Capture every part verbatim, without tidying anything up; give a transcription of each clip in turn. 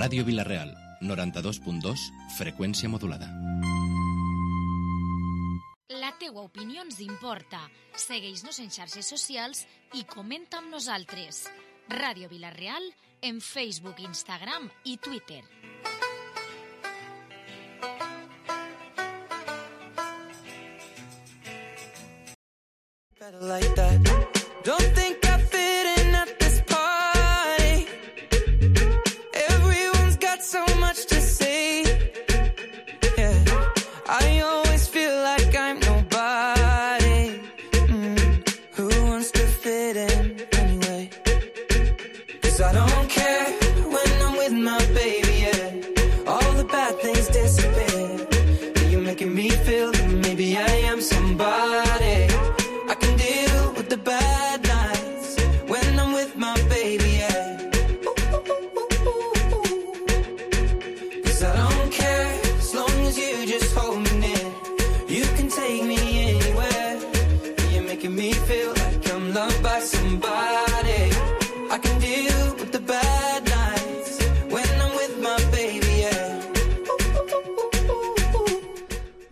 Ràdio Vila-real, noranta-dos punt dos, freqüència modulada. La teua opinió ens importa. Segueix-nos en xarxes socials i comenta amb nosaltres. Ràdio Vila-real en Facebook, Instagram i Twitter. Like that. Don't think I fit in at this party. Everyone's got so much to say. Yeah, I always feel like I'm nobody. Mm. Who wants to fit in anyway? 'Cause I don't care when I'm with my baby, yeah. All the bad things disappear. You're making me feel that maybe I am somebody. I can deal with the bad nights when I'm with my baby, yeah. Cause I don't care as long as you just hold me near. You can take me anywhere. You're making me feel like I'm loved by somebody. I can deal with the bad nights when I'm with my baby, yeah.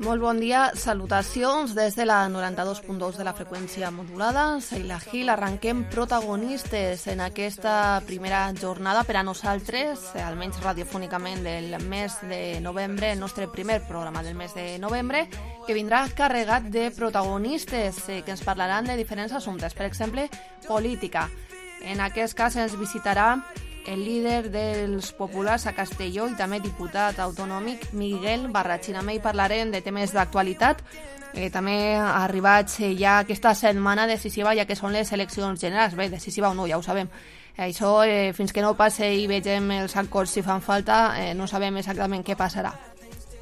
Molt bon dia, salutacions des de la noranta-dos punt dos de la freqüència modulada. Seila Gil, arrenquem protagonistes en aquesta primera jornada per a nosaltres, almenys radiofònicament del mes de novembre, el nostre primer programa del mes de novembre, que vindrà carregat de protagonistes eh, que ens parlaran de diferents assumptes, per exemple, política. En aquest cas ens visitarà el líder dels populars a Castelló i també diputat autonòmic Miguel Barrachina. Amb ell parlarem de temes d'actualitat, eh, també arribats eh, ja aquesta setmana decisiva, ja que són les eleccions generals. Bé, decisiva o no, ja ho sabem. Això, eh, fins que no passe i vegem els acords si fan falta, eh, no sabem exactament què passarà.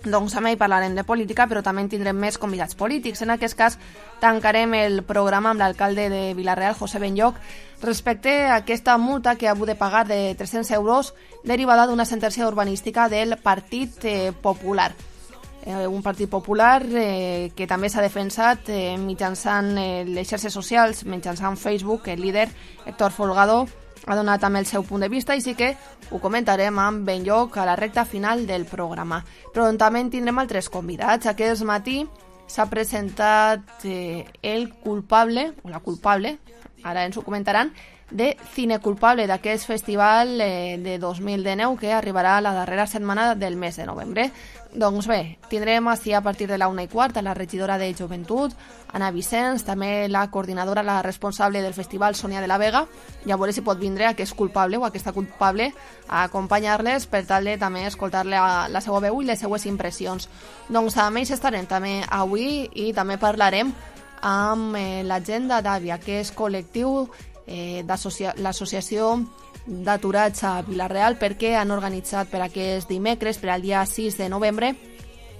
Doncs amb ell parlarem de política, però també tindrem més convidats polítics. En aquest cas, tancarem el programa amb l'alcalde de Vila-real, José Benlloch, respecte a aquesta multa que ha hagut de pagar de tres-cents euros derivada d'una sentència urbanística del Partit eh, Popular. Eh, un Partit Popular eh, que també s'ha defensat eh, mitjançant eh, les xarxes socials, mitjançant Facebook. El líder, Héctor Folgado, ha donat també el seu punt de vista i sí que ho comentarem amb Benlloch a la recta final del programa. Però també tindrem altres convidats. Aquest matí s'ha presentat eh, el culpable, o la culpable, ara ens ho comentaran, de Cine Culpable, d'aquest festival eh, de dos mil dinou que arribarà a la darrera setmana del mes de novembre. Doncs bé, tindrem així a partir de la una i quart a la regidora de Joventut, Anna Vicenç, també la coordinadora, la responsable del festival, Sònia de la Vega, i a veure si pot vindre aquest culpable o aquesta culpable a acompanyar-les per tal de també escoltar-le la seva veu i les seues impressions. Doncs amb ells estarem també avui i també parlarem amb eh, l'Agenda d'Àvia, que és col·lectiu eh, l'associació d'aturats a Vila-real, perquè han organitzat per aquest dimecres, per al dia sis de novembre,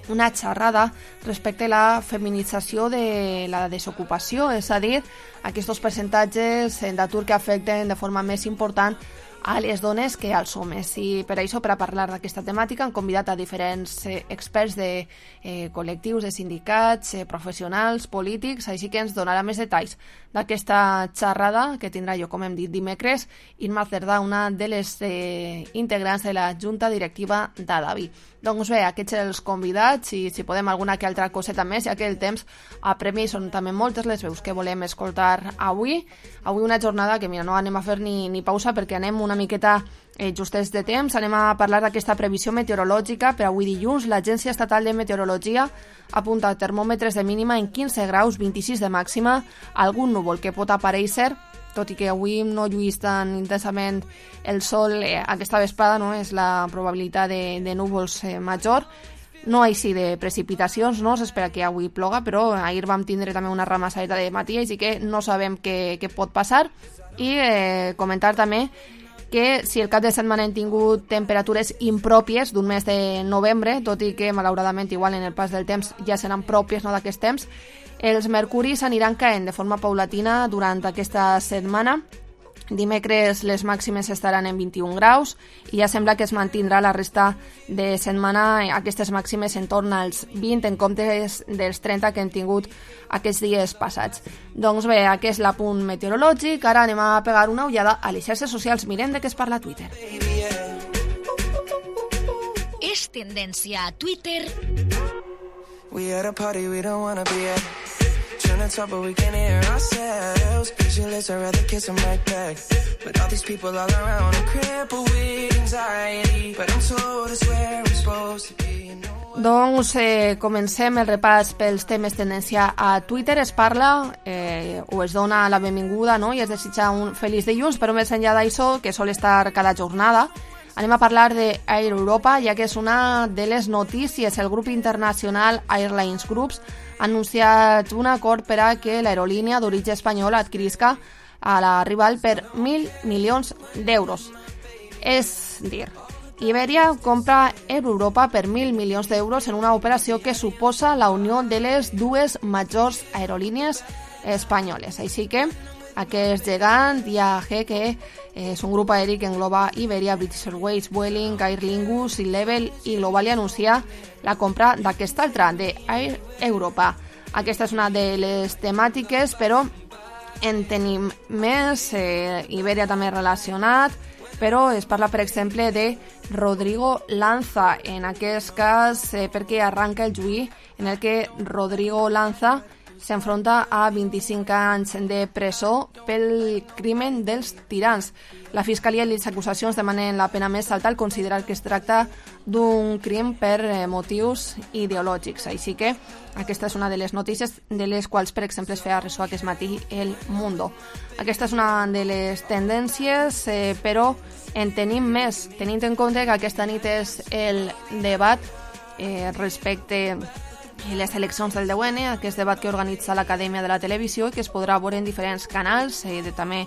una xerrada respecte a la feminització de la desocupació, és a dir, aquests percentatges d'atur que afecten de forma més important a les dones que als homes. I per això, per a parlar d'aquesta temàtica, han convidat a diferents eh, experts de eh, col·lectius, de sindicats, eh, professionals, polítics, així que ens donarà més detalls d'aquesta xerrada que tindrà, jo com hem dit, dimecres, Irma Cerdà, una de les eh, integrants de la Junta Directiva d'Adavi. Doncs bé, aquests els convidats i si podem alguna que altra coseta més, ja que el temps apremia i són també moltes les veus que volem escoltar avui. Avui una jornada que, mira, no anem a fer ni, ni pausa perquè anem una miqueta eh, justets de temps. Anem a parlar d'aquesta previsió meteorològica per avui dilluns. L'Agència Estatal de Meteorologia apunta termòmetres de mínima en quinze graus, vint-i-sis de màxima, algun núvol que pot aparèixer, tot i que avui no lluís tan intensament el sol eh, aquesta vesprada, no? És la probabilitat de, de núvols eh, major. No així de precipitacions, no s'espera que avui ploga, però ahir vam tindre també una ramassadeta de matí, així que no sabem què, què pot passar. I eh, comentar també que si el cap de setmana hem tingut temperatures impròpies d'un mes de novembre, tot i que malauradament igual en el pas del temps ja seran pròpies, no, d'aquest temps, els mercuris aniran caent de forma paulatina durant aquesta setmana. Dimecres les màximes estaran en vint-i-un graus i ja sembla que es mantindrà la resta de setmana aquestes màximes en torn als vint en comptes dels trenta que hem tingut aquests dies passats. Doncs bé, aquest és l'apunt meteorològic. Ara anem a pegar una ullada a les xarxes socials. Mirem de què es parla a Twitter. tendència a Twitter. We at a party we don't wanna be at. Trying to talk but we can't hear ourselves. Pictureless, I'd rather kiss them right back. But all these people all around are crippled with anxiety. But I'm told it's where I'm supposed to be, you know. Doncs eh, comencem el repàs pels temes tendència a Twitter. Es parla eh, o es dona la benvinguda, no? I es desitja un feliç dilluns, però més enllà d'això, que sol estar cada jornada, anem a parlar de Air Europa, ja que és una de les notícies. El grup internacional Airlines Group ha anunciat un acord per a que l'aerolínia d'origen espanyol adquirisca a la rival per mil milions d'euros. És dir, Iberia compra Air Europa per mil milions d'euros en una operació que suposa la unió de les dues majors aerolínies espanyoles. Així que aquest gegant I A G, que és un grup aeri que engloba Iberia, British Airways, Vueling, Aer Lingus, Level i Globalia, anuncia la compra d'aquesta altra, de Air Europa. Aquesta és una de les temàtiques, però en tenim més. eh, Iberia també relacionat, però es parla, per exemple, de Rodrigo Lanza, en aquest cas eh, perquè arranca el juí en el que Rodrigo Lanza s'enfronta a vint-i-cinc anys de presó pel crimen dels tirans. La Fiscalia i les acusacions demanen la pena més alta al considerar que es tracta d'un crim per eh, motius ideològics. Així que aquesta és una de les notícies de les quals, per exemple, es feia ressò aquest matí El Mundo. Aquesta és una de les tendències, eh, però en tenim més, tenint en compte que aquesta nit és el debat eh, respecte a les eleccions del deu ene, aquest debat que organitza l'Acadèmia de la Televisió i que es podrà veure en diferents canals, eh, de també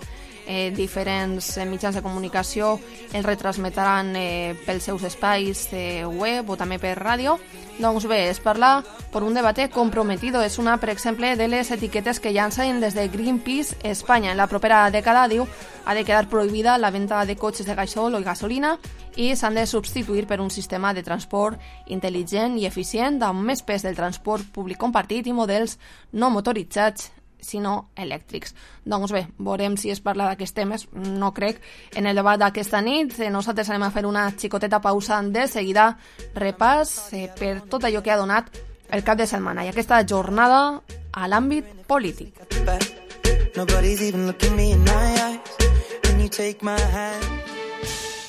eh, diferents eh, mitjans de comunicació el retransmetran eh, pels seus espais eh, web o també per ràdio. Doncs bé, es parla per un debat comprometido. És una, per exemple, de les etiquetes que llancen des de Greenpeace Espanya. En la propera dècada, diu, ha de quedar prohibida la venda de cotxes de gasol o gasolina i s'han de substituir per un sistema de transport intel·ligent i eficient amb més pes del transport públic compartit i models no motoritzats sinó elèctrics. Doncs bé, veurem si es parla d'aquests temes. No crec. En el debat d'aquesta nit nosaltres anem a fer una xicoteta pausa. De seguida repàs eh, per tot allò que ha donat el cap de setmana i aquesta jornada a l'àmbit polític.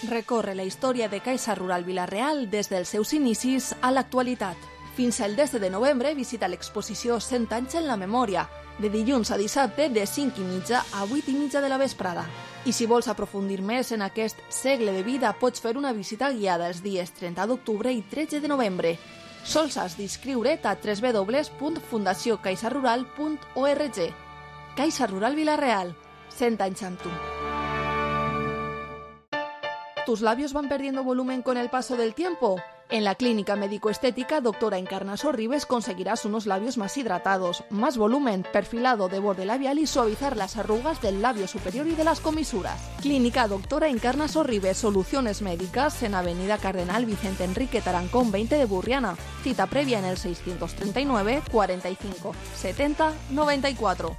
Recorre la història de Caixa Rural Vila-real des dels seus inicis a l'actualitat. Fins al desè de novembre visita l'exposició cent anys en la memòria, de dilluns a dissabte de cinc i mitja a vuit i mitja de la vesprada. I si vols aprofundir més en aquest segle de vida, pots fer una visita guiada els dies trenta d'octubre i tretze de novembre. Sols has d'inscriure't a w w w punt fundació caixa rural punt org. Caixa Rural Vila-real, cent anys amb tu. ¿Tus labios van perdiendo volumen con el paso del tiempo? En la clínica médico-estética Doctora Encarnaso Ribes conseguirás unos labios más hidratados, más volumen, perfilado de borde labial y suavizar las arrugas del labio superior y de las comisuras. Clínica Doctora Encarnaso Ribes, soluciones médicas en Avenida Cardenal Vicente Enrique Tarancón veinte de Burriana. Cita previa en el seiscientos treinta y nueve, cuarenta y cinco, setenta, noventa y cuatro.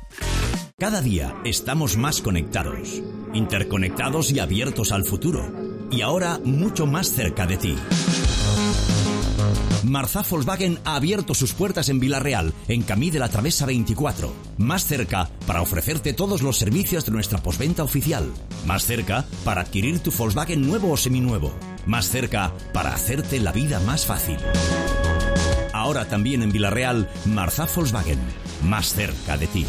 Cada día estamos más conectados, interconectados y abiertos al futuro. Y ahora mucho más cerca de ti. Marzá Volkswagen ha abierto sus puertas en Vila-real, en Camí de la Travesa veinticuatro. Más cerca para ofrecerte todos los servicios de nuestra postventa oficial. Más cerca para adquirir tu Volkswagen nuevo o seminuevo. Más cerca para hacerte la vida más fácil. Ahora también en Vila-real, Marzá Volkswagen. Más cerca de ti.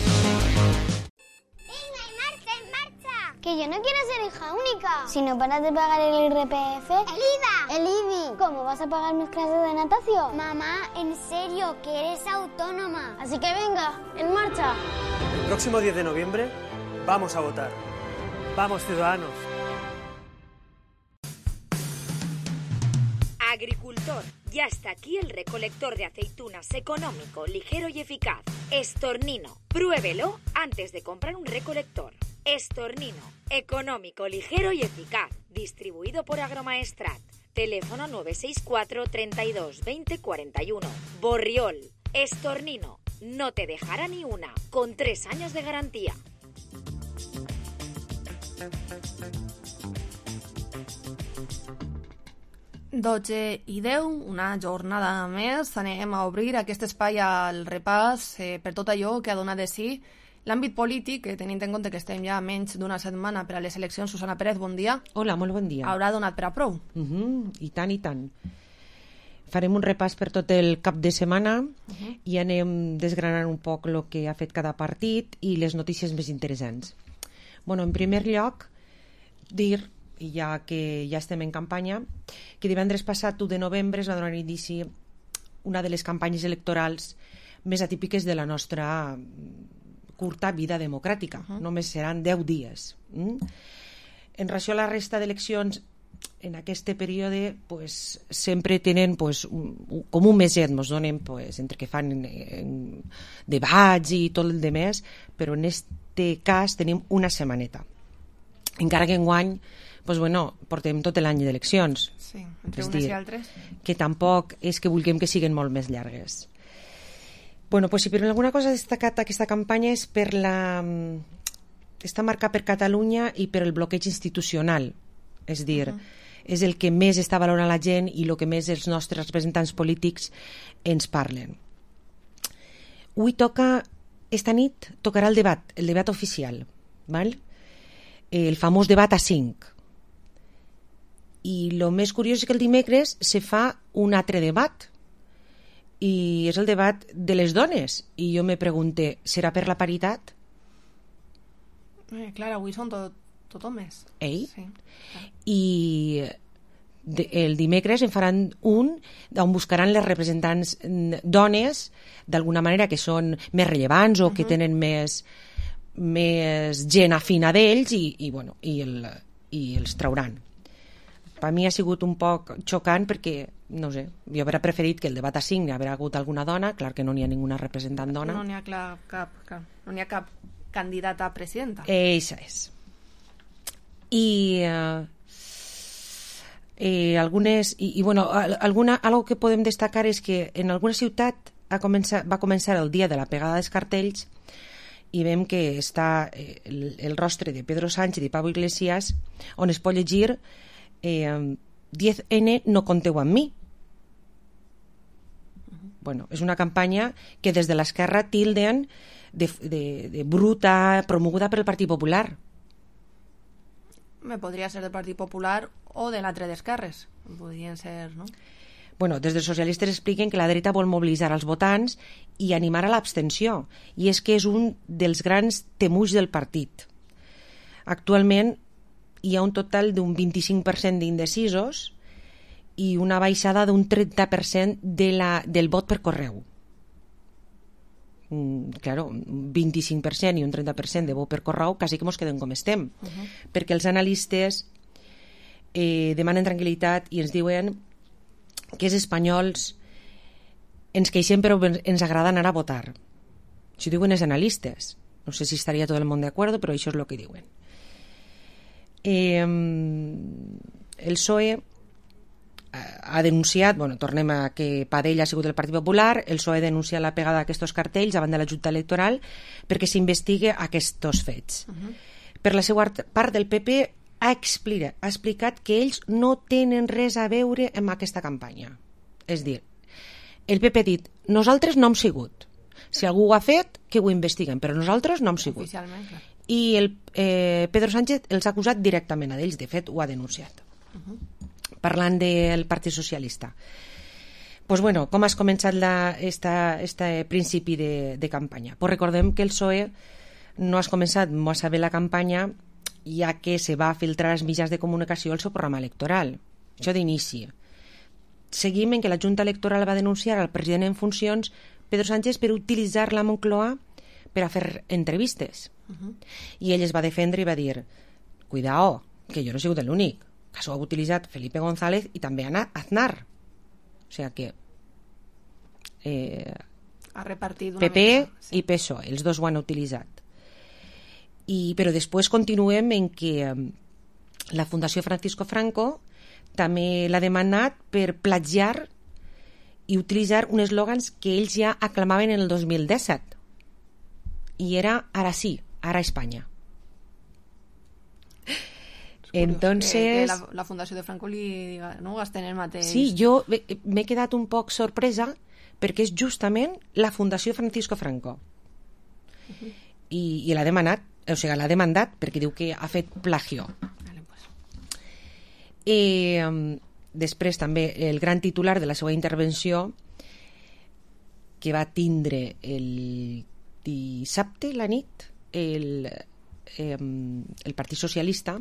Que yo no quiero ser hija única. Si no paras de pagar el I R P F... ¡El I V A! ¡El I B I! ¿Cómo vas a pagar mis clases de natación? Mamá, en serio, que eres autónoma. Así que venga, en marcha. El próximo diez de noviembre vamos a votar. Vamos, ciudadanos. Agricultor, ya está aquí el recolector de aceitunas económico, ligero y eficaz. Estornino, pruébelo antes de comprar un recolector. Estornino, económico, ligero y eficaz. Distribuido por Agromaestrat. Teléfono nueve seis cuatro, treinta y dos, veinte, cuarenta y uno. Borriol, Estornino, no te dejará ni una, con tres años de garantía. dotze i deu, una jornada més. Anem a obrir aquest espai al repàs eh, per tot allò que ha donat de si l'àmbit polític, eh, tenint en compte que estem ja menys d'una setmana per a les eleccions. Susana Pérez, bon dia. Hola, molt bon dia. Haurà donat per a prou? Uh -huh, I tant, i tant. Farem un repàs per tot el cap de setmana uh -huh. i anem desgranant un poc el que ha fet cada partit i les notícies més interessants. Bueno, en primer lloc, dir, i ja que ja estem en campanya, que divendres passat, u de novembre, es va donar inici una de les campanyes electorals més atípiques de la nostra curta vida democràtica. Uh-huh. Només seran deu dies. Mm? En relació a la resta d'eleccions, en aquest període pues, sempre tenen pues, un, com un meset, ens donen pues, entre que fan en, en debats i tot el demés, però en aquest cas tenim una setmaneta. Encara que enguany pues, bueno, portem tot l'any d'eleccions. Sí, entre és unes dir, i altres. Que tampoc és que vulguem que siguin molt més llargues. Bueno, pues, si per alguna cosa ha destacat aquesta campanya és per la... està marcat per Catalunya i per el bloqueig institucional. És dir, uh-huh. és el que més està valorant la gent i el que més els nostres representants polítics ens parlen. Avui toca, esta nit, tocarà el debat, el debat oficial, val? El famós debat a cinc. I el més curiós és que el dimecres se fa un altre debat, i és el debat de les dones. I jo me pregunté, serà per la paritat? Eh, clar, avui són tot, tot homes. Ei? Sí. I de, el dimecres en faran un on buscaran les representants dones, d'alguna manera que són més rellevants o uh-huh. que tenen més, més gent afina d'ells i, i, bueno, i, el, i els trauran. Per mi ha sigut un poc xocant perquè, no sé, jo hauria preferit que el debat a cinc hi hagués hagut alguna dona, clar que no n'hi ha ninguna representant dona. No n'hi ha clar, cap, cap, no n'hi ha cap candidata a presidenta. Eixa és. I eh, eh, algunes i, i bueno, alguna, algo que podem destacar és que en alguna ciutat ha començat, va començar el dia de la pegada dels cartells i veiem que està eh, el, el rostre de Pedro Sánchez i Pablo Iglesias on es pot llegir eh, diez ene no conteu amb mi. Uh-huh. Bueno, és una campanya que des de l'esquerra tilden de, de, de bruta, promoguda per el Partit Popular. Me podria ser del Partit Popular o de l'altre d'esquerres. Podrien ser, no? Bueno, des dels socialistes expliquen que la dreta vol mobilitzar els votants i animar a l'abstenció. I és que és un dels grans temuts del partit. Actualment hi ha un total d'un vint-i-cinc per cent d'indecisos i una baixada d'un trenta per cent de la, del vot per correu. Mm, claro, un vint-i-cinc per cent i un trenta per cent de vot per correu quasi que mos quedem com estem. Uh-huh. Perquè els analistes eh, demanen tranquil·litat i ens diuen que els espanyols ens queixem però ens agrada anar a votar. Això diuen els analistes. No sé si estaria tot el món d'acord, però això és el que diuen. Eh, el P S O E ha denunciat, bueno, tornem a que Padell ha sigut el Partit Popular, el P S O E ha denunciat la pegada d'aquests cartells davant de la Junta Electoral perquè s'investigue aquests fets. Uh-huh. Per la seva part, del P P ha explicat, ha explicat que ells no tenen res a veure amb aquesta campanya. És dir, el P P ha dit, nosaltres no hem sigut. Si algú ho ha fet, que ho investiguen, però nosaltres no hem sigut. Oficialment, clar. I el, eh, Pedro Sánchez els ha acusat directament a ells, de fet ho ha denunciat. Uh-huh. Parlant del Partit Socialista. Pues bueno, com has començat la, esta, este principi de, de campanya? Pues recordem que el P S O E no has començat massa bé la campanya ja que se va filtrar als mitjans de comunicació el seu programa electoral. Això d'inici. Seguim en que la Junta Electoral va denunciar al president en funcions Pedro Sánchez per utilitzar la Moncloa per a fer entrevistes. Uh-huh. I ell es va defendre i va dir, cuidao, que jo no he sigut l'únic, que s'ho ha utilitzat Felipe González i també Aznar. O sigui que eh, ha repartit una P P mica, sí. i P S O E, els dos ho han utilitzat. I, però després continuem en que eh, la Fundació Francisco Franco també l'ha demanat per plagiar i utilitzar un eslògans que ells ja aclamaven en el dos mil disset. I era ara sí, ara Espanya. Entonces... Que, que la, la Fundació de Franco li diga, no gasten el mateix. Sí, jo m'he quedat un poc sorpresa perquè és justament la Fundació Francisco Franco. Uh-huh. I, i l'ha demanat, o sigui, l'ha demandat perquè diu que ha fet plagio. Vale, pues. Eh, després també el gran titular de la seva intervenció que va tindre el dissabte la nit el, eh, el Partit Socialista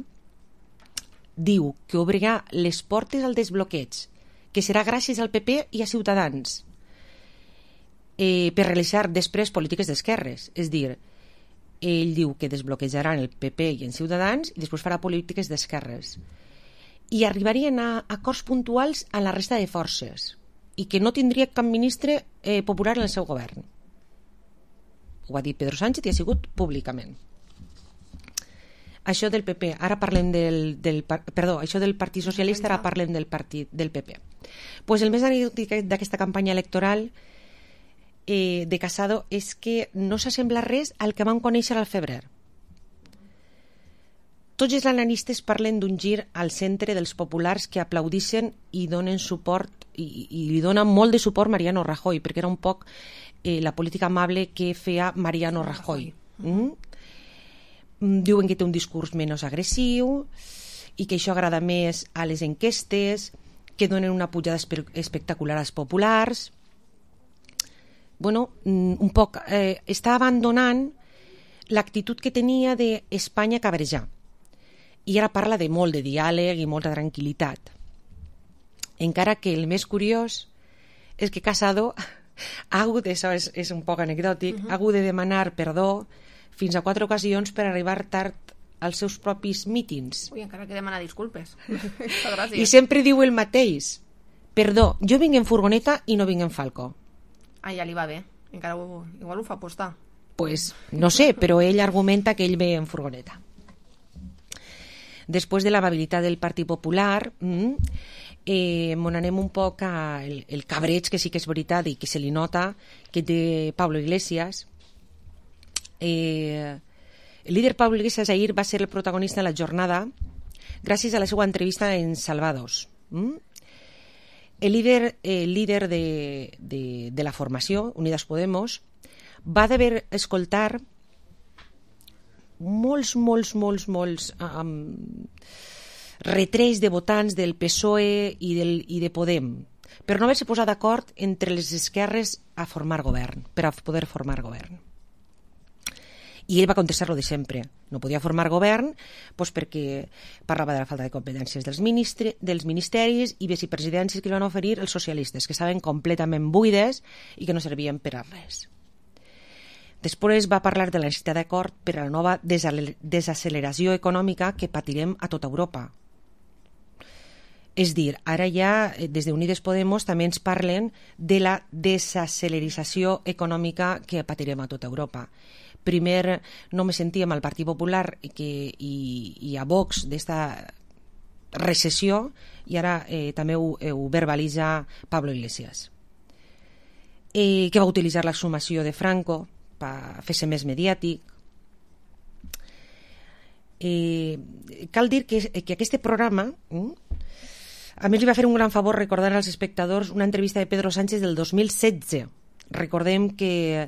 diu que obrirà les portes al desbloqueig, que serà gràcies al P P i a Ciutadans, eh, per realitzar després polítiques d'esquerres. És dir, ell diu que desbloquejaran el P P i en Ciutadans i després farà polítiques d'esquerres. I arribarien a acords puntuals a la resta de forces i que no tindria cap ministre eh, popular en el seu govern. Ho ha dit Pedro Sánchez i ha sigut públicament. Això del P P, ara parlem del, del perdó, això del Partit Socialista, ara parlem del partit del P P. Pues el més anecdòtic d'aquesta campanya electoral eh, de Casado és que no s'assembla res al que vam conèixer al febrer. Tots els analistes parlen d'un gir al centre dels populars que aplaudixen i donen suport i, i li donen molt de suport Mariano Rajoy, perquè era un poc eh, la política amable que feia Mariano Rajoy. Mm? Diuen que té un discurs menys agressiu i que això agrada més a les enquestes, que donen una pujada espe espectacular als populars. Bueno, un poc eh, està abandonant l'actitud que tenia d'Espanya cabrejar i ara parla de molt de diàleg i molta tranquil·litat, encara que el més curiós és que Casado ha hagut, això és, és un poc anecdòtic, uh-huh. ha hagut de demanar perdó fins a quatre ocasions per arribar tard als seus propis mítings. Ui, encara que demana disculpes. I sempre diu el mateix. Perdó, jo vinc en furgoneta i no vinc en Falco. Ah, ja li va bé. Encara ho, igual ho fa apostar. Pues no sé, però ell argumenta que ell ve en furgoneta. Després de l'amabilitat del Partit Popular, eh, m'on anem un poc al el cabreig, que sí que és veritat i que se li nota, que té Pablo Iglesias. Eh, el líder Pablo Iglesias ahir va ser el protagonista de la jornada gràcies a la seva entrevista en Salvados. Mm? El líder, el líder de, de, de la formació, Unidas Podemos, va d'haver escoltar molts, molts, molts, molts um, retrets de votants del P S O E i, del, i de Podem per no haver-se posat d'acord entre les esquerres a formar govern, per a poder formar govern. I ell va contestar-lo de sempre. No podia formar govern doncs perquè parlava de la falta de competències dels, ministri, dels ministeris i vicepresidències que li van oferir els socialistes, que estaven completament buides i que no servien per a res. Després va parlar de la necessitat d'acord per a la nova desacceleració econòmica que patirem a tota Europa. És dir, ara ja, des d'Unides Podemos, també ens parlen de la desacelerització econòmica que patirem a tota Europa. Primer no me sentíem al Partit Popular que, i, i a Vox d'esta recessió i ara eh, també ho, eh, ho verbalitza Pablo Iglesias, eh, que va utilitzar la sumació de Franco per fer-se més mediàtic. Eh, cal dir que, que aquest programa eh, a més li va fer un gran favor recordar als espectadors una entrevista de Pedro Sánchez del dos mil setze. Recordem que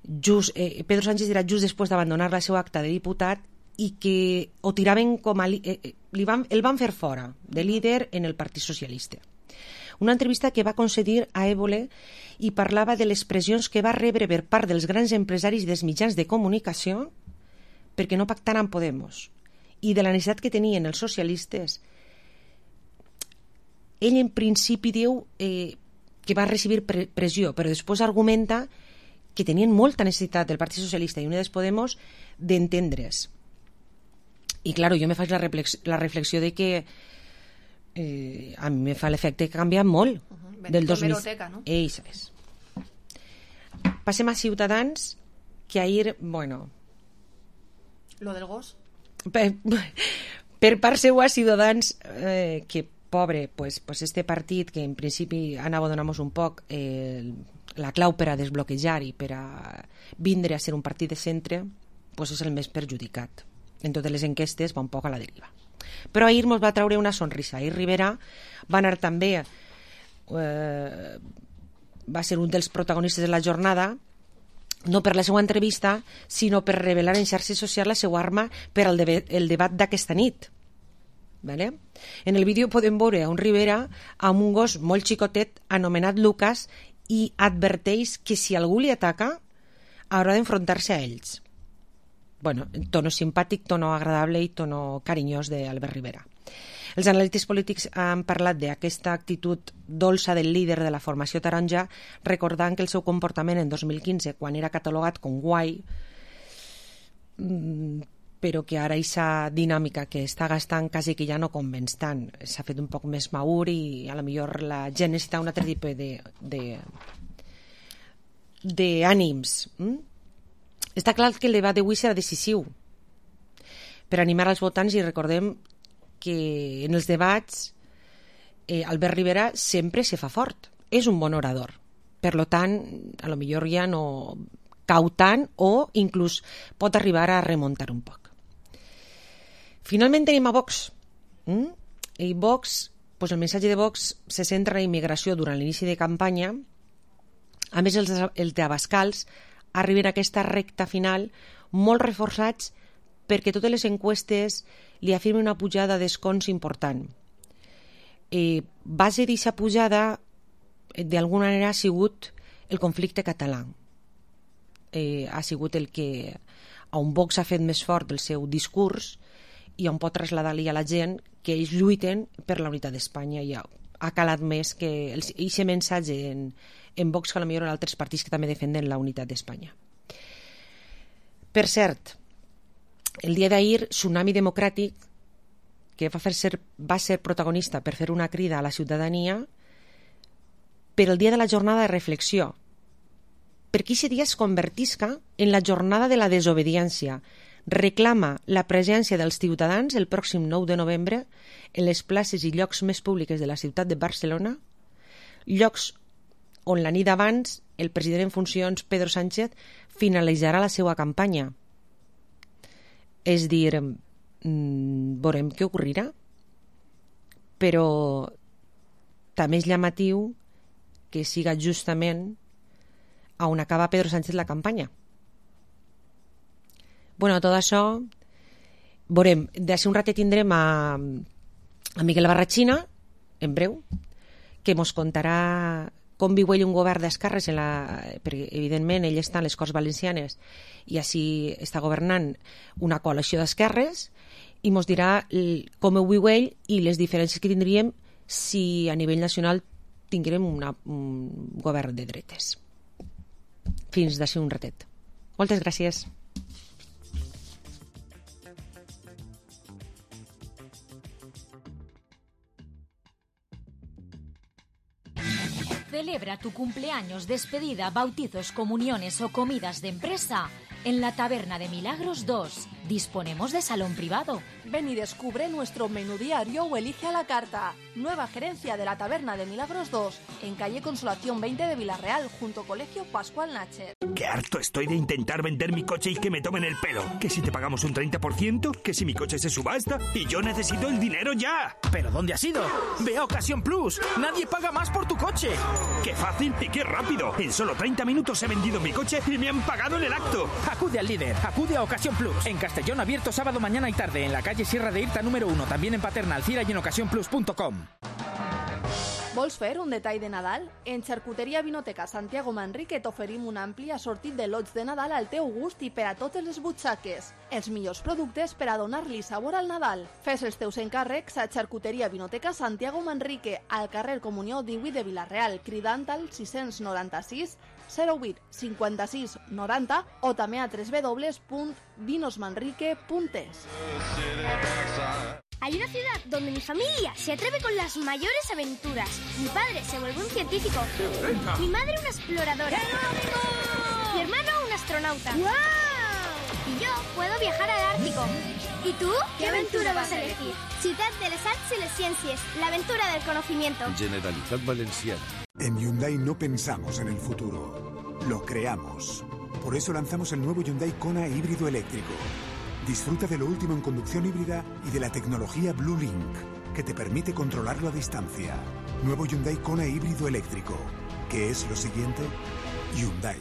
just, eh, Pedro Sánchez era just després d'abandonar la seva acta de diputat i que ho tiraven com a eh, li van, el van fer fora de líder en el Partit Socialista. Una entrevista que va concedir a Évole i parlava de les pressions que va rebre per part dels grans empresaris dels mitjans de comunicació perquè no pactaran amb Podemos i de la necessitat que tenien els socialistes. Ell en principi diu eh, que va recibir pre pressió, però després argumenta que tenien molta necessitat del Partit Socialista i Unides Podemos d'entendre's. I, clar, jo me faig la, la reflexió de que eh, a mi me fa l'efecte que ha canviat molt. Uh-huh. Del dos mil... no? Ei, sabes. Passem a Ciutadans, que ahir, bueno... Lo del gos? Per, per part seua, Ciutadans, eh, que pobre, pues, pues este partit que en principi anava a donar-nos un poc eh, la clau per a desbloquejar i per a vindre a ser un partit de centre, pues és el més perjudicat. en totes les enquestes va un poc a la deriva. Però ahir mos va treure una sonrisa. Ahir Rivera va anar també, eh, va ser un dels protagonistes de la jornada, no per la seva entrevista, sinó per revelar en xarxes socials la seva arma per al debe- el debat d'aquesta nit. Vale? En el vídeo podem veure a un Rivera amb un gos molt xicotet anomenat Lucas i adverteix que si algú li ataca haurà d'enfrontar-se a ells. Bueno, tono simpàtic, tono agradable i tono carinyós d'Albert Rivera. Els analistes polítics han parlat d'aquesta actitud dolça del líder de la formació taronja, recordant que el seu comportament en dos mil quinze, quan era catalogat com guai, però que ara aquesta dinàmica que està gastant quasi que ja no convenç tant. S'ha fet un poc més madur i a lo millor la gent necessita un altre tipus de, de, d'ànims. Mm? Està clar que el debat d'avui serà decisiu per animar els votants, i recordem que en els debats eh, Albert Rivera sempre se fa fort, és un bon orador, per lo tant a lo millor ja no cau tant o inclús pot arribar a remuntar un poc. Finalment tenim a Vox. Mm? I Vox, pues el missatge de Vox se centra en la immigració durant l'inici de campanya. A més, els, els d'Abascals arriben a aquesta recta final molt reforçats perquè totes les enquestes li afirmen una pujada d'escons important. Eh, base d'aquesta pujada, d'alguna manera, ha sigut el conflicte català. Eh, ha sigut el que a un Vox ha fet més fort el seu discurs i on pot traslladar-li a la gent que ells lluiten per la unitat d'Espanya, i ha, ha calat més que aquest missatge en, en Vox que a lo millor en altres partits que també defenden la unitat d'Espanya. Per cert, el dia d'ahir, Tsunami Democràtic, que va, fer ser, va ser protagonista per fer una crida a la ciutadania per el dia de la jornada de reflexió, perquè aquest dia es convertisca en la jornada de la desobediència. Reclama la presència dels ciutadans el pròxim nou de novembre en les places i llocs més públiques de la ciutat de Barcelona, llocs on la nit abans el president en funcions, Pedro Sánchez, finalitzarà la seva campanya. És dir, mmm, veurem què ocorrirà, però també és llamatiu que siga justament on acaba Pedro Sánchez la campanya. Bueno, tot això veurem. D'ací un ratet tindrem a, a Miguel Barrachina, en breu, que mos contarà com viu ell un govern d'esquerres, en la, perquè evidentment ell està en les Corts Valencianes i així està governant una coalició d'esquerres, i mos dirà com ho viu ell i les diferències que tindríem si a nivell nacional tinguérem una, un govern de dretes. Fins d'ací un ratet. Moltes gràcies. Celebra tu cumpleaños, despedida, bautizos, comuniones o comidas de empresa en la Taberna de Milagros dos. Disponemos de salón privado. Ven y descubre nuestro menú diario o elige a la carta. Nueva gerencia de la Taberna de Milagros dos, en calle Consolación veinte de Villarreal, junto Colegio Pascual Nacher. Qué harto estoy de intentar vender mi coche y que me tomen el pelo. Que si te pagamos un treinta por ciento, que si mi coche se subasta y yo necesito el dinero ya. ¿Pero dónde has ido? Ve a Ocasión Plus. Nadie paga más por tu coche. ¡Qué fácil y qué rápido! En solo treinta minutos he vendido mi coche y me han pagado en el acto. Acude al líder, acude a Ocasión Plus. En Castellón, abierto sábado, mañana y tarde. En la calle Sierra de Irta número uno. También en Paterna, Alcira y en ocasión plus punto com. Vols fer un detall de Nadal? En Xarcuteria Vinoteca Santiago Manrique t'oferim un ampli assortit de lots de Nadal al teu gust i per a totes les butxaques. Els millors productes per a donar-li sabor al Nadal. Fes els teus encàrrecs a Xarcuteria Vinoteca Santiago Manrique, al carrer Comunió divuit de Vilareal, cridant al sis noranta-sis zero vuit cinquanta-sis noranta o també a w w w punt vinos manrique punt es. Hay una ciudad donde mi familia se atreve con las mayores aventuras. Mi padre se vuelve un científico. Mi madre una exploradora. Mi hermano un astronauta. ¡Wow! Y yo puedo viajar al Ártico. ¿Y tú? ¿Qué aventura vas a elegir? Ciutat de les Arts y les Ciencias. La aventura del conocimiento. Generalitat Valenciana. En Hyundai no pensamos en el futuro. Lo creamos. Por eso lanzamos el nuevo Hyundai Kona híbrido eléctrico. Disfruta de lo último en conducción híbrida y de la tecnología Blue Link, que te permite controlarlo a distancia. Nuevo Hyundai Kona híbrido eléctrico. ¿Qué es lo siguiente? Hyundai.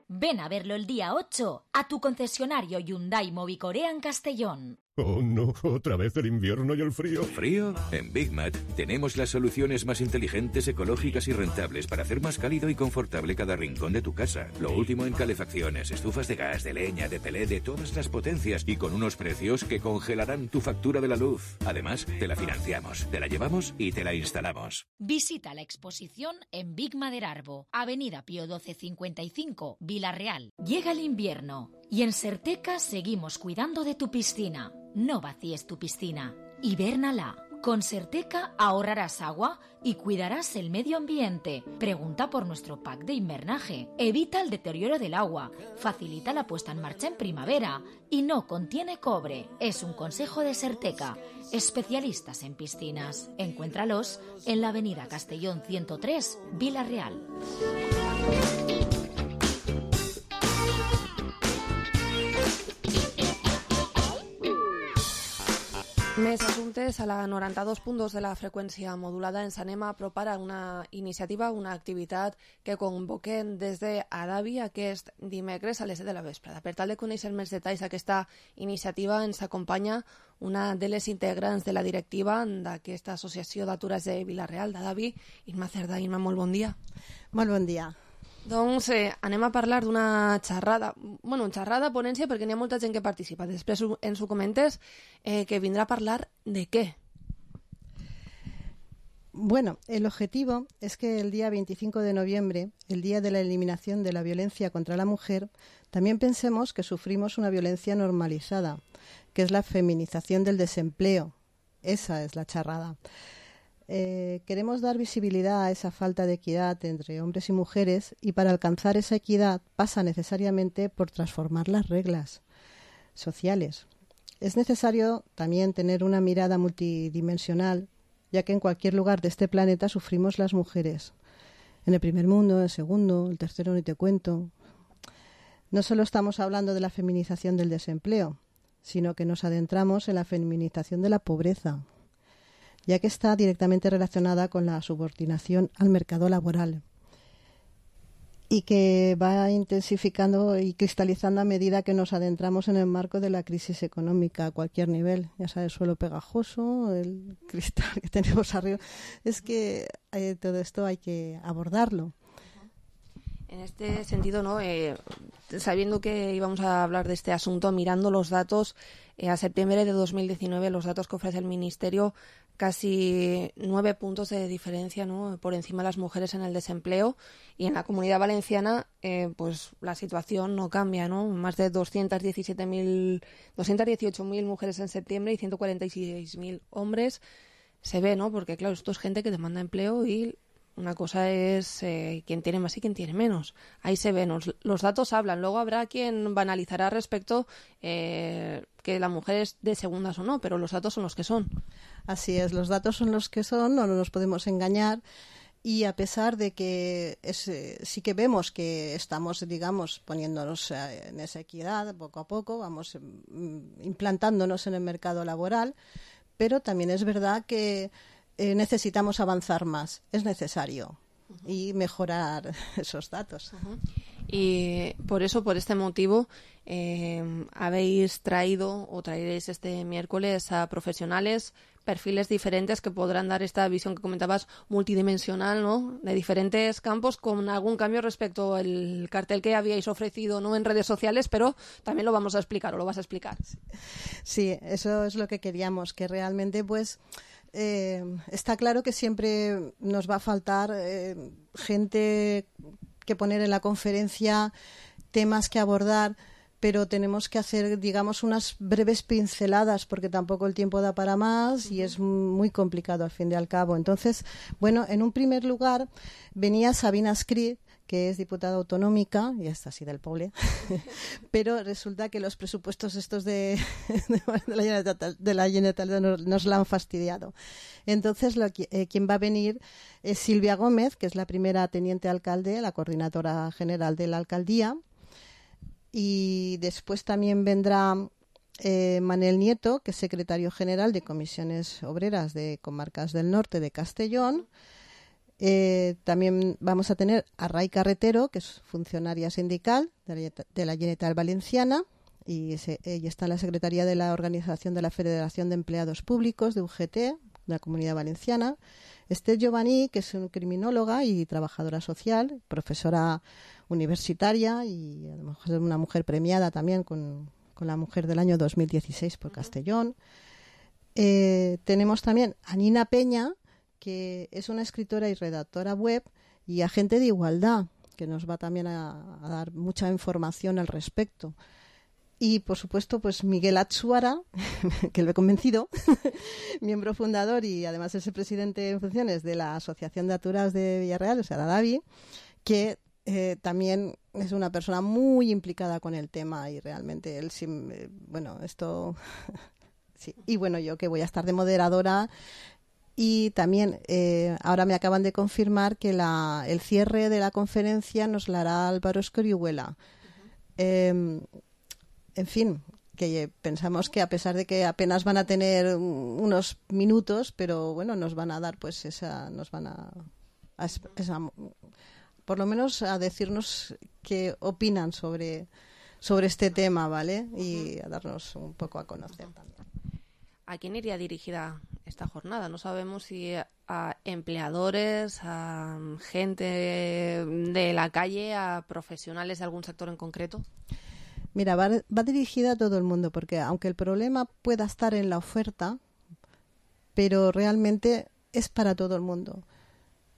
Ven a verlo el día ocho a tu concesionario Hyundai Movicorea en Castellón. Oh no, otra vez el invierno y el frío. ¿Frío? En Big Mat tenemos las soluciones más inteligentes, ecológicas y rentables para hacer más cálido y confortable cada rincón de tu casa. Lo último en calefacciones, estufas de gas, de leña, de pelé, de todas las potencias y con unos precios que congelarán tu factura de la luz. Además, te la financiamos, te la llevamos y te la instalamos. Visita la exposición en Big Maderarbo, Avenida Pío doce cincuenta y cinco, Vila-real. Llega el invierno y en Serteca seguimos cuidando de tu piscina. No vacíes tu piscina, hibérnala. Con Serteca ahorrarás agua y cuidarás el medio ambiente. Pregunta por nuestro pack de invernaje. Evita el deterioro del agua, facilita la puesta en marcha en primavera y no contiene cobre. Es un consejo de Serteca, especialistas en piscinas. Encuéntralos en la avenida Castellón ciento tres, Vila-real. Més assumptes a la noranta-dos punt dos de la freqüència modulada. Ens anem a apropar a una iniciativa, una activitat que convoquem des de Adavi aquest dimecres a les set de la vesprada. Per tal de conèixer més detalls d'aquesta iniciativa ens acompanya una de les integrants de la directiva d'aquesta associació d'atures de Vila-real, d'Adavi, Imma Cerdà. Imma, molt bon dia. Molt bon dia. Doncs eh, anem a parlar d'una xerrada, bueno, xerrada, ponència, perquè n'hi ha molta gent que participa. Després ens ho comentes, eh, que vindrà a parlar de què. Bueno, el objetivo es que el día veinticinco de noviembre, el día de la eliminación de la violencia contra la mujer, también pensemos que sufrimos una violencia normalizada, que es la feminización del desempleo. Esa es la charrada. Eh, queremos dar visibilidad a esa falta de equidad entre hombres y mujeres, y para alcanzar esa equidad pasa necesariamente por transformar las reglas sociales. Es necesario también tener una mirada multidimensional, ya que en cualquier lugar de este planeta sufrimos las mujeres. En el primer mundo, en el segundo, el tercero ni te cuento. No solo estamos hablando de la feminización del desempleo, sino que nos adentramos en la feminización de la pobreza, ya que está directamente relacionada con la subordinación al mercado laboral y que va intensificando y cristalizando a medida que nos adentramos en el marco de la crisis económica a cualquier nivel. Ya sabes, el suelo pegajoso, el cristal que tenemos arriba. Es que eh, todo esto hay que abordarlo. En este sentido, ¿no? Eh, sabiendo que íbamos a hablar de este asunto, mirando los datos, eh, a septiembre de dos mil diecinueve, los datos que ofrece el Ministerio, casi nueve puntos de diferencia, ¿no?, por encima de las mujeres en el desempleo, y en la Comunidad Valenciana eh, pues la situación no cambia, ¿no? Más de doscientos dieciocho mil mujeres en septiembre y ciento cuarenta y seis mil hombres. Se ve, ¿no? Porque claro, esto es gente que demanda empleo y una cosa es eh, quién tiene más y quién tiene menos. Ahí se ven, los, los datos hablan. Luego habrá quien banalizará respecto eh, que la mujer es de segundas o no, pero los datos son los que son. Así es, los datos son los que son, no nos podemos engañar. Y a pesar de que es, eh, sí que vemos que estamos, digamos, poniéndonos eh, en esa equidad poco a poco, vamos eh, implantándonos en el mercado laboral, pero también es verdad que Eh, necesitamos avanzar más, es necesario, uh-huh. y mejorar esos datos. Uh-huh. Y por eso, por este motivo, eh, habéis traído o traeréis este miércoles a profesionales, perfiles diferentes que podrán dar esta visión que comentabas multidimensional, ¿no?, de diferentes campos, con algún cambio respecto al cartel que habíais ofrecido, ¿no?, en redes sociales, pero también lo vamos a explicar o lo vas a explicar. Sí, eso es lo que queríamos, que realmente pues Eh, está claro que siempre nos va a faltar eh, gente que poner en la conferencia, temas que abordar, pero tenemos que hacer, digamos, unas breves pinceladas porque tampoco el tiempo da para más y es muy complicado al fin y al cabo. Entonces, bueno, en un primer lugar venía Sabina Escrit, que es diputada autonómica, y está así del poble, pero resulta que los presupuestos estos de, de la Generalitat, de la Generalitat nos, nos la han fastidiado. Entonces, lo, eh, quien va a venir es Silvia Gómez, que es la primera teniente alcalde, la coordinadora general de la alcaldía, Y después también vendrá eh, Manel Nieto, que es secretario general de Comisiones Obreras de Comarcas del Norte de Castellón. Eh, también vamos a tener a Ray Carretero, que es funcionaria sindical de la, de la Generalitat Valenciana, y se, ella está en la Secretaría de la Organización de la Federación de Empleados Públicos de U G T, de la Comunidad Valenciana. Esther Giovanni, que es una criminóloga y trabajadora social, profesora universitaria y a lo mejor es una mujer premiada también con, con la Mujer del Año dos mil dieciséis por Castellón. Eh, tenemos también a Nina Peña, que es una escritora y redactora web y agente de igualdad, que nos va también a, a dar mucha información al respecto. Y, por supuesto, pues Miguel Atsuara, que lo he convencido, miembro fundador y además es el presidente en funciones de la Asociación de Aturados de Villarreal, o sea, la DAVI, que eh, también es una persona muy implicada con el tema y realmente él, sí, eh, bueno, esto... sí. Y bueno, yo que voy a estar de moderadora. Y también eh, ahora me acaban de confirmar que la, el cierre de la conferencia nos la hará Álvaro Escorihuela. Uh-huh. Eh, en fin, que pensamos que a pesar de que apenas van a tener unos minutos, pero bueno, nos van a dar pues esa, nos van a, a esa, por lo menos a decirnos qué opinan sobre, sobre este tema, ¿vale? Y a darnos un poco a conocer también. ¿A quién iría dirigida esta jornada? No sabemos si a empleadores, a gente de la calle, a profesionales de algún sector en concreto. Mira, va, va dirigida a todo el mundo, porque aunque el problema pueda estar en la oferta, pero realmente es para todo el mundo.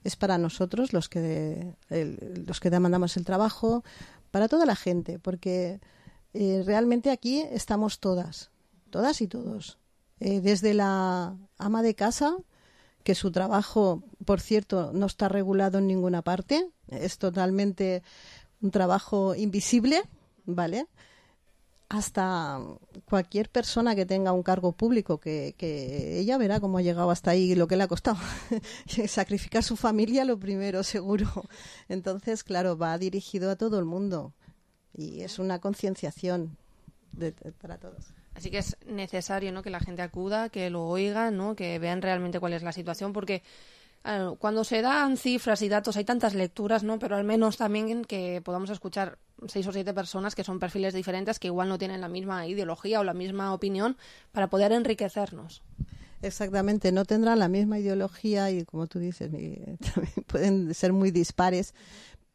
Es para nosotros, los que, de, el, los que demandamos el trabajo, para toda la gente, porque eh, realmente aquí estamos todas, todas y todos. Eh, desde la ama de casa, que su trabajo, por cierto, no está regulado en ninguna parte, es totalmente un trabajo invisible, ¿vale? Hasta cualquier persona que tenga un cargo público, que, que ella verá cómo ha llegado hasta ahí y lo que le ha costado. Sacrificar su familia lo primero, seguro. Entonces, claro, va dirigido a todo el mundo y es una concienciación de, de, para todos. Así que es necesario, ¿no?, que la gente acuda, que lo oigan, ¿no?, que vean realmente cuál es la situación, porque claro, cuando se dan cifras y datos hay tantas lecturas, ¿no?, pero al menos también que podamos escuchar seis o siete personas que son perfiles diferentes, que igual no tienen la misma ideología o la misma opinión, para poder enriquecernos. Exactamente, no tendrán la misma ideología y, como tú dices, también pueden ser muy dispares,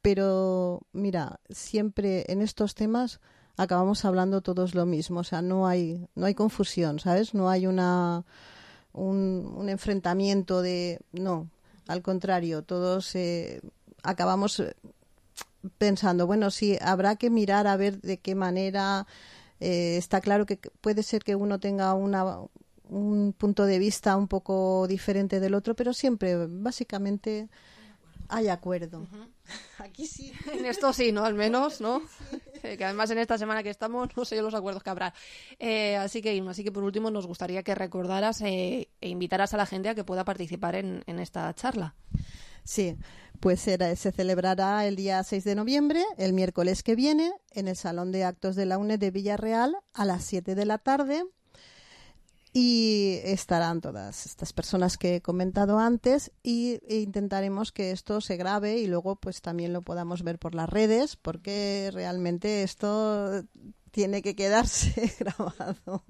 pero mira, siempre en estos temas acabamos hablando todos lo mismo, o sea, no hay no hay confusión, ¿sabes? No hay una un, un enfrentamiento de... No, al contrario, todos eh, acabamos pensando, bueno, sí, habrá que mirar a ver de qué manera... Eh, está claro que puede ser que uno tenga una, un punto de vista un poco diferente del otro, pero siempre, básicamente... hay acuerdo. Uh-huh. Aquí sí. En esto sí, ¿no? Al menos, ¿no? Sí, sí. Que además en esta semana que estamos, no sé yo los acuerdos que habrá. Eh, así que, así que por último nos gustaría que recordaras eh, e invitaras a la gente a que pueda participar en, en esta charla. Sí, pues era, se celebrará el día seis de noviembre, el miércoles que viene, en el Salón de Actos de la UNED de Villarreal a las siete de la tarde. Y estarán todas estas personas que he comentado antes y e intentaremos que esto se grabe y luego pues también lo podamos ver por las redes, porque realmente esto tiene que quedarse grabado.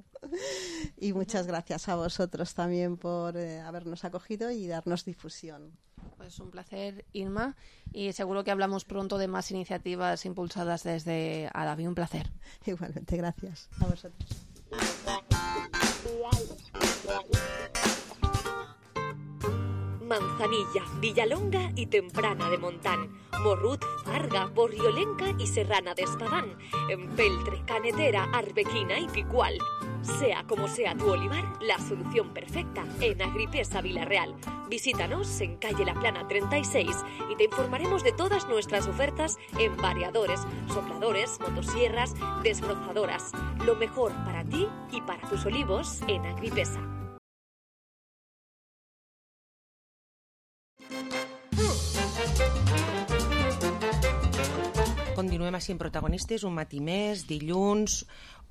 Y muchas gracias a vosotros también por eh, habernos acogido y darnos difusión. Pues un placer, Irma, y seguro que hablamos pronto de más iniciativas impulsadas desde Adavi. Un placer. Igualmente, gracias a vosotros. Manzanilla, Villalonga y Temprana de Montán, Morrut, Farga, Borriolenca y Serrana de Espadán, Empeltre, Canetera, Arbequina y Picual. Sea como sea tu olivar, la solución perfecta en Agripesa Vilarreal. Visítanos en calle La Plana treinta y seis y te informaremos de todas nuestras ofertas en variadores, sopladores, motosierras, desbrozadoras. Lo mejor para ti y para tus olivos en Agripesa. Continuem així en protagonistes, un matí més, dilluns,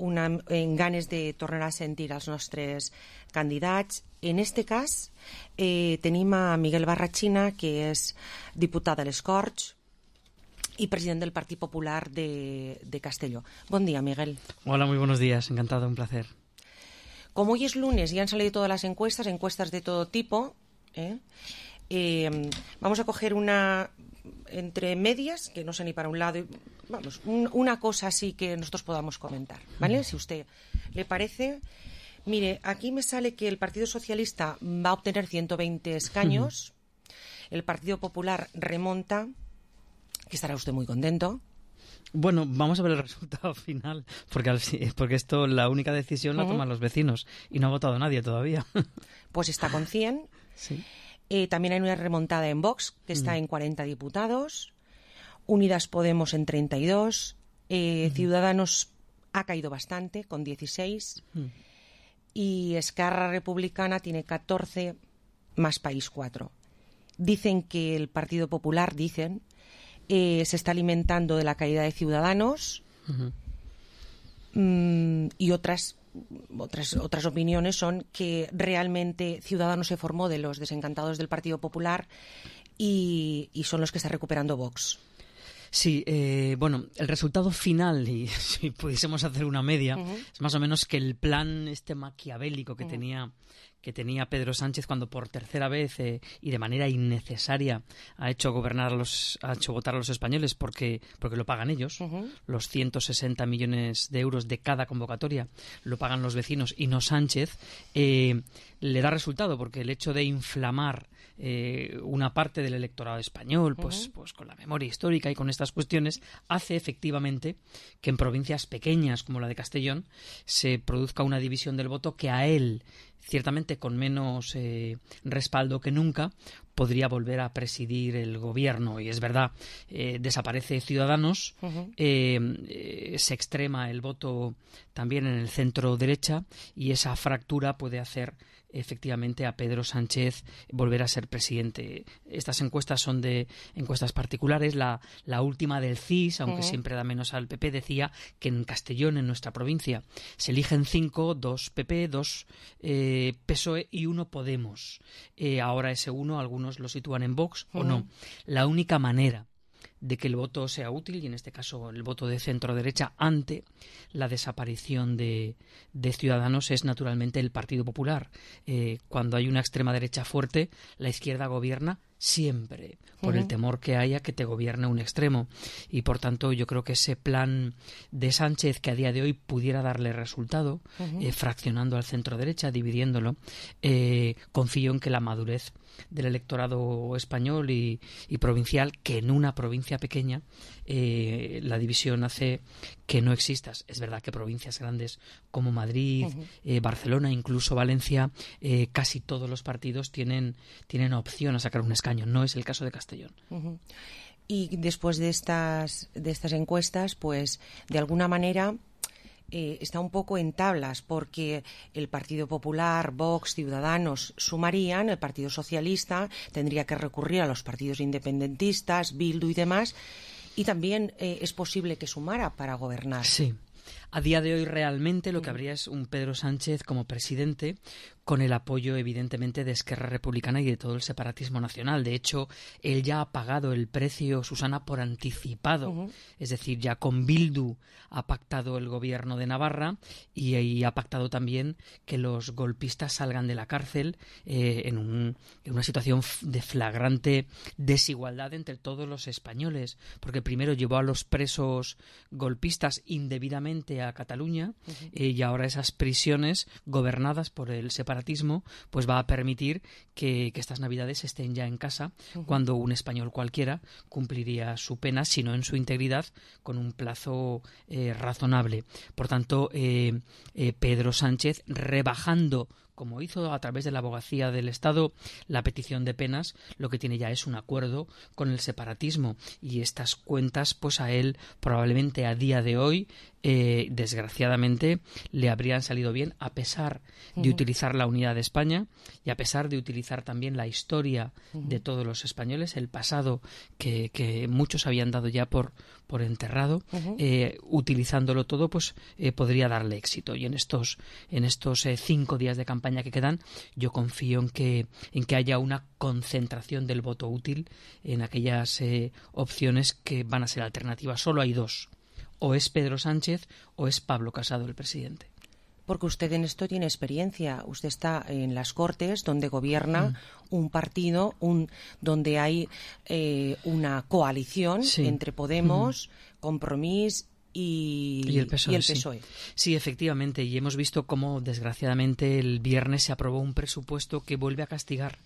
una, en ganes de tornar a sentir els nostres candidats. En este cas eh, tenim a Miguel Barrachina, que és diputat de les Corts y presidente del Partido Popular de, de Castelló. Buen día, Miguel. Hola, muy buenos días. Encantado, un placer. Como hoy es lunes y han salido todas las encuestas, encuestas de todo tipo, ¿eh? Eh, vamos a coger una entre medias, que no sé ni para un lado, y, vamos, un, una cosa así que nosotros podamos comentar, ¿vale? Si usted le parece. Mire, aquí me sale que el Partido Socialista va a obtener ciento veinte escaños, el Partido Popular remonta, que estará usted muy contento. Bueno, vamos a ver el resultado final, porque, al, porque esto, la única decisión la uh-huh. toman los vecinos y no ha votado nadie todavía. Pues está con cien. Sí. Eh, también hay una remontada en Vox, que está uh-huh. en cuarenta diputados. Unidas Podemos en treinta y dos. Eh, uh-huh. Ciudadanos ha caído bastante, con dieciséis. Uh-huh. Y Esquerra Republicana tiene catorce, más País cuatro. Dicen que el Partido Popular, dicen... Eh, se está alimentando de la caída de Ciudadanos uh-huh. mm, y otras, otras otras opiniones son que realmente Ciudadanos se formó de los desencantados del Partido Popular y, y son los que está recuperando Vox. Sí, eh, bueno, el resultado final, y si pudiésemos hacer una media, uh-huh. es más o menos que el plan este maquiavélico que uh-huh. tenía que tenía Pedro Sánchez cuando por tercera vez eh, y de manera innecesaria ha hecho gobernar a los, ha hecho votar a los españoles porque porque lo pagan ellos, uh-huh. los ciento sesenta millones de euros de cada convocatoria lo pagan los vecinos y no Sánchez, eh, le da resultado porque el hecho de inflamar eh, una parte del electorado español, pues, uh-huh. pues con la memoria histórica y con estas cuestiones, hace efectivamente que en provincias pequeñas como la de Castellón se produzca una división del voto que a él, ciertamente con menos eh, respaldo que nunca, podría volver a presidir el gobierno. Y es verdad, eh, desaparece Ciudadanos, uh-huh. eh, eh, se extrema el voto también en el centro derecha y esa fractura puede hacer efectivamente a Pedro Sánchez volver a ser presidente. Estas encuestas son de encuestas particulares. La, la última del C I S, aunque uh-huh. siempre da menos al P P, decía que en Castellón, en nuestra provincia, se eligen cinco, dos P P, dos eh, P S O E y uno Podemos. Eh, ahora ese uno, algunos lo sitúan en Vox uh-huh. o no. La única manera de que el voto sea útil, y en este caso el voto de centro-derecha, ante la desaparición de, de Ciudadanos, es naturalmente el Partido Popular. Eh, cuando hay una extrema derecha fuerte, la izquierda gobierna siempre, por uh-huh. el temor que haya que te gobierne un extremo. Y por tanto yo creo que ese plan de Sánchez, que a día de hoy pudiera darle resultado, uh-huh. eh, fraccionando al centro-derecha, dividiéndolo, eh, confío en que la madurez del electorado español y, y provincial, que en una provincia pequeña eh, la división hace que no existas. Es verdad que provincias grandes como Madrid, uh-huh. eh, Barcelona, incluso Valencia, eh, casi todos los partidos tienen, tienen opción a sacar un escaño. No es el caso de Castellón. Uh-huh. Y después de estas, de estas encuestas, pues de alguna manera Eh, está un poco en tablas, porque el Partido Popular, Vox, Ciudadanos sumarían, el Partido Socialista tendría que recurrir a los partidos independentistas, Bildu y demás, y también eh, es posible que sumara para gobernar. Sí. A día de hoy realmente lo que habría es un Pedro Sánchez como presidente, con el apoyo evidentemente de Esquerra Republicana y de todo el separatismo nacional. De hecho, él ya ha pagado el precio, Susana, por anticipado. Uh-huh. Es decir, ya con Bildu ha pactado el gobierno de Navarra y, y ha pactado también que los golpistas salgan de la cárcel eh, en, un, en una situación de flagrante desigualdad entre todos los españoles. Porque primero llevó a los presos golpistas indebidamente a Cataluña uh-huh. eh, y ahora esas prisiones gobernadas por el separatismo pues va a permitir que, que estas navidades estén ya en casa uh-huh. cuando un español cualquiera cumpliría su pena, si no en su integridad, con un plazo eh, razonable. Por tanto, eh, eh, Pedro Sánchez, rebajando como hizo a través de la abogacía del Estado la petición de penas, lo que tiene ya es un acuerdo con el separatismo, y estas cuentas pues a él probablemente a día de hoy eh, desgraciadamente le habrían salido bien, a pesar de Ujú. utilizar la unidad de España y a pesar de utilizar también la historia Ujú. de todos los españoles, el pasado que, que muchos habían dado ya por, por enterrado. Ujú. eh, utilizándolo todo pues eh, podría darle éxito, y en estos en estos eh, cinco días de campaña que quedan yo confío en que en que haya una concentración del voto útil en aquellas eh, opciones que van a ser alternativas. Solo hay dos: o es Pedro Sánchez o es Pablo Casado, el presidente. Porque usted en esto tiene experiencia. Usted está en las Cortes, donde gobierna mm. un partido, un donde hay eh, una coalición sí. entre Podemos, mm. Compromís y, y el P S O E. Y el P S O E. Sí. sí, efectivamente. Y hemos visto cómo, desgraciadamente, el viernes se aprobó un presupuesto que vuelve a castigar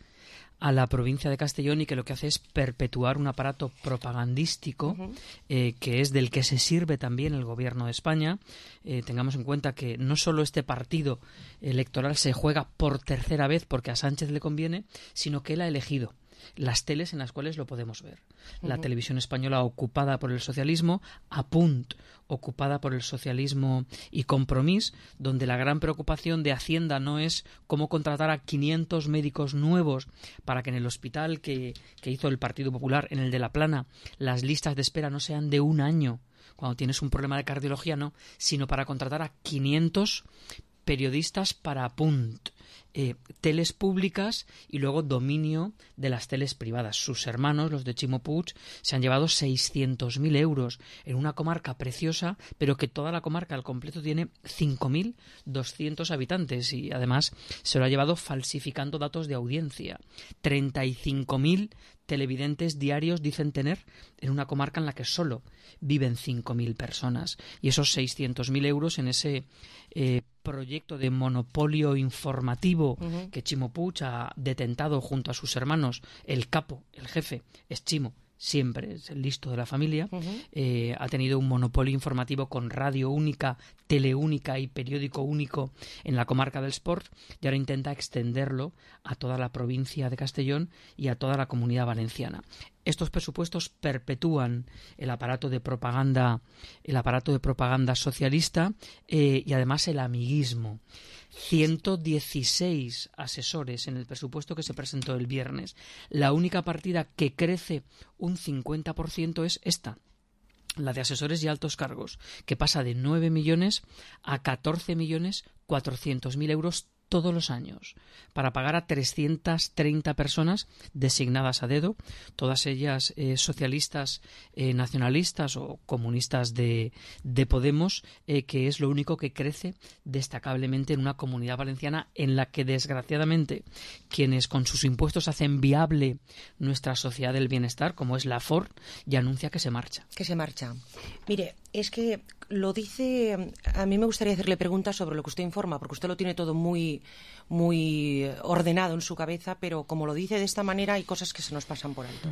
a la provincia de Castellón y que lo que hace es perpetuar un aparato propagandístico uh-huh. eh, que es del que se sirve también el gobierno de España. Eh, tengamos en cuenta que no solo este partido electoral se juega por tercera vez porque a Sánchez le conviene, sino que él ha elegido las teles en las cuales lo podemos ver. La uh-huh. televisión española ocupada por el socialismo, A Punt ocupada por el socialismo y Compromís, donde la gran preocupación de Hacienda no es cómo contratar a quinientos médicos nuevos para que en el hospital que, que hizo el Partido Popular, en el de La Plana, las listas de espera no sean de un año cuando tienes un problema de cardiología, no, sino para contratar a quinientos periodistas para A Punt. Eh, teles públicas y luego dominio de las teles privadas. Sus hermanos, los de Ximo Puig, se han llevado seiscientos mil euros en una comarca preciosa, pero que toda la comarca al completo tiene cinco mil doscientos habitantes, y además se lo ha llevado falsificando datos de audiencia. treinta y cinco mil televidentes diarios dicen tener en una comarca en la que solo viven cinco mil personas, y esos seiscientos mil euros en ese eh, proyecto de monopolio informativo uh-huh. que Ximo Puig ha detentado junto a sus hermanos. El capo, el jefe, es Ximo, siempre es el listo de la familia. Uh-huh. eh, ha tenido un monopolio informativo con radio única, tele única y periódico único en la comarca del Sport, y ahora intenta extenderlo a toda la provincia de Castellón y a toda la Comunidad Valenciana. Estos presupuestos perpetúan el aparato de propaganda, el aparato de propaganda socialista eh, y además el amiguismo. ciento dieciséis asesores en el presupuesto que se presentó el viernes. La única partida que crece un cincuenta por ciento es esta, la de asesores y altos cargos, que pasa de nueve millones a catorce millones cuatrocientos mil euros todos los años, para pagar a trescientas treinta personas designadas a dedo, todas ellas eh, socialistas, eh, nacionalistas o comunistas de, de Podemos, eh, que es lo único que crece destacablemente en una Comunidad Valenciana en la que, desgraciadamente, quienes con sus impuestos hacen viable nuestra sociedad del bienestar, como es la Ford, ya anuncia que se marcha. Que se marcha. Mire, es que lo dice... A mí me gustaría hacerle preguntas sobre lo que usted informa, porque usted lo tiene todo muy, muy ordenado en su cabeza, pero como lo dice de esta manera hay cosas que se nos pasan por alto.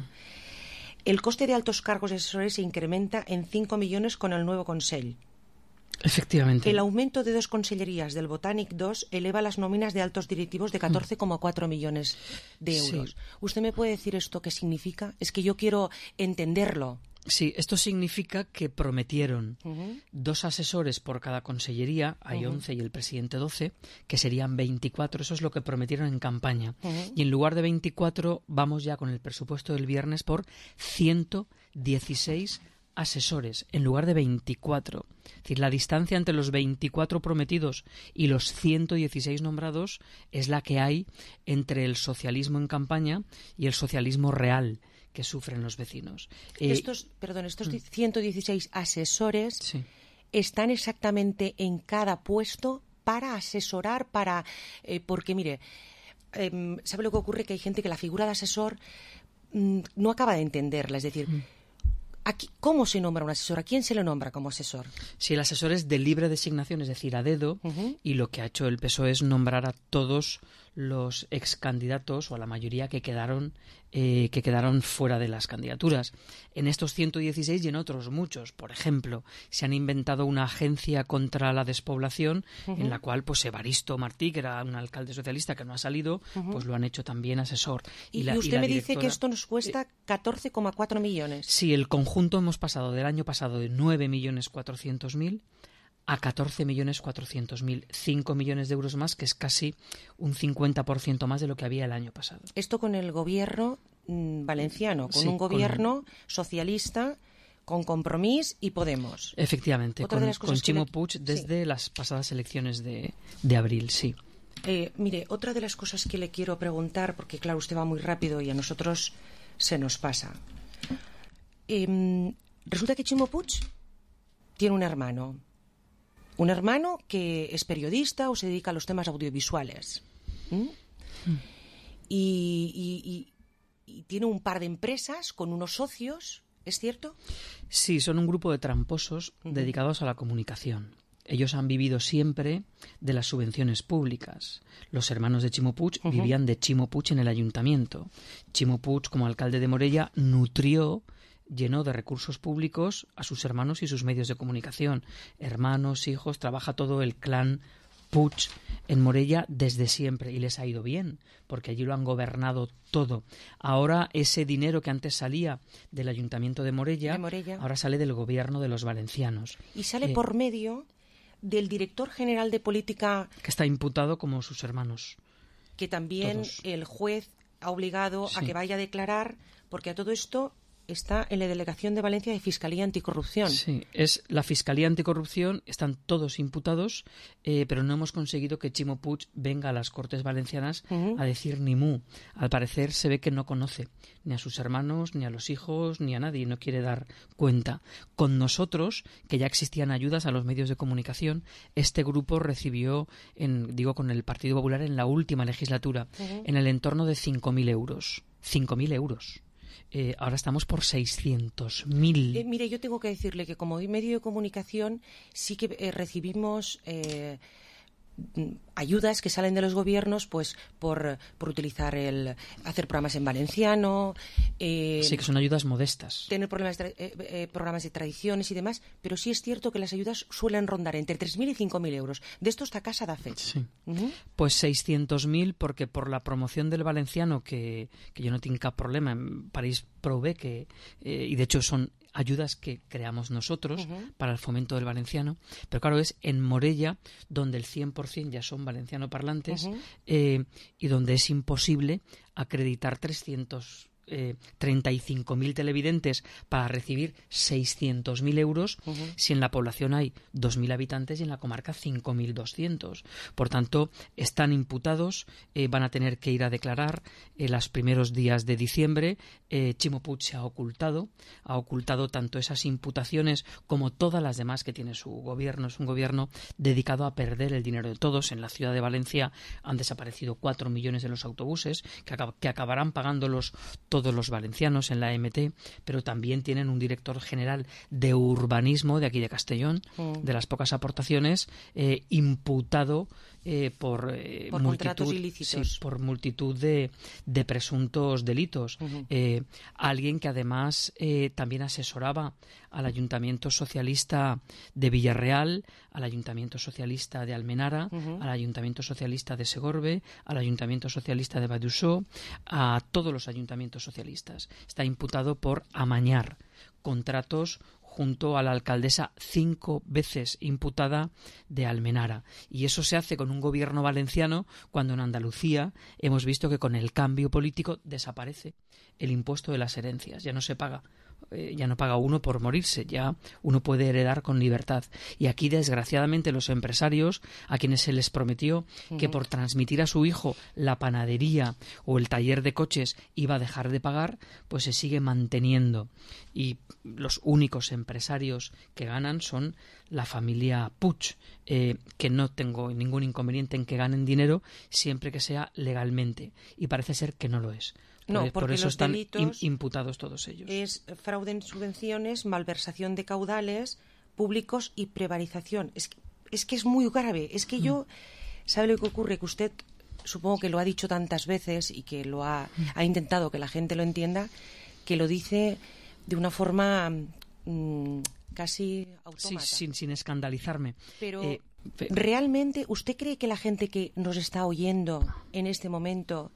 El coste de altos cargos y asesores se incrementa en cinco millones con el nuevo Consell. Efectivamente. El aumento de dos consellerías del Botànic dos eleva las nóminas de altos directivos de catorce coma cuatro millones de euros. Sí. ¿Usted me puede decir esto qué significa? Es que yo quiero entenderlo. Sí, esto significa que prometieron uh-huh. dos asesores por cada consellería, hay uh-huh. once y el presidente doce, que serían veinticuatro, eso es lo que prometieron en campaña. Uh-huh. Y en lugar de veinticuatro, vamos ya con el presupuesto del viernes por ciento dieciséis asesores, en lugar de veinticuatro. Es decir, la distancia entre los veinticuatro prometidos y los ciento dieciséis nombrados es la que hay entre el socialismo en campaña y el socialismo real que sufren los vecinos. Eh, estos, perdón, estos mm. ciento dieciséis asesores sí. están exactamente en cada puesto para asesorar, para eh, porque mire, eh, ¿sabe lo que ocurre? Que hay gente que la figura de asesor mm, no acaba de entenderla, es decir, mm. aquí, ¿cómo se nombra un asesor? ¿A quién se le nombra como asesor? Si el asesor es de libre designación, es decir, a dedo, uh-huh. y lo que ha hecho el P S O E es nombrar a todos los ex candidatos o a la mayoría que quedaron eh, que quedaron fuera de las candidaturas. En estos ciento dieciséis y en otros muchos, por ejemplo, se han inventado una agencia contra la despoblación uh-huh. en la cual pues Evaristo Martí, que era un alcalde socialista que no ha salido, uh-huh. pues lo han hecho también asesor. Y, y, la, y usted y la me directora... dice que esto nos cuesta catorce coma cuatro millones. Sí, el conjunto hemos pasado del año pasado de nueve millones cuatrocientos mil a catorce millones cuatrocientos mil, cinco millones de euros más, que es casi un cincuenta por ciento más de lo que había el año pasado. Esto con el gobierno mmm, valenciano, con sí, un gobierno con... socialista, con Compromís y Podemos. Efectivamente, con, con Chimo le... Puig desde sí. las pasadas elecciones de, de abril, sí. Eh, mire, otra de las cosas que le quiero preguntar, porque claro, usted va muy rápido y a nosotros se nos pasa. Eh, resulta que Chimo Puig tiene un hermano. Un hermano que es periodista o se dedica a los temas audiovisuales. ¿Mm? Mm. Y, y, y, y tiene un par de empresas con unos socios, ¿es cierto? Sí, son un grupo de tramposos uh-huh. dedicados a la comunicación. Ellos han vivido siempre de las subvenciones públicas. Los hermanos de Chimo Puig uh-huh. vivían de Chimo Puig en el ayuntamiento. Chimo Puig, como alcalde de Morella, nutrió... llenó de recursos públicos a sus hermanos y sus medios de comunicación. Hermanos, hijos, trabaja todo el clan Puig en Morella desde siempre y les ha ido bien, porque allí lo han gobernado todo. Ahora ese dinero que antes salía del Ayuntamiento de Morella, de Morella. ahora sale del gobierno de los valencianos. Y sale Eh, por medio del director general de política... Que está imputado como sus hermanos. Que también todos. El juez ha obligado Sí. a que vaya a declarar, porque a todo esto... está en la Delegación de Valencia de Fiscalía Anticorrupción. Sí, es la Fiscalía Anticorrupción, están todos imputados, eh, pero no hemos conseguido que Chimo Puig venga a las Cortes Valencianas uh-huh. a decir ni mu. Al parecer se ve que no conoce ni a sus hermanos, ni a los hijos, ni a nadie, no quiere dar cuenta. Con nosotros, que ya existían ayudas a los medios de comunicación, este grupo recibió, en, digo, con el Partido Popular en la última legislatura, uh-huh. en el entorno de cinco mil euros. cinco mil euros. Eh, ahora estamos por seiscientos mil. Eh, mire, yo tengo que decirle que como medio de comunicación sí que eh, recibimos eh, ayudas que salen de los gobiernos pues por, por utilizar el hacer programas en valenciano. Eh, sí, que son ayudas modestas. Tener problemas de, eh, eh, programas de tradiciones y demás, pero sí es cierto que las ayudas suelen rondar entre tres mil y cinco mil euros. De esto esta casa da fe. Sí. Uh-huh. Pues seiscientos mil, porque por la promoción del valenciano, que, que yo no tengo cap problema, en París probé que, eh, y de hecho son ayudas que creamos nosotros uh-huh. para el fomento del valenciano, pero claro, es en Morella donde el cien por ciento ya son valenciano parlantes uh-huh. eh, y donde es imposible acreditar trescientos treinta y cinco mil televidentes para recibir seiscientos mil euros uh-huh. si en la población hay dos mil habitantes y en la comarca cinco mil doscientos. Por tanto, están imputados, eh, van a tener que ir a declarar en eh, los primeros días de diciembre. Eh, Chimo Puig se ha ocultado, ha ocultado tanto esas imputaciones como todas las demás que tiene su gobierno. Es un gobierno dedicado a perder el dinero de todos. En la ciudad de Valencia han desaparecido cuatro millones de los autobuses que, acab- que acabarán pagándolos todos todos los valencianos en la E M T, pero también tienen un director general de urbanismo de aquí de Castellón, mm. de las pocas aportaciones, eh, imputado eh, por, eh, por multitud, contratos ilícitos. Sí, por multitud de, de presuntos delitos. Uh-huh. Eh, alguien que además eh, también asesoraba al Ayuntamiento Socialista de Villarreal, al Ayuntamiento Socialista de Almenara, uh-huh. al Ayuntamiento Socialista de Segorbe, al Ayuntamiento Socialista de Badussó, a todos los ayuntamientos socialistas. Está imputado por amañar contratos junto a la alcaldesa cinco veces imputada de Almenara. Y eso se hace con un gobierno valenciano cuando en Andalucía hemos visto que con el cambio político desaparece el impuesto de las herencias. Ya no se paga. Eh, ya no paga uno por morirse, ya uno puede heredar con libertad. Y aquí, desgraciadamente, los empresarios, a quienes se les prometió uh-huh. que por transmitir a su hijo la panadería o el taller de coches iba a dejar de pagar, pues se sigue manteniendo. Y los únicos empresarios que ganan son la familia Puig, eh, que no tengo ningún inconveniente en que ganen dinero siempre que sea legalmente. Y parece ser que no lo es. No, por, porque por eso los están delitos imputados todos ellos. Es fraude en subvenciones, malversación de caudales públicos y prevaricación. Es que es, que es muy grave. Es que yo, ¿sabe lo que ocurre? Que usted supongo que lo ha dicho tantas veces y que lo ha, ha intentado que la gente lo entienda, que lo dice de una forma mmm, casi autómata. Sí, sin, sin escandalizarme. Pero eh, ¿realmente usted cree que la gente que nos está oyendo en este momento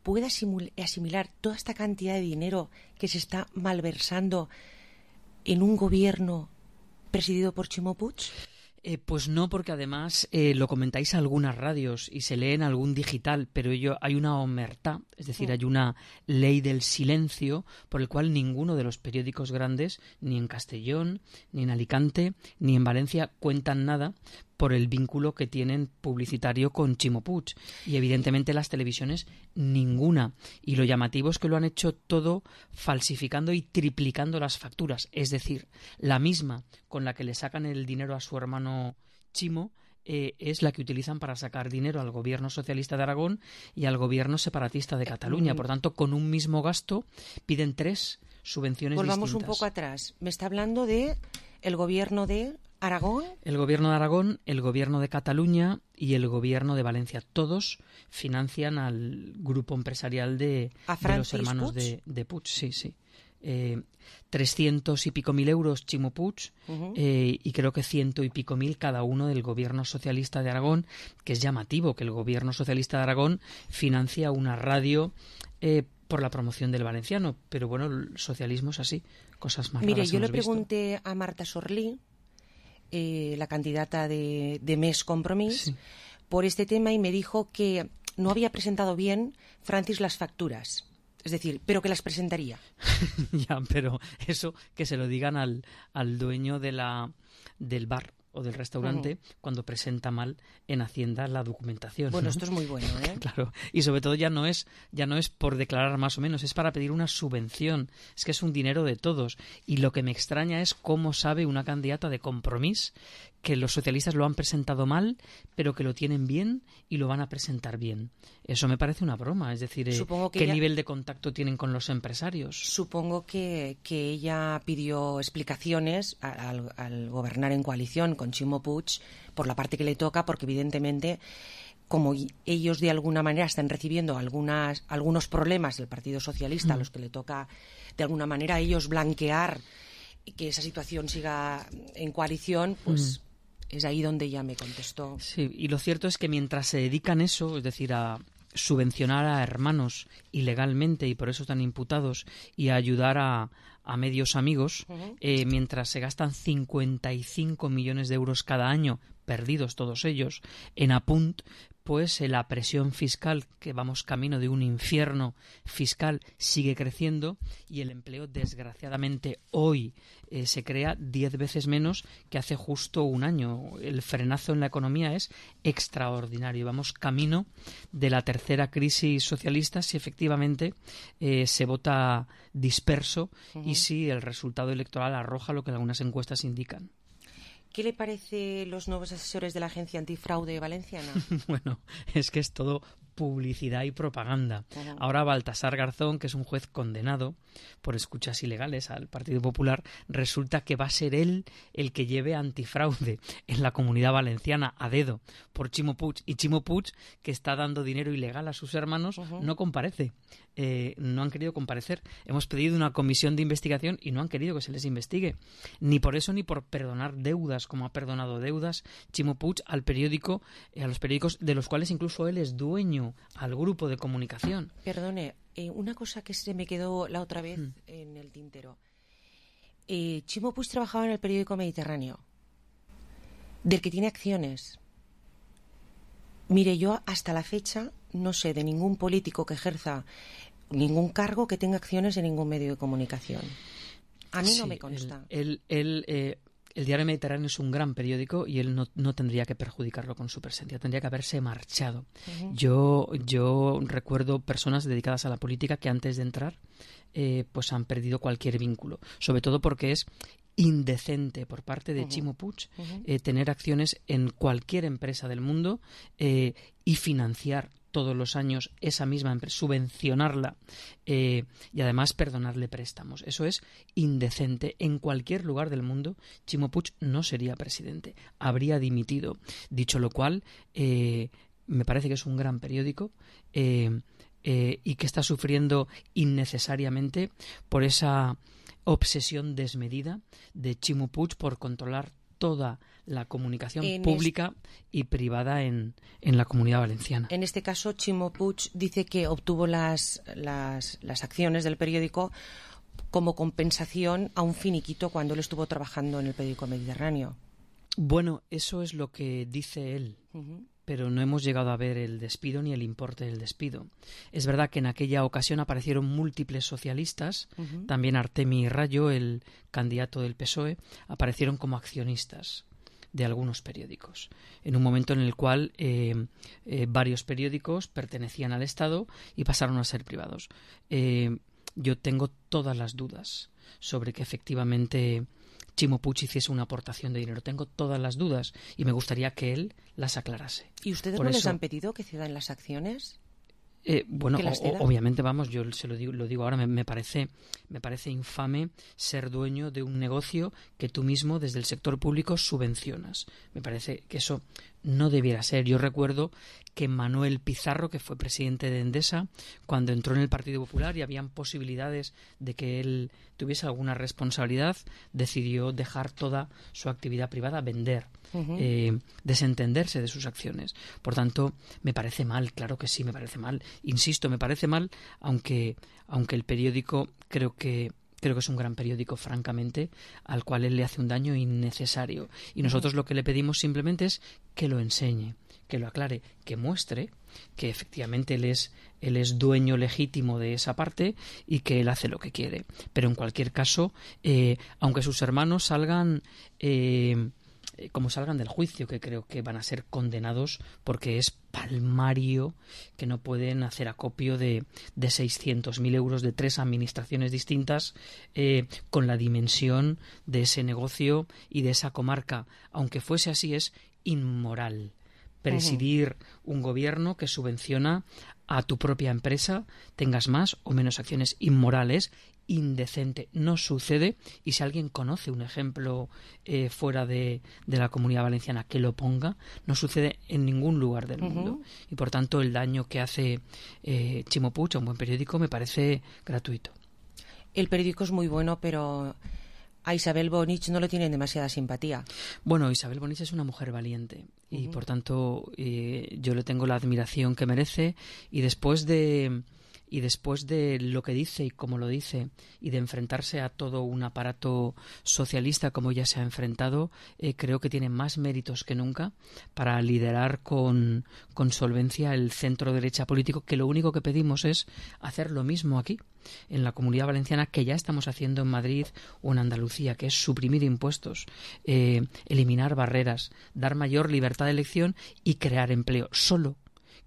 pueda asimilar toda esta cantidad de dinero que se está malversando en un gobierno presidido por Ximo Puig? Eh, pues no, porque además eh, lo comentáis a algunas radios y se lee en algún digital, pero ello, hay una omertá, es decir, Sí. hay una ley del silencio por el cual ninguno de los periódicos grandes, ni en Castellón, ni en Alicante, ni en Valencia, cuentan nada por el vínculo que tienen publicitario con Ximo Puig. Y evidentemente las televisiones ninguna. Y lo llamativo es que lo han hecho todo falsificando y triplicando las facturas. Es decir, la misma con la que le sacan el dinero a su hermano Ximo eh, es la que utilizan para sacar dinero al gobierno socialista de Aragón y al gobierno separatista de Cataluña. Por tanto, con un mismo gasto piden tres subvenciones Volvamos distintas. un poco atrás. Me está hablando de el gobierno de Aragón. El gobierno de Aragón, el gobierno de Cataluña y el gobierno de Valencia. Todos financian al grupo empresarial de, de los hermanos Puig? de, de Puig. Sí, sí. Eh, trescientos y pico mil euros Ximo Puig Uh-huh. eh, y creo que ciento y pico mil cada uno del gobierno socialista de Aragón, que es llamativo que el gobierno socialista de Aragón financia una radio eh, por la promoción del valenciano. Pero bueno, el socialismo es así. Cosas más Mire, raras yo le hemos visto. pregunté a Marta Sorlí, eh, la candidata de, de Més Compromís, Sí. por este tema y me dijo que no había presentado bien Francis las facturas. Es decir, pero que las presentaría. Ya, pero eso que se lo digan al, al dueño de la, del bar o del restaurante Ujú. cuando presenta mal en Hacienda la documentación. Bueno, ¿no? esto es muy bueno, ¿eh? Claro, y sobre todo ya no es ya no es por declarar más o menos, es para pedir una subvención. Es que es un dinero de todos. Y lo que me extraña es cómo sabe una candidata de Compromís que los socialistas lo han presentado mal, pero que lo tienen bien y lo van a presentar bien. Eso me parece una broma. Es decir, eh, Supongo que ¿qué ella- nivel de contacto tienen con los empresarios? Supongo que, que ella pidió explicaciones a- al, al gobernar en coalición con Ximo Puig por la parte que le toca, porque evidentemente como y- ellos de alguna manera están recibiendo algunas, algunos problemas del Partido Socialista, a Mm. los que le toca de alguna manera a ellos blanquear y que esa situación siga en coalición, pues es ahí donde ella me contestó. Sí, y lo cierto es que mientras se dedican eso, es decir, a subvencionar a hermanos ilegalmente y por eso están imputados y a ayudar a, a medios amigos, Ujú. eh, mientras se gastan cincuenta y cinco millones de euros cada año, perdidos todos ellos, en Apunt, pues eh, la presión fiscal, que vamos camino de un infierno fiscal, sigue creciendo y el empleo, desgraciadamente, hoy eh, se crea diez veces menos que hace justo un año. El frenazo en la economía es extraordinario. Vamos camino de la tercera crisis socialista si efectivamente eh, se vota disperso Ujú. y si el resultado electoral arroja lo que algunas encuestas indican. ¿Qué le parece los nuevos asesores de la Agencia Antifraude Valenciana? Bueno, es que es todo publicidad y propaganda. Ujú. Ahora Baltasar Garzón, que es un juez condenado por escuchas ilegales al Partido Popular, resulta que va a ser él el que lleve antifraude en la Comunidad Valenciana a dedo por Ximo Puig. Y Ximo Puig, que está dando dinero ilegal a sus hermanos, Ujú. no comparece. Eh, no han querido comparecer. Hemos pedido una comisión de investigación y no han querido que se les investigue. Ni por eso ni por perdonar deudas, como ha perdonado deudas Ximo Puig al periódico, eh, a los periódicos de los cuales incluso él es dueño, al grupo de comunicación. Perdone, eh, una cosa que se me quedó la otra vez Mm. en el tintero. Eh, Ximo Puig trabajaba en el periódico Mediterráneo, del que tiene acciones. Mire, yo hasta la fecha no sé de ningún político que ejerza ningún cargo que tenga acciones en ningún medio de comunicación. A mí Sí, no me consta. Él, él, eh, el Diario Mediterráneo es un gran periódico y él no, no tendría que perjudicarlo con su presencia, tendría que haberse marchado. Ujú. Yo, yo recuerdo personas dedicadas a la política que antes de entrar eh, pues han perdido cualquier vínculo, sobre todo porque es indecente por parte de Ujú. Ximo Puig Ujú. eh, tener acciones en cualquier empresa del mundo eh, y financiar todos los años esa misma empresa, subvencionarla eh, y además perdonarle préstamos. Eso es indecente. En cualquier lugar del mundo, Ximo Puig no sería presidente, habría dimitido. Dicho lo cual, eh, me parece que es un gran periódico eh, eh, y que está sufriendo innecesariamente por esa obsesión desmedida de Ximo Puig por controlar toda la comunicación en pública es... y privada en, en la Comunidad Valenciana. En este caso, Ximo Puig dice que obtuvo las, las, las acciones del periódico como compensación a un finiquito cuando él estuvo trabajando en el periódico Mediterráneo. Bueno, eso es lo que dice él, uh-huh. pero no hemos llegado a ver el despido ni el importe del despido. Es verdad que en aquella ocasión aparecieron múltiples socialistas, uh-huh. también Artemi Rayo, el candidato del P S O E, aparecieron como accionistas de algunos periódicos, en un momento en el cual eh, eh, varios periódicos pertenecían al Estado y pasaron a ser privados. Eh, yo tengo todas las dudas sobre que efectivamente Ximo Puig hiciese una aportación de dinero. Tengo todas las dudas y me gustaría que él las aclarase. ¿Y ustedes Por no eso, les han pedido que cedan las acciones? Eh, bueno, o, obviamente, vamos, yo se lo digo, lo digo ahora, me, me parece me parece infame ser dueño de un negocio que tú mismo desde el sector público subvencionas. Me parece que eso no debiera ser. Yo recuerdo que Manuel Pizarro, que fue presidente de Endesa, cuando entró en el Partido Popular y habían posibilidades de que él tuviese alguna responsabilidad, decidió dejar toda su actividad privada, vender, uh-huh. eh, desentenderse de sus acciones. Por tanto, me parece mal, claro que sí, me parece mal. Insisto, me parece mal, aunque, aunque el periódico creo que Creo que es un gran periódico, francamente, al cual él le hace un daño innecesario. Y nosotros lo que le pedimos simplemente es que lo enseñe, que lo aclare, que muestre que efectivamente él es, él es dueño legítimo de esa parte y que él hace lo que quiere. Pero en cualquier caso, eh, aunque sus hermanos salgan... Eh, como salgan del juicio, que creo que van a ser condenados porque es palmario que no pueden hacer acopio de, de seiscientos mil euros de tres administraciones distintas eh, con la dimensión de ese negocio y de esa comarca. Aunque fuese así, es inmoral presidir uh-huh. un gobierno que subvenciona a tu propia empresa, tengas más o menos acciones. Inmorales, indecente. No sucede, y si alguien conoce un ejemplo eh, fuera de, de la Comunidad Valenciana que lo ponga, no sucede en ningún lugar del uh-huh. mundo. Y por tanto el daño que hace eh, Ximo Puig a un buen periódico me parece gratuito. El periódico es muy bueno, pero a Isabel Bonich no le tienen demasiada simpatía. Bueno, Isabel Bonich es una mujer valiente y uh-huh. por tanto eh, yo le tengo la admiración que merece, y después de y después de lo que dice y cómo lo dice y de enfrentarse a todo un aparato socialista como ella se ha enfrentado, eh, creo que tiene más méritos que nunca para liderar con, con solvencia el centro derecha político, que lo único que pedimos es hacer lo mismo aquí en la Comunidad Valenciana que ya estamos haciendo en Madrid o en Andalucía, que es suprimir impuestos, eh, eliminar barreras, dar mayor libertad de elección y crear empleo. Solo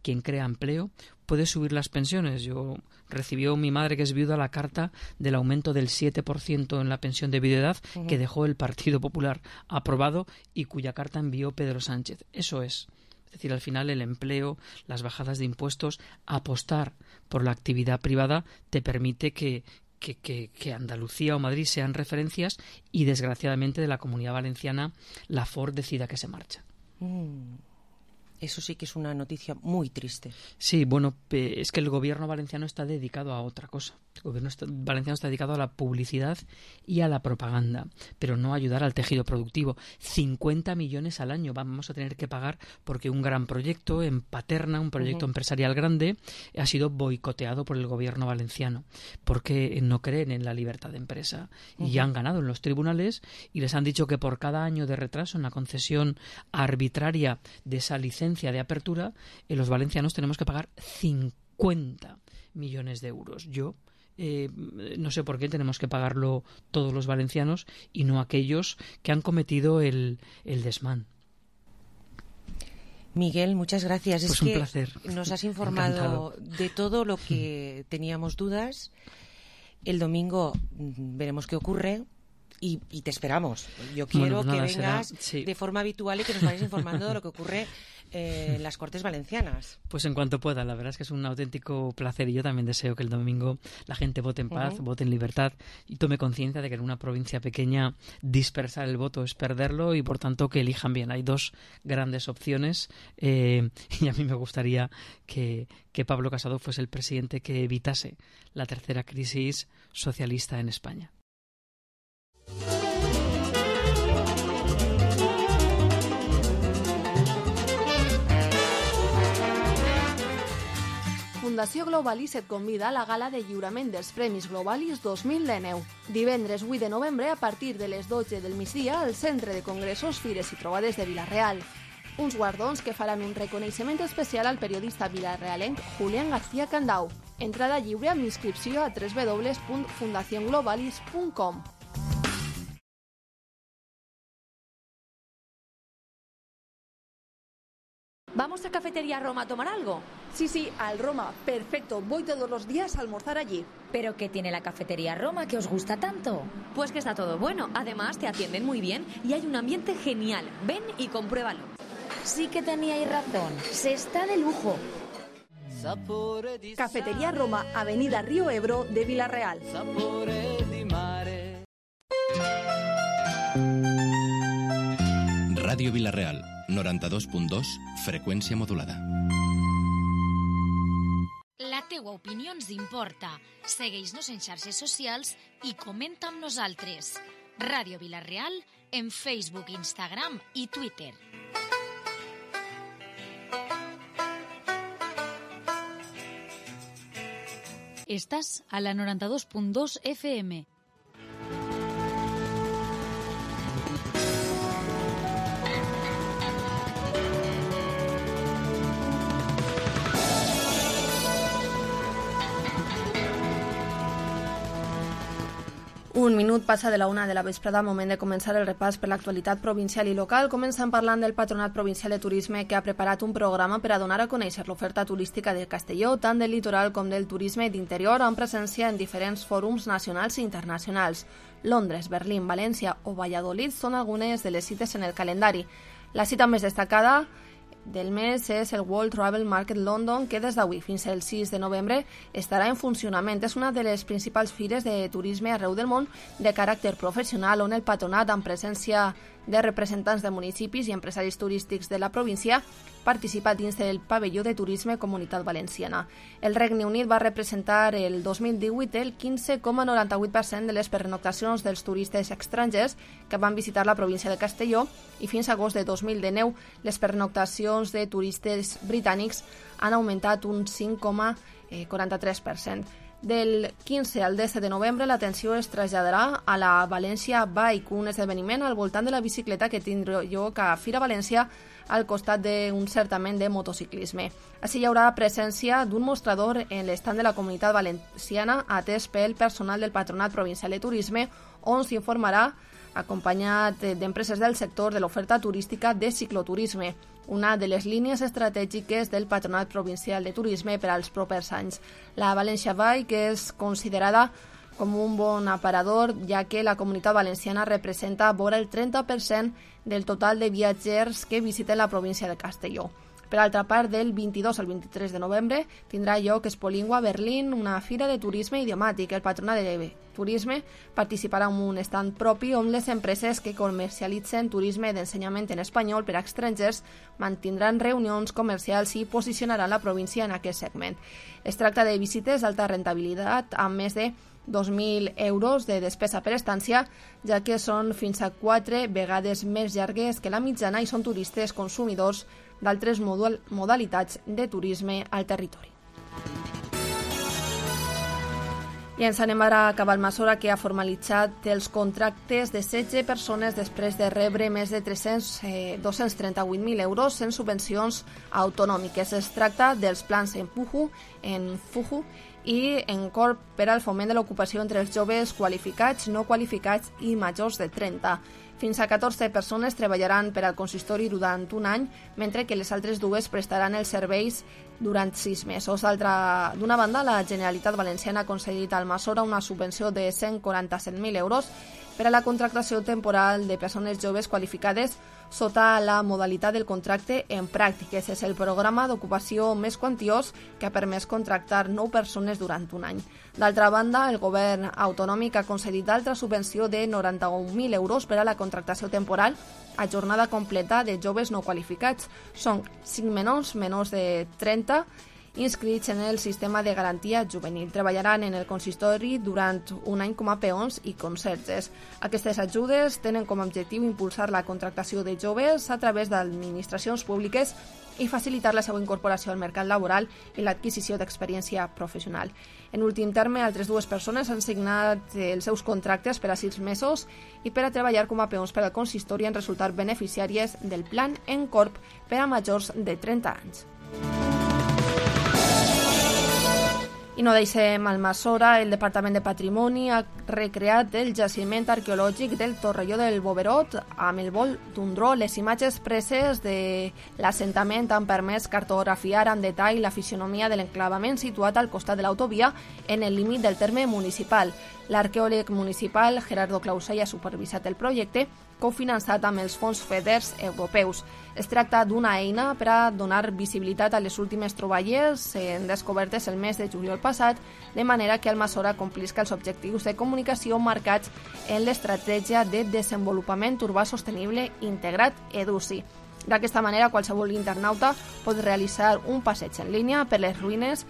quien crea empleo puede subir las pensiones. Yo recibió mi madre, que es viuda, la carta del aumento del siete por ciento en la pensión de viudedad uh-huh. que dejó el Partido Popular aprobado y cuya carta envió Pedro Sánchez. Eso es. Es decir, al final el empleo, las bajadas de impuestos, apostar por la actividad privada te permite que, que, que, que Andalucía o Madrid sean referencias, y desgraciadamente de la Comunidad Valenciana la Ford decida que se marcha. Mm. Eso sí que es una noticia muy triste. Sí, bueno, es que el gobierno valenciano está dedicado a otra cosa. El gobierno valenciano está dedicado a la publicidad y a la propaganda, pero no a ayudar al tejido productivo. cincuenta millones al año vamos a tener que pagar porque un gran proyecto en Paterna, un proyecto uh-huh. empresarial grande, ha sido boicoteado por el gobierno valenciano porque no creen en la libertad de empresa uh-huh. y han ganado en los tribunales y les han dicho que por cada año de retraso en la concesión arbitraria de esa licencia de apertura, eh, los valencianos tenemos que pagar cincuenta millones de euros. Yo Eh, no sé por qué tenemos que pagarlo todos los valencianos y no aquellos que han cometido el, el desmán. Miguel, muchas gracias. Pues es un que placer. Nos has informado Encantado. de todo lo que teníamos dudas. El domingo veremos qué ocurre y, y te esperamos. Yo quiero bueno, nada, que vengas será, sí. de forma habitual y que nos vayas informando de lo que ocurre eh, en las Cortes Valencianas. Pues en cuanto pueda, la verdad es que es un auténtico placer y yo también deseo que el domingo la gente vote en paz, uh-huh. vote en libertad y tome conciencia de que en una provincia pequeña dispersar el voto es perderlo y por tanto que elijan bien. Hay dos grandes opciones eh, y a mí me gustaría que, que Pablo Casado fuese el presidente que evitase la tercera crisis socialista en España. Fundació Globalis et convida a la gala de lliurament dels Premis Globalis dos mil dinou. Divendres vuit de novembre, a partir de les dotze del migdia, al Centre de Congressos, Fires i Trobades de Vila-real. Uns guardons que faran un reconeixement especial al periodista vilarealenc Julián García Candau. Entrada lliure amb inscripció a w w w punt fundación globalis punt com. ¿Vamos a Cafetería Roma a tomar algo? Sí, sí, al Roma. Perfecto. Voy todos los días a almorzar allí. ¿Pero qué tiene la Cafetería Roma que os gusta tanto? Pues que está todo bueno. Además, te atienden muy bien y hay un ambiente genial. Ven y compruébalo. Sí que teníais razón. Se está de lujo. Cafetería Roma, Avenida Río Ebro de Vila-real. Ràdio Vila-real, noranta-dos punt dos, freqüència modulada. La teua opinió ens importa. Segueix-nos en xarxes socials i comenta amb nosaltres. Ràdio Vila-real en Facebook, Instagram i Twitter. Estàs a la noranta-dos punt dos F M. Un minut passa de la una de la vesprada, moment de començar el repàs per l'actualitat provincial i local. Començant parlant del Patronat Provincial de Turisme, que ha preparat un programa per a donar a conèixer l'oferta turística de Castelló, tant del litoral com del turisme d'interior, amb presència en diferents fòrums nacionals i internacionals. Londres, Berlín, València o Valladolid són algunes de les cites en el calendari. La cita més destacada del mes és el World Travel Market London, que des d'avui fins al sis de novembre estarà en funcionament. És una de les principals fires de turisme arreu del món de caràcter professional, on el patronat, amb presència de representants de municipis i empresaris turístics de la província, participa dins del pavelló de turisme Comunitat Valenciana. El Regne Unit va representar el dos mil divuit el quinze coma noranta-vuit per cent de les pernoctacions dels turistes estrangers que van visitar la província de Castelló, i fins a agost de dos mil dinou les pernoctacions de turistes britànics han augmentat un cinc coma quaranta-tres per cent. Del quinze al disset de novembre l'atenció es traslladarà a la València Bike, un esdeveniment al voltant de la bicicleta que tindrà lloc a Fira València al costat d'un certament de motociclisme. Així hi haurà presència d'un mostrador en l'estand de la Comunitat Valenciana atès pel personal del Patronat Provincial de Turisme, on s'informarà acompanyat d'empreses del sector de l'oferta turística de cicloturisme, una de les línies estratègiques del Patronat Provincial de Turisme per als propers anys. La València Bike és considerada com un bon aparador, ja que la Comunitat Valenciana representa vora el trenta per cent del total de viatgers que visiten la província de Castelló. Per altra part, del vint-i-dos al vint-i-tres de novembre tindrà lloc Expolingua Berlín, una fira de turisme idiomàtic. El Patronat de Turisme participarà en un estand propi on les empreses que comercialitzen turisme d'ensenyament en espanyol per a estrangers mantindran reunions comercials i posicionaran la província en aquest segment. Es tracta de visites d'alta rentabilitat amb més de dos mil euros de despesa per estància, ja que són fins a quatre vegades més llargues que la mitjana i són turistes consumidors d'altres modalitats de turisme al territori. I ens anem ara a Cavalmasora, que ha formalitzat els contractes de setze persones després de rebre més de tres-cents, eh, dos-cents trenta-vuit mil euros en subvencions autonòmiques. Es tracta dels plans Empujo, Enfujo i Encorp per al foment de l'ocupació entre els joves qualificats, no qualificats i majors de trenta. Fins a catorze persones treballaran per al consistori durant un any, mentre que les altres dues prestaran els serveis durant sis mesos. D'una banda, la Generalitat Valenciana ha concedit al Masora una subvenció de cent quaranta-set mil euros per a la contractació temporal de persones joves qualificades sota la modalitat del contracte en pràctiques. És el programa d'ocupació més quantiós que ha permès contractar nou persones durant un any. D'altra banda, el govern autonòmic ha concedit altra subvenció de noranta-un mil euros per a la contractació temporal a jornada completa de joves no qualificats. Són cinc menors, menors de trenta, inscrits en el sistema de garantia juvenil. Treballaran en el consistori durant un any com a peons i conserges. Aquestes ajudes tenen com a objectiu impulsar la contractació de joves a través d'administracions públiques i facilitar la seva incorporació al mercat laboral i l'adquisició d'experiència professional. En últim terme, altres dues persones han signat els seus contractes per a sis mesos i per a treballar com a peons per al consistori han resultat beneficiàries del plan Encorp per a majors de trenta anys. I no deixem Almassora. El Departament de Patrimoni ha recreat el jaciment arqueològic del Torrelló del Boverot amb el vol d'un dro. Les imatges preses de l'assentament han permès cartografiar amb detall la fisionomia de l'enclavament situat al costat de l'autovia en el límit del terme municipal. L'arqueòleg municipal Gerardo Clausell ha supervisat el projecte, cofinançat amb els fons FEDER europeus. Es tracta d'una eina per a donar visibilitat a les últimes troballes descobertes el mes de juliol passat, de manera que Almassora complisca els objectius de comunicació marcats en l'estratègia de desenvolupament urbà sostenible integrat EDUSI. D'aquesta manera, qualsevol internauta pot realitzar un passeig en línia per les ruïnes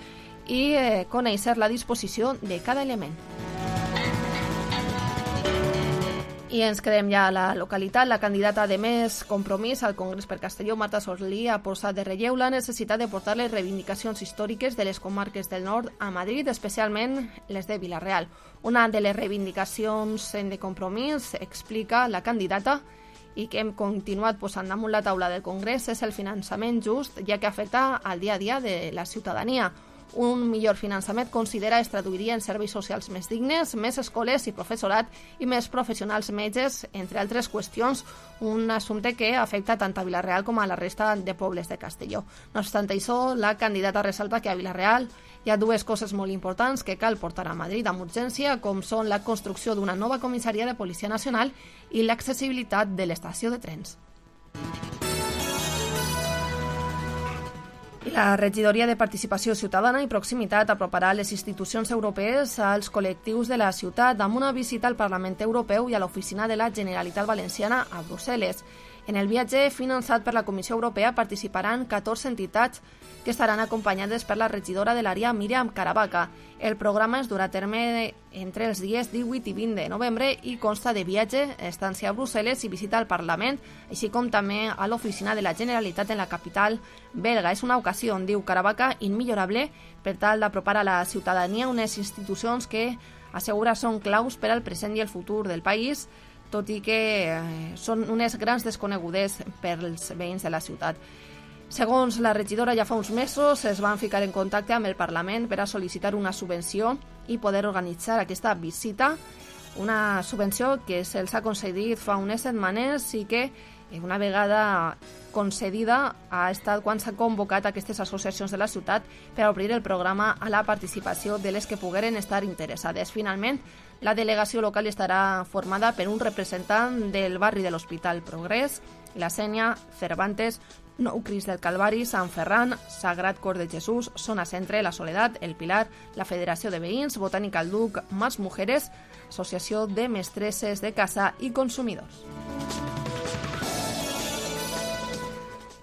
i eh, conèixer la disposició de cada element. I ens quedem ja a la localitat. La candidata de Més Compromís al Congrés per Castelló, Marta Sorlí, ha posat de relleu la necessitat de portar les reivindicacions històriques de les comarques del nord a Madrid, especialment les de Vila-real. Una de les reivindicacions de Compromís, explica la candidata, i que hem continuat posant damunt la taula del Congrés, és el finançament just, ja que afecta al dia a dia de la ciutadania. Un millor finançament, considera, es traduiria en serveis socials més dignes, més escoles i professorat i més professionals metges, entre altres qüestions, un assumpte que afecta tant a Vila-real com a la resta de pobles de Castelló. No obstant això, la candidata ressalta que a Vila-real hi ha dues coses molt importants que cal portar a Madrid amb urgència, com són la construcció d'una nova comissaria de Policia Nacional i l'accessibilitat de l'estació de trens. La regidoria de Participació Ciutadana i Proximitat aproparà les institucions europees als col·lectius de la ciutat amb una visita al Parlament Europeu i a l'oficina de la Generalitat Valenciana a Brussel·les. En el viatge finançat per la Comissió Europea participaran catorze entitats que estaran acompanyades per la regidora de l'àrea, Míriam Caravaca. El programa es durà a terme entre els dies divuit i vint de novembre i consta de viatge, estància a Brussel·les i visita al Parlament, així com també a l'oficina de la Generalitat en la capital belga. És una ocasió, diu Caravaca, immillorable per tal d'apropar a la ciutadania unes institucions que assegura són claus per al present i el futur del país, tot i que eh, són unes grans desconegudes pels veïns de la ciutat. Segons la regidora, ja fa uns mesos es van ficar en contacte amb el Parlament per a sol·licitar una subvenció i poder organitzar aquesta visita, una subvenció que se'ls ha concedit fa unes setmanes i que una vegada concedida ha estat quan s'ha convocat aquestes associacions de la ciutat per a obrir el programa a la participació de les que pogueren estar interessades. Finalment, la delegació local estarà formada per un representant del barri de l'Hospital Progrés, la Sénia, Cervantes, Nou Crist del Calvari, Sant Ferran, Sagrat Cor de Jesús, Zona Centre, La Soledat, El Pilar, la Federació de Veïns, Botànica al Duc, Mas Mujeres, Associació de Mestresses de Casa i Consumidors.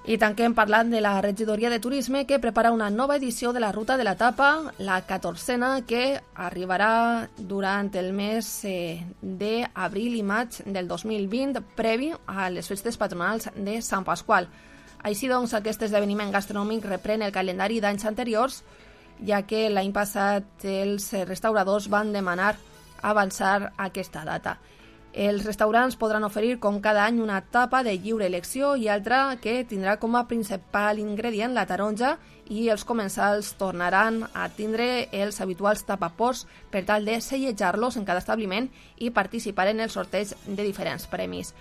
I tanquem parlant de la regidoria de Turisme, que prepara una nova edició de la Ruta de la Tapa, la catorzena, que arribarà durant el mes eh, d'abril i maig del dos mil vint, previ a les festes patronals de Sant Pasqual. Així doncs, aquest esdeveniment gastronòmic reprèn el calendari d'anys anteriors, ja que l'any passat els restauradors van demanar avançar aquesta data. Els restaurants podran oferir com cada any una tapa de lliure elecció i altra que tindrà com a principal ingredient la taronja, i els comensals tornaran a tindre els habituals tapapots per tal de sellejar-los en cada establiment i participar en el sorteig de diferents premis.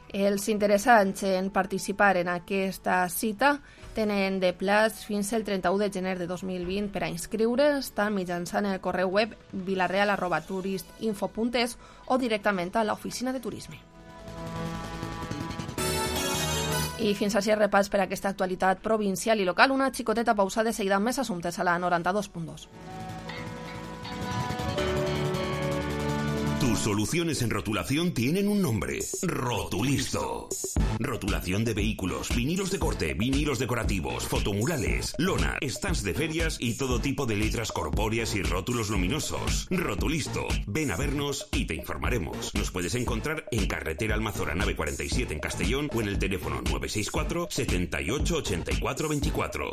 Els interessants en participar en aquesta cita tenen de plaç fins el trenta-u de gener de dos mil vint per a inscriure's, tant mitjançant el correu web vilareal arroba turistinfo punt es o directament a l'oficina de turisme. I fins així el repàs per a aquesta actualitat provincial i local. Una xicoteta pausa, de seguida amb més assumptes a la noranta-dos punt dos. Tus soluciones en rotulación tienen un nombre: Rotulisto. Rotulación de vehículos, vinilos de corte, vinilos decorativos, fotomurales, lona, stands de ferias y todo tipo de letras corpóreas y rótulos luminosos. Rotulisto. Ven a vernos y te informaremos. Nos puedes encontrar en carretera Almazora nave cuarenta y siete en Castellón o en el teléfono nueve seis cuatro, setenta y ocho, ochenta y cuatro veinticuatro.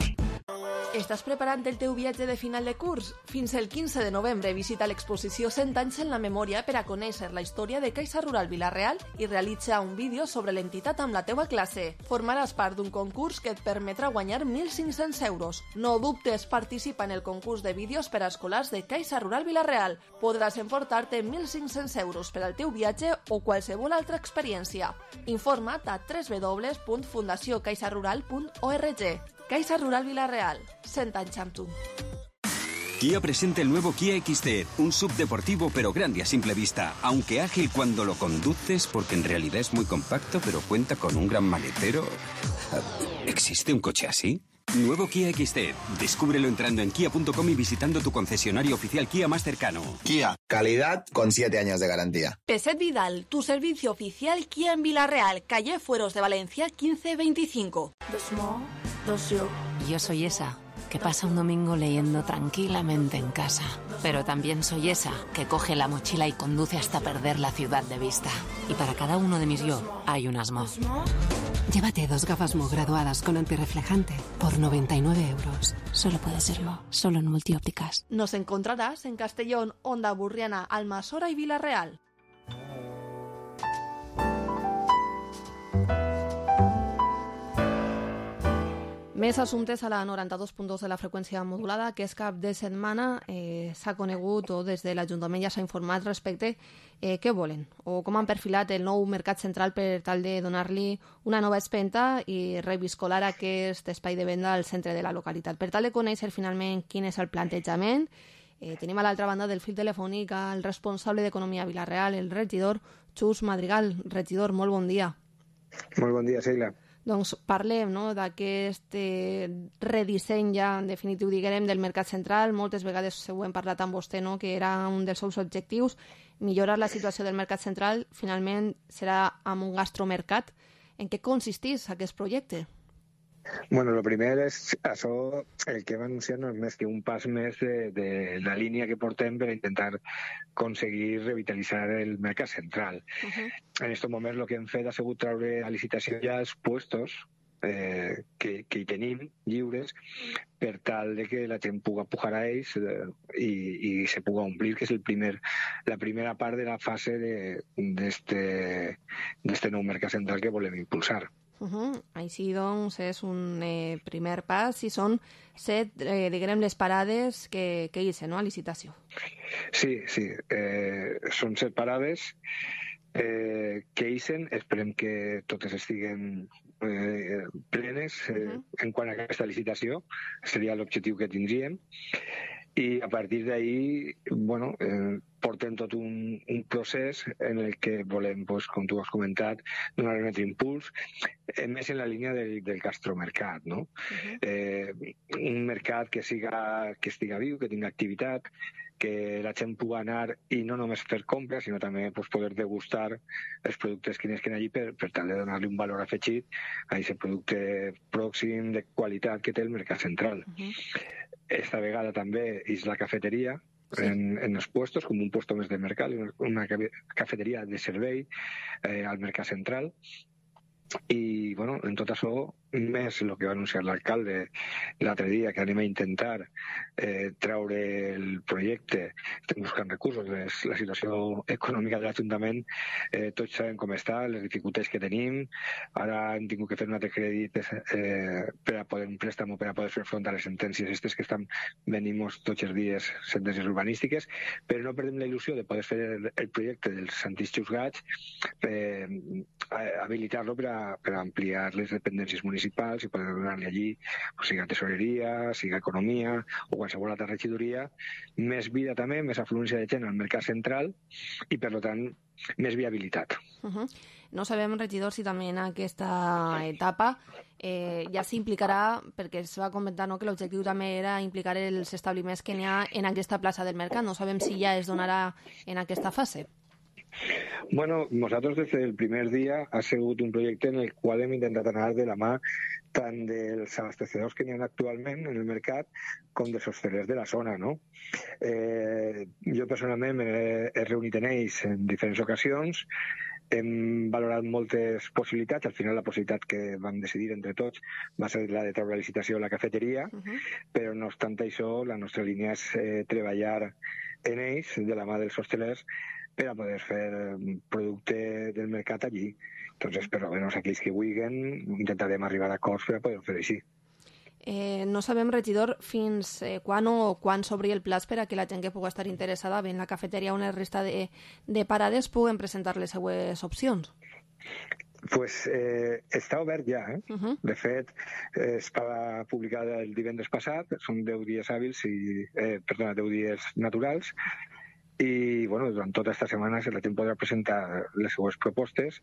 Estàs preparant el teu viatge de final de curs? Fins el quinze de novembre visita l'exposició cent anys en la memòria per a conèixer la història de Caixa Rural Vila-real i realitza un vídeo sobre l'entitat amb la teua classe. Formaràs part d'un concurs que et permetrà guanyar mil cinc-cents euros. No dubtes, participa en el concurs de vídeos per a escolars de Caixa Rural Vila-real. Podràs emportar-te mil cinc-cents euros per al teu viatge o qualsevol altra experiència. Informa't a w w w punt fundació caixa rural punt org. Caixa Rural Vila-real, cent anys amb tu. Kia presenta el nuevo Kia X C, un sub deportivo pero grande a simple vista, aunque ágil cuando lo conduces porque en realidad es muy compacto pero cuenta con un gran maletero. ¿Existe un coche así? Nuevo Kia X C. Descúbrelo entrando en kia punto com y visitando tu concesionario oficial Kia más cercano. Kia, calidad con siete años de garantía. Peset Vidal, tu servicio oficial Kia en Vila-real, calle Fueros de Valencia quince veinticinco. Yo soy esa que pasa un domingo leyendo tranquilamente en casa. Pero también soy esa que coge la mochila y conduce hasta perder la ciudad de vista. Y para cada uno de mis yo hay un Asmo. Llévate dos gafas Mo graduadas con antirreflejante por noventa y nueve euros. Solo puede serlo, solo en Multiópticas. Nos encontrarás en Castellón, Onda Burriana, Almasora y Vila-real. Més assumptes a la noranta-dos punt dos de la freqüència modulada. Aquest cap de setmana eh, s'ha conegut o des de l'Ajuntament ja s'ha informat respecte eh, què volen o com han perfilat el nou mercat central per tal de donar-li una nova espenta i reviscolar aquest espai de venda al centre de la localitat. Per tal de conèixer finalment quin és el plantejament, eh, tenim a l'altra banda del fil telefònic el responsable d'Economia a Vila-real, el regidor Xus Madrigal. Regidor, molt bon dia. Molt bon dia, Sheila. Doncs parlem no, d'aquest eh, redisseny ja en definitiu, diguem, del mercat central. Moltes vegades ho hem parlat amb vostè, no, que era un dels seus objectius, millorar la situació del mercat central. Finalment serà amb un gastromercat. En què consisteix aquest projecte? Bueno, el primer és això, el que hem anunciat no és més que un pas més de, de la línia que portem per intentar aconseguir revitalitzar el mercat central. Uh-huh. En aquest moment el que hem fet ha sigut treure a licitació ja els puestos eh, que, que hi tenim lliures per tal de que la gent pugui pujar a ells eh, i, i se pugui omplir, que és el primer, la primera part de la fase d'este nou mercat central que volem impulsar. Uh-huh. Així doncs és un eh, primer pas i són set, eh, diguem, les parades que, que hi ha, no?, a licitació. Sí, sí, eh, són set parades eh, que hi ha, esperem que totes estiguen eh, plenes eh, uh-huh. en quant a aquesta licitació, seria l'objectiu que tindríem. I a partir d'ahí, bueno, eh, portem tot un, un procés en el que volem, pues, com tu has comentat, donar un altre impuls, eh, més en la línia del, del gastromercat, no? Uh-huh. eh, un mercat que siga, que estiga viu, que tinga activitat, que la gent pugui anar i no només fer compres, sinó també pues, poder degustar els productes que n'esquen allí per, per tal de donar-li un valor afegit a aquest producte pròxim de qualitat que té el mercat central. Uh-huh. Esta vegada també és la cafeteria sí. en, en els puestos, com un puesto més de mercat, una cafeteria de servei eh, al mercat central. I, bueno, en tot això més el que va anunciar l'alcalde l'altre dia, que anem a intentar eh, treure el projecte. Estem buscant recursos. Les, la situació econòmica de l'Ajuntament, eh, tots sabem com està, les dificultats que tenim. Ara hem tingut que fer un altre crèdit eh, per a poder un préstamo per a poder fer front a les sentències aquestes que estan venint tots els dies, sentències urbanístiques, però no perdem la il·lusió de poder fer el, el projecte dels antics juzgats, eh, habilitar-lo per a, per a ampliar les dependències municipals i poder donar-li allí, pues, siga tesoreria, siga economia o qualsevol altra regidoria, més vida també, més afluència de gent al mercat central i, per tant, més viabilitat. Uh-huh. No sabem, regidor, si també en aquesta etapa eh, ja s'implicarà, perquè es va comentar, no?, que l'objectiu també era implicar els establiments que n'hi ha en aquesta plaça del mercat. No sabem si ja es donarà en aquesta fase. Bueno, nosaltres des del primer dia ha sigut un projecte en el qual hem intentat anar de la mà tant dels abastecedors que n'hi ha actualment en el mercat com dels hostelers de la zona, no? Eh, jo personalment m'he he reunit en ells en diferents ocasions, hem valorat moltes possibilitats. Al final la possibilitat que vam decidir entre tots va ser la de treure la licitació a la cafeteria, uh-huh. però no obstant això la nostra línia és eh, treballar en ells de la mà dels hostelers per a poder fer producte del mercat allí. Entonces, per almenys aquells que vulguin, intentarem arribar a acords per a poder fer així. Eh, no sabem, regidor, fins eh, quan o quan s'obri el plaç per a que la gent que pugui estar interessada en la cafeteria o una resta de, de parades puguen presentar les seues opcions. Pues eh, està obert ja, eh? Uh-huh. De fet, eh, es va publicar el divendres passat, són deu dies hàbils, i, eh, perdona, deu dies naturals, i bueno, durant tota aquesta setmana la gent podrà presentar les seues propostes.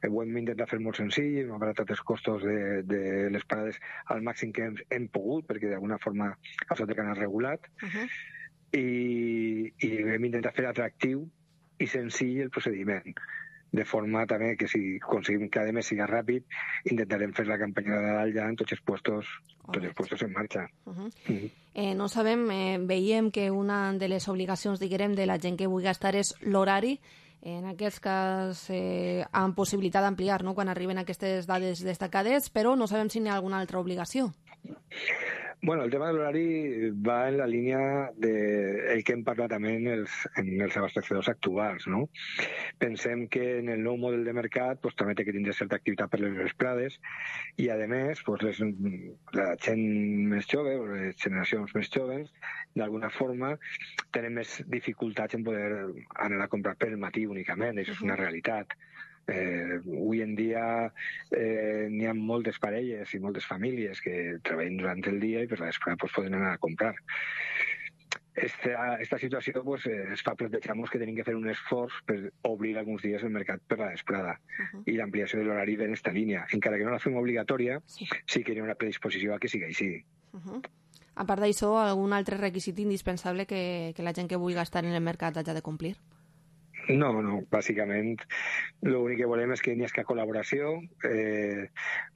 Ho hem intentat fer molt senzill, hem abaratat els costos de, de les parades al màxim que hem, hem pogut, perquè d'alguna forma això té que anar regulat, uh-huh. I, i hem intentat fer atractiu i senzill el procediment, de forma també que si aconseguim que a més sigui ràpid, intentarem fer la campanya de Nadal ja en tots els puestos, tots els puestos en marxa. Uh-huh. Uh-huh. Eh, no sabem, eh, veiem que una de les obligacions, diguem, de la gent que vulgui estar és l'horari. En aquest cas, eh, amb possibilitat d'ampliar, no?, quan arriben aquestes dades destacades, però no sabem si n'hi ha alguna altra obligació. Bueno, el tema de l'horari va en la línia del de que hem parlat també en els, en els abastecedors actuals, no? Pensem que en el nou model de mercat pues, també té que tindre certa activitat per les vesprades i, a més, pues, les, la gent més jove, les generacions més joves, d'alguna forma tenen més dificultats en poder anar a comprar per el matí únicament, això és una realitat. Eh, avui en dia eh, n'hi ha moltes parelles i moltes famílies que treballen durant el dia i per la vesprada pues, poden anar a comprar. Esta, esta situació pues, es fa plantejar-nos que tenim que fer un esforç per obrir alguns dies el mercat per la vesprada, uh-huh. i l'ampliació de l'horari en aquesta línia. Encara que no la fem obligatòria, sí, sí que hi ha una predisposició a que sigui així. Uh-huh. A part d'això, algun altre requisit indispensable que, que la gent que vulgui estar en el mercat hagi de complir? No, no, bàsicament l'únic que volem és que n'hi hagi col·laboració. Eh,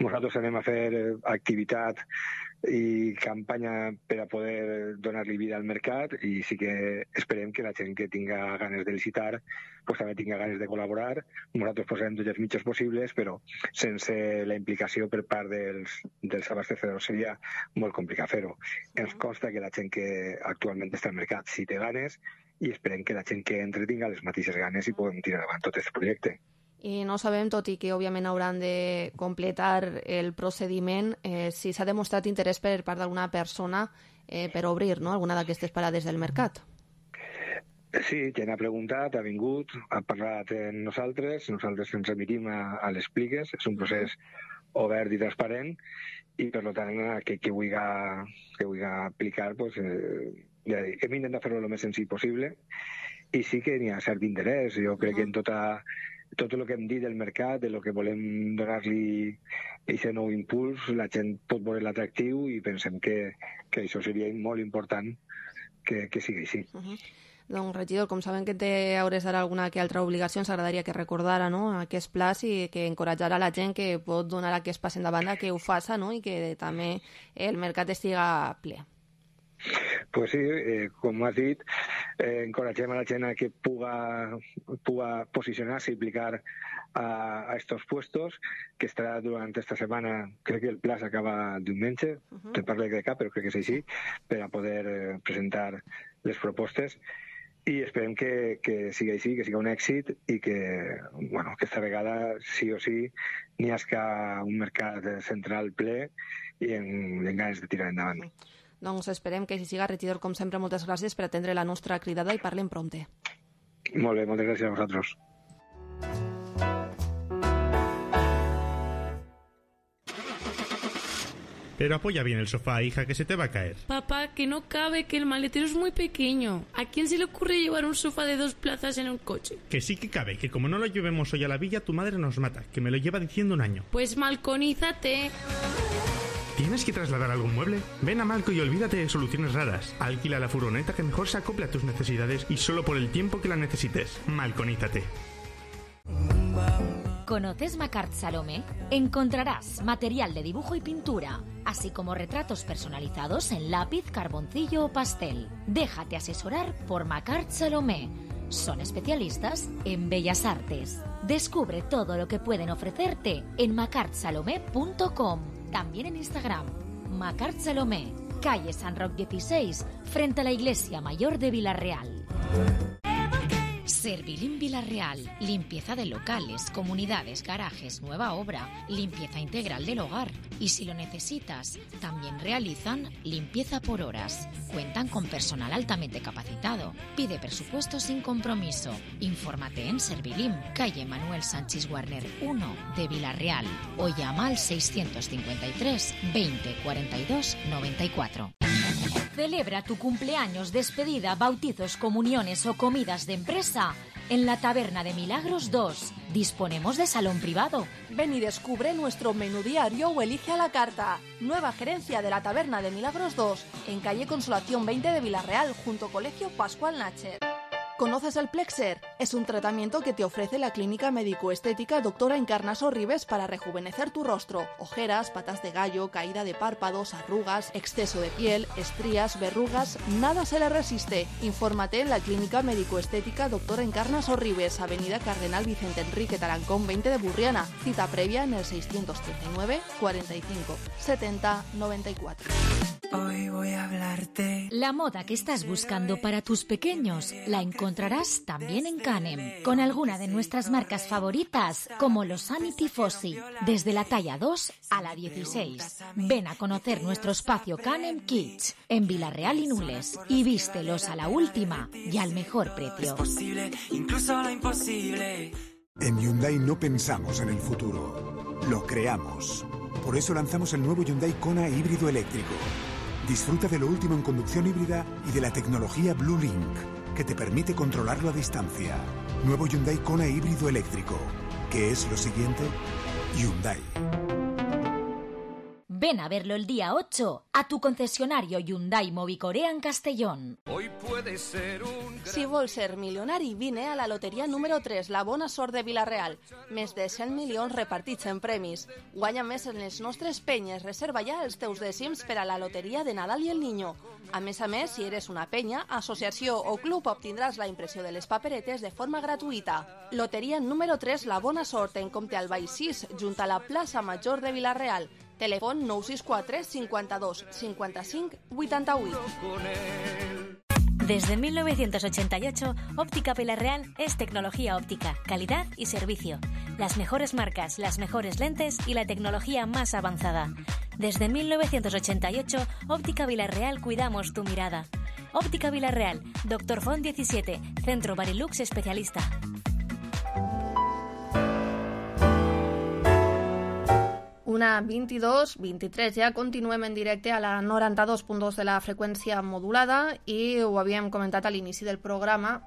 nosaltres anem a fer activitat i campanya per a poder donar-li vida al mercat i sí que esperem que la gent que tinga ganes de licitar pues, també tinga ganes de col·laborar. Nosaltres posarem tots els mitjans possibles, però sense la implicació per part dels, dels abastecedors seria molt complicat fer-ho. Ens consta que la gent que actualment està al mercat sí té ganes i esperem que la gent que entre tinga les mateixes ganes i podem tirar davant tot aquest projecte. I no sabem, tot i que òbviament hauran de completar el procediment, eh, si s'ha demostrat interès per part d'alguna persona eh, per obrir, no?, alguna d'aquestes parades del mercat. Sí, gent ha preguntat, ha vingut, ha parlat amb nosaltres, nosaltres ens remitim a, a les pliques, és un procés obert i transparent i per tant que qui vulgui, que vulgui aplicar pues, eh, ja dic, hem intentat fer-ho el més senzill possible i sí que n'hi ha cert interès. Jo crec que en tota, tot el que hem dit del mercat, de lo que volem donar-li aquest nou impuls, la gent pot veure l'atractiu i pensem que, que això seria molt important que, que sigui així. Uh-huh. Doncs, regidor, com saben que té hauràs d'ara alguna que altra obligació, ens agradaria que recordara, no?, aquest plaç i que encoratjara la gent que pot donar aquest pas endavant que ho faça, no?, i que també el mercat estiga ple. Pues sí, eh, com has dit, eh, encoratgem a la gent a que puga, puga posicionar-se i aplicar a, a estos puestos, que estarà durant esta setmana, crec que el pla s'acaba diumenge, uh-huh. te parlo de cap, però crec que és així, per a poder eh, presentar les propostes, i esperem que, que sigui així, que sigui un èxit i que, bueno, aquesta vegada sí o sí n'hi hagi un mercat central ple i amb ganes de tirar endavant. Doncs esperem que així siga. Regidor, com sempre, moltes gràcies per atendre la nostra cridada i parlem prompte. Molt bé, moltes gràcies a vosaltres. Pero apoya bien el sofá, hija, que se te va a caer. Papá, que no cabe, que el maletero es muy pequeño. ¿A quién se le ocurre llevar un sofá de dos plazas en un coche? Que sí que cabe, que como no lo llevemos hoy a la villa, tu madre nos mata, que me lo lleva diciendo un año. Pues malconízate. ¿Tienes que trasladar algún mueble? Ven a Malco y olvídate de soluciones raras. Alquila la furgoneta que mejor se acople a tus necesidades y solo por el tiempo que la necesites. Malconízate. ¿Conoces Macart Salomé? Encontrarás material de dibujo y pintura, así como retratos personalizados en lápiz, carboncillo o pastel. Déjate asesorar por Macart Salomé. Son especialistas en bellas artes. Descubre todo lo que pueden ofrecerte en macart salomé punto com. También en Instagram, Macart Salomé, calle San Roc dieciséis, frente a la Iglesia Mayor de Villarreal. Servilim Villarreal, limpieza de locales, comunidades, garajes, nueva obra, limpieza integral del hogar. Y si lo necesitas, también realizan limpieza por horas. Cuentan con personal altamente capacitado. Pide presupuesto sin compromiso. Infórmate en Servilim, calle Manuel Sánchez Warner uno de Villarreal, o llama al seiscientos cincuenta y tres, veinte, cuarenta y dos, noventa y cuatro. Celebra tu cumpleaños, despedida, bautizos, comuniones o comidas de empresa en la Taberna de Milagros dos. Disponemos de salón privado. Ven y descubre nuestro menú diario o elige a la carta. Nueva gerencia de la Taberna de Milagros dos, en calle Consolación veinte de Villarreal, junto Colegio Pascual Nacher. ¿Conoces el Plexer? Es un tratamiento que te ofrece la clínica médico-estética Doctora Encarnaso Ribes para rejuvenecer tu rostro. Ojeras, patas de gallo, caída de párpados, arrugas, exceso de piel, estrías, verrugas, nada se le resiste. Infórmate en la clínica médico-estética Doctora Encarnaso Ribes, avenida Cardenal Vicente Enrique Tarancón veinte de Burriana. Cita previa en el seiscientos treinta y nueve, cuarenta y cinco, setenta, noventa y cuatro. Hoy voy a hablarte. La moda que estás buscando para tus pequeños la encontrarás también en Canem, con alguna de nuestras marcas favoritas, como los Sani Tifosi, desde la talla dos a la dieciséis. Ven a conocer nuestro espacio Canem Kids en Villarreal y Nules y vístelos a la última y al mejor precio. Es posible, incluso lo imposible. En Hyundai no pensamos en el futuro, lo creamos. Por eso lanzamos el nuevo Hyundai Kona híbrido eléctrico. Disfruta de lo último en conducción híbrida y de la tecnología Blue Link, que te permite controlarlo a distancia. Nuevo Hyundai Kona híbrido eléctrico. ¿Qué es lo siguiente? Hyundai. Ven a verlo el día ocho a tu concesionario Hyundai Movicorea en Castellón. Hoy puede ser un... Si vols ser milionari, vine a la loteria número tres, la Bona Sort de Villarreal. Més de cent milions repartits en premis. Guanya més en les nostres penyes. Reserva ja els teus dècims per a la loteria de Nadal i el Niño. A més a més, si eres una penya, associació o club, obtindràs la impressió de les paperetes de forma gratuïta. Loteria número tres, la Bona Sort, en Comte Albay sis, junt a la plaça Major de Villarreal. Telèfon nou sis quatre, cincuenta-dos, cincuenta-cinc, vuitanta-vuit. Desde mil novecientos ochenta y ocho, Óptica Villarreal es tecnología óptica, calidad y servicio. Las mejores marcas, las mejores lentes y la tecnología más avanzada. Desde mil novecientos ochenta y ocho, Óptica Villarreal cuidamos tu mirada. Óptica Villarreal, Doctor Font diecisiete, Centro Barilux Especialista. Una vint-i-dos, vint-i-tres, ja continuem en directe a la noranta-dos punt dos de la freqüència modulada i ho havíem comentat a l'inici del programa.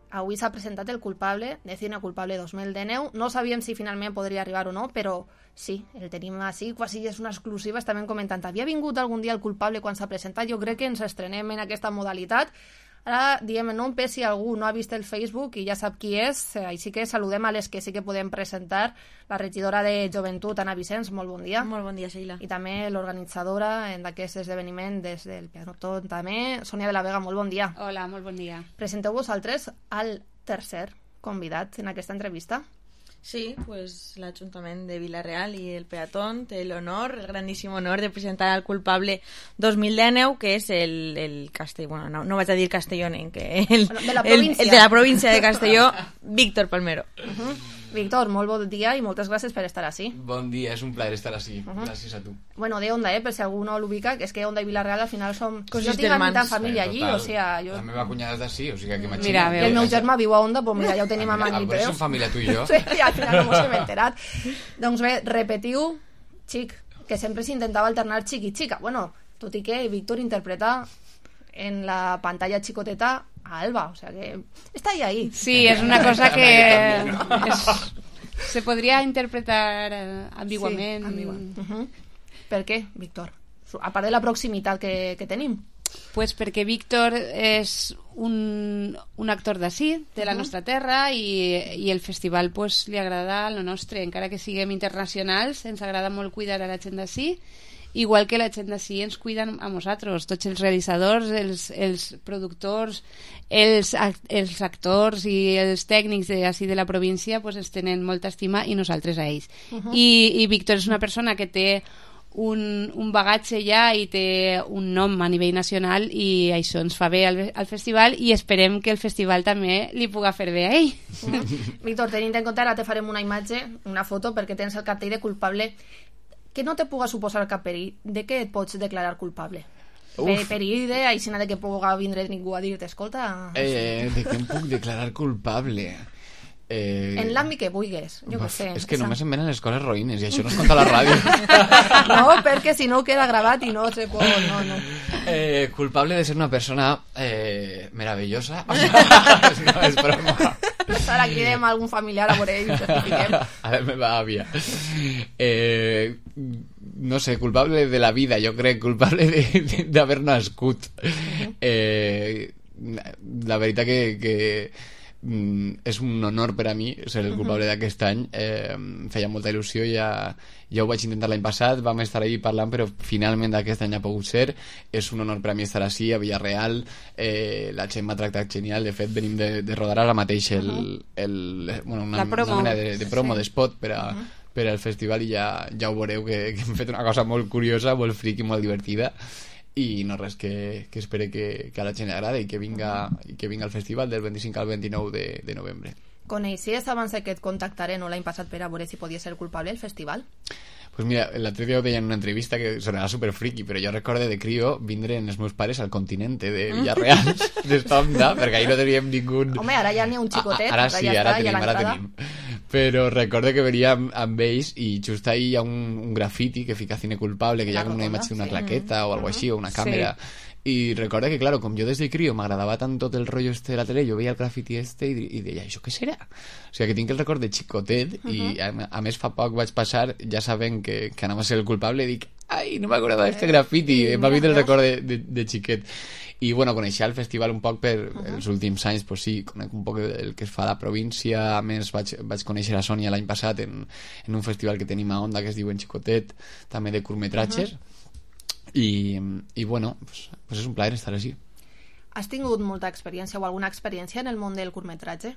Avui s'ha presentat el culpable de Cine Culpable dos mil dinou. No sabíem si finalment podria arribar o no, però sí, el tenim així, quasi és una exclusiva. Estàvem comentant, havia vingut algun dia el culpable quan s'ha presentat? Jo crec que ens estrenem en aquesta modalitat. Ara diem en nom per si algú no ha vist el Facebook i ja sap qui és, així que saludem a les que sí que podem presentar. La regidora de Joventut, Anna Vicenç, molt bon dia. Molt bon dia, Sheila. I també l'organitzadora d'aquest esdeveniment des del Peató també, Sònia de la Vega, molt bon dia. Hola, molt bon dia. Presenteu vosaltres al tercer convidat en aquesta entrevista. Sí, pues l'Ajuntament de Vila-real i el Peatón té l'honor, el grandíssim honor de presentar al culpable dos mil dinou, que és el, el Castell, bueno, no, no vaig a dir castellonenc, que el, bueno, de la el, el de la província de Castelló, Víctor Palmero. Uh-huh. Víctor, molt bon dia i moltes gràcies per estar així. Bon dia, és un plaer estar així. Uh-huh. Gràcies a tu. Bueno, de Onda, eh, per si algú no l'ubica, és que Onda i Vila-real al final som... Jo tinc a mitad família allí, o sea... Jo... La meva cunyada és d'ací, o sigui que m'imagino... Mira, i el meu germà viu a Onda, doncs mira, ja ho tenim a man i peus. Som família tu i jo. Sí, al final no m'ho hem enterat. Doncs bé, repetiu, xic, que sempre s'intentava alternar xic i xica. Bueno, tot i que Víctor interpreta en la pantalla xicoteta a Alba, o sea que està ahí, ahí. Sí, és una cosa que... és... Se podria interpretar eh, ambiguament. Sí, ambiguament. Uh-huh. Per què, Víctor? A part de la proximitat que, que tenim. Pues perquè Víctor és un, un actor d'ací, de la Uh-huh. nostra terra, i, i el festival pues, li agrada lo nostre. Encara que siguem internacionals, ens agrada molt cuidar a la gent d'ací, igual que la gent d'ací ens cuiden a nosaltres, tots els realitzadors, els, els productors, els, els actors i els tècnics d'ací de la província pues, ens tenen molta estima i nosaltres a ells. Uh-huh. I, i Víctor és una persona que té un, un bagatge ja i té un nom a nivell nacional i això ens fa bé al, al festival i esperem que el festival també li puga fer bé a ell. Uh-huh. Víctor, tenint en compte, ara te farem una imatge, una foto, perquè tens el cartell de culpable. Que no te puga suposar cap perill, de què et pots declarar culpable? Per, perill de, aixina de que puga vindre ningú a dir-te, escolta... Eh, de què em puc declarar culpable? Eh... En l'àmbit que vulguis, jo què sé. És que només em venen les coses roïnes i això no es conta a la ràdio. No, perquè si no queda gravat i no se pot... No, no. Eh, culpable de ser una persona eh, meravellosa. No, és broma. Ara cridem a algun familiar a veure ell i certifiquem. A la meva àvia. Eh, no sé, culpable de la vida, jo crec, culpable d'haver nascut. Eh, la veritat que, que és un honor per a mi ser el culpable uh-huh. d'aquest any. Eh, em feia molta il·lusió, ja, ja ho vaig intentar l'any passat, vam estar ahí parlant, però finalment aquest any ha pogut ser. És un honor per a mi estar així a Villarreal. Eh, la gent m'ha tractat genial, de fet venim de, de rodar ara mateix el, el, bueno, una, una mena de, de promo, sí. d'espot per a uh-huh. per al festival i ja, ja ho veureu que, que hem fet una cosa molt curiosa, molt friqui, molt divertida i no res, que, que espere que, que a la gent li agrada i que vinga, i que vinga al festival del vint-i-cinc al vint-i-nou de, de novembre. Coneixies abans que et contactaren o l'any passat per a veure si podia ser culpable el festival? Pues mira, l'altre dia ho deia en una entrevista que sonarà super friki, però jo recorde de crio vindre amb els meus pares al continente de Villarreal, d'Estonda, perquè ahí no teníem ningú... Home, ara ja n'hi ha un xicotet, ara sí, ja ara està, tenim, ara tenim. Però recorde que venia amb, amb ells i just ahí hi ha un, un grafiti que fica cine culpable, que hi ha com una imatge d'una claqueta o algo així, o una càmera... Sí. I recorda que, claro, com jo des de crio m'agradava tant tot el rotllo este de la tele, jo veia el grafiti este i, i deia, això què serà? O sigui, que tinc el record de xicotet uh-huh. i a, a més fa poc vaig passar, ja saben que, que anava a ser el culpable i dic, ai, no m'acordava d'este grafiti, eh, m'ha vist el record de, de, de xiquet. I bueno, coneixia el festival un poc per uh-huh. els últims anys, pues sí, conec un poc el que es fa a la província, a més vaig, vaig conèixer a Sònia l'any passat en, en un festival que tenim a Onda que es diu En Xicotet, també de curtmetratges. Uh-huh. I, i bueno, pues, pues és un plaer estar així. Has tingut molta experiència o alguna experiència en el món del curtmetratge?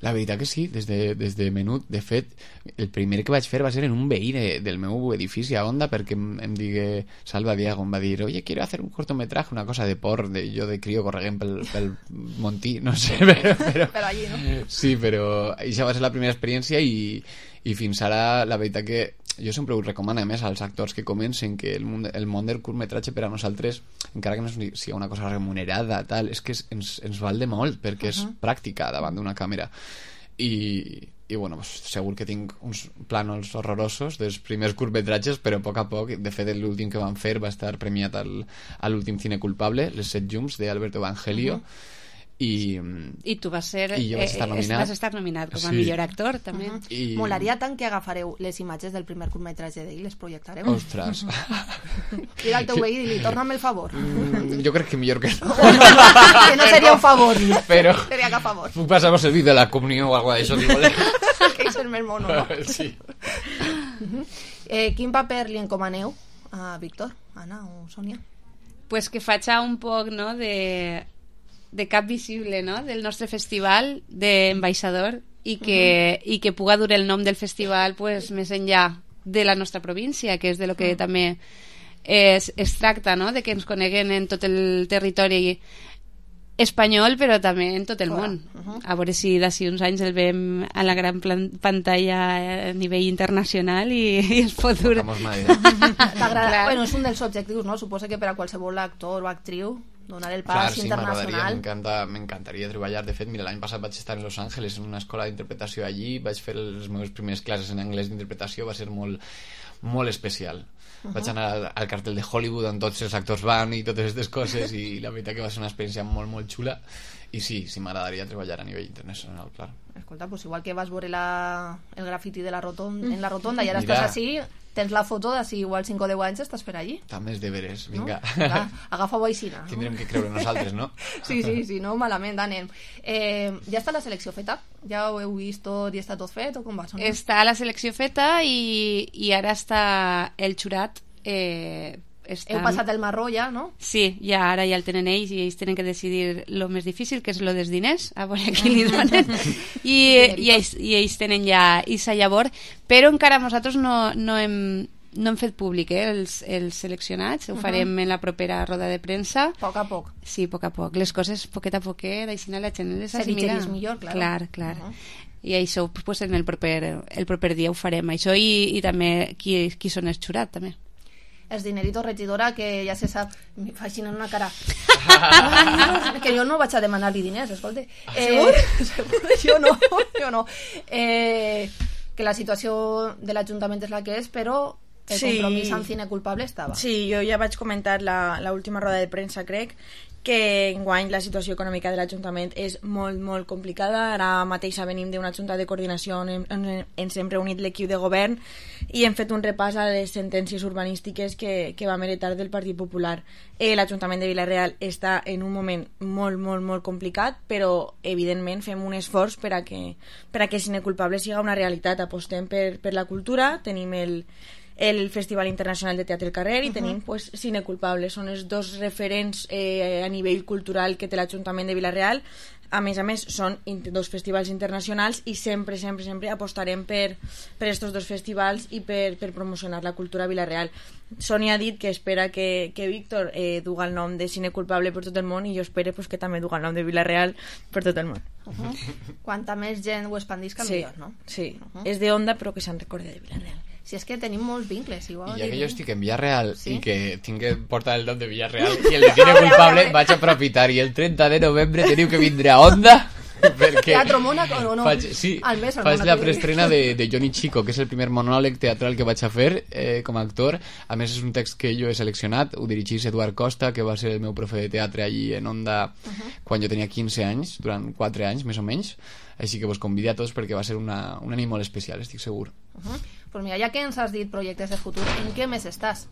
La veritat que sí, des de, des de menut. De fet, el primer que vaig fer va ser en un veí de, del meu edifici a Onda, perquè em, em digué Salva Diego, em va dir, oye, quiero hacer un cortometraje, una cosa de por, de, jo de crio correguent pel, pel Montí, no sé, però... Però, però allí, no? Sí, però això va ser la primera experiència i, i fins ara la veritat que jo sempre ho recomano a més als actors que comencen que el món, el món del curtmetratge per a nosaltres, encara que no sigui una cosa remunerada tal, és que ens, ens val de molt perquè uh-huh. és pràctica davant d'una càmera i, i bueno, pues, segur que tinc uns plànols horrorosos dels primers curtmetratges, però a poc a poc, de fet l'últim que van fer va estar premiat al, a l'últim cine culpable, Les set llums d'Alberto Evangelio uh-huh. i... I tu vas ser... I jo vaig estar nominat. Eh, vas estar nominat com a Sí. millor actor, també. Uh -huh. I- Molaria tant que agafareu les imatges del primer curtmetratge d'ell i les projectareu. Ostres. Crida al teu veí i li torna'm el favor. Mm, jo crec que millor que no. Que no seria un favor. Però... Seria cap favor. Puc passar-vos el vídeo de la comunió o alguna d'això, si voleu. Que és el més mono, no? Sí. Uh-huh. eh, quin paper li encomaneu a Víctor, Anna o Sònia? Pues que faig un poc, no?, de... de cap visible, no?, del nostre festival d'ambaixador i que, uh -huh. i que puga dur el nom del festival pues, més enllà de la nostra província, que és de lo que uh -huh. també es, es tracta, no?, de que ens coneguen en tot el territori espanyol, però també en tot el món. Uh -huh. A veure si d'ací uns anys el veiem a la gran plan pantalla a nivell internacional i, i es pot dur... T'agrada? Bueno, és un dels objectius, no? Suposo que per a qualsevol actor o actriu donar el pas Clar, sí, internacional. m'encanta, m'encantaria treballar. De fet, mira, l'any passat vaig estar en Los Angeles en una escola d'interpretació allí, vaig fer les meves primeres classes en anglès d'interpretació, va ser molt, molt especial. Uh-huh. Vaig anar al, al cartel de Hollywood on tots els actors van i totes aquestes coses i la veritat que va ser una experiència molt, molt xula i sí, sí m'agradaria treballar a nivell internacional, clar. Escolta, pues igual que vas veure la, el grafiti de la rotonda, en la rotonda i ara Mira. estàs així, tens la foto d'ací igual cinc o deu anys estàs per allí. També és deberes, vinga. No? Va, agafa-ho aixina. Tindrem que creure nosaltres, no? Sí, sí, sí, no malament, anem. Eh, ja està la selecció feta? Ja ho heu vist tot i està tot fet o com va? Sonar? Està la selecció feta i, i ara està el jurat eh, estan... Heu passat el marró ja, no? Sí, ja ara ja el tenen ells i ells tenen que decidir lo més difícil, que és lo dels diners, a veure a qui li donen i, i, ells, i ells tenen ja esa llavor, però encara nosaltres no, no hem no hem fet públic eh, els, els seleccionats, ho farem uh -huh. en la propera roda de premsa. A poc a poc. Sí, a poc a poc. Les coses poquet a poquet, així la gent les Se digerís millor, clar. Clar, clar. Uh -huh. I això pues, en el proper, el proper dia ho farem, això i, i també qui, qui són els jurat, també. Els dineritos regidora, que ja se sap, me fa així en una cara. Que jo no vaig a demanar-li diners, escolta. Eh, segur? Jo no, jo no. Eh, que la situació de l'Ajuntament és la que és, però el Sí. compromís amb cine culpable estava. Sí, jo ja vaig comentar la, la última roda de premsa, crec, que enguany la situació econòmica de l'Ajuntament és molt, molt complicada. Ara mateix venim d'una junta de coordinació on hem, on ens hem reunit l'equip de govern i hem fet un repàs a les sentències urbanístiques que, que vam heretar del Partit Popular. Eh, L'Ajuntament de Vila-real està en un moment molt, molt, molt complicat, però evidentment fem un esforç per a que, per a que Cine Culpable siga una realitat. Apostem per, per la cultura, tenim el el Festival Internacional de Teatre al Carrer i uh -huh. tenim pues, Cine Culpable. Són els dos referents eh, a nivell cultural que té l'Ajuntament de Vila-real. A més a més, són dos festivals internacionals i sempre, sempre, sempre apostarem per, per estos dos festivals i per, per promocionar la cultura a Vila-real. Sònia ha dit que espera que, que Víctor eh, duga el nom de Cine Culpable per tot el món i jo espero pues, que també duga el nom de Vila-real per tot el món. Uh -huh. Quanta més gent ho expandisca, sí, millor, no? Sí, uh -huh. és de Onda però que se'n recorde de Vila-real. Si és que tenim molts vincles, igual. I ja que jo estic en Villarreal sí? i que tinc que portar el nom de Villarreal i el de Cine Culpable, vaig aprofitar i el trenta de novembre teniu que vindre a Onda perquè Teatro Mónaco o no? faig, sí, al mes, al faig Mónaco. la preestrena de, de Johnny Chico, que és el primer monòleg teatral que vaig a fer eh, com a actor. A més és un text que jo he seleccionat, ho dirigís Eduard Costa, que va ser el meu profe de teatre allí en Onda uh -huh. quan jo tenia quinze anys, durant quatre anys més o menys, així que vos convido a tots perquè va ser una, una nit molt especial, estic segur. Uh -huh. Pues mira, ja que ens has dit projectes de futur, en què més estàs?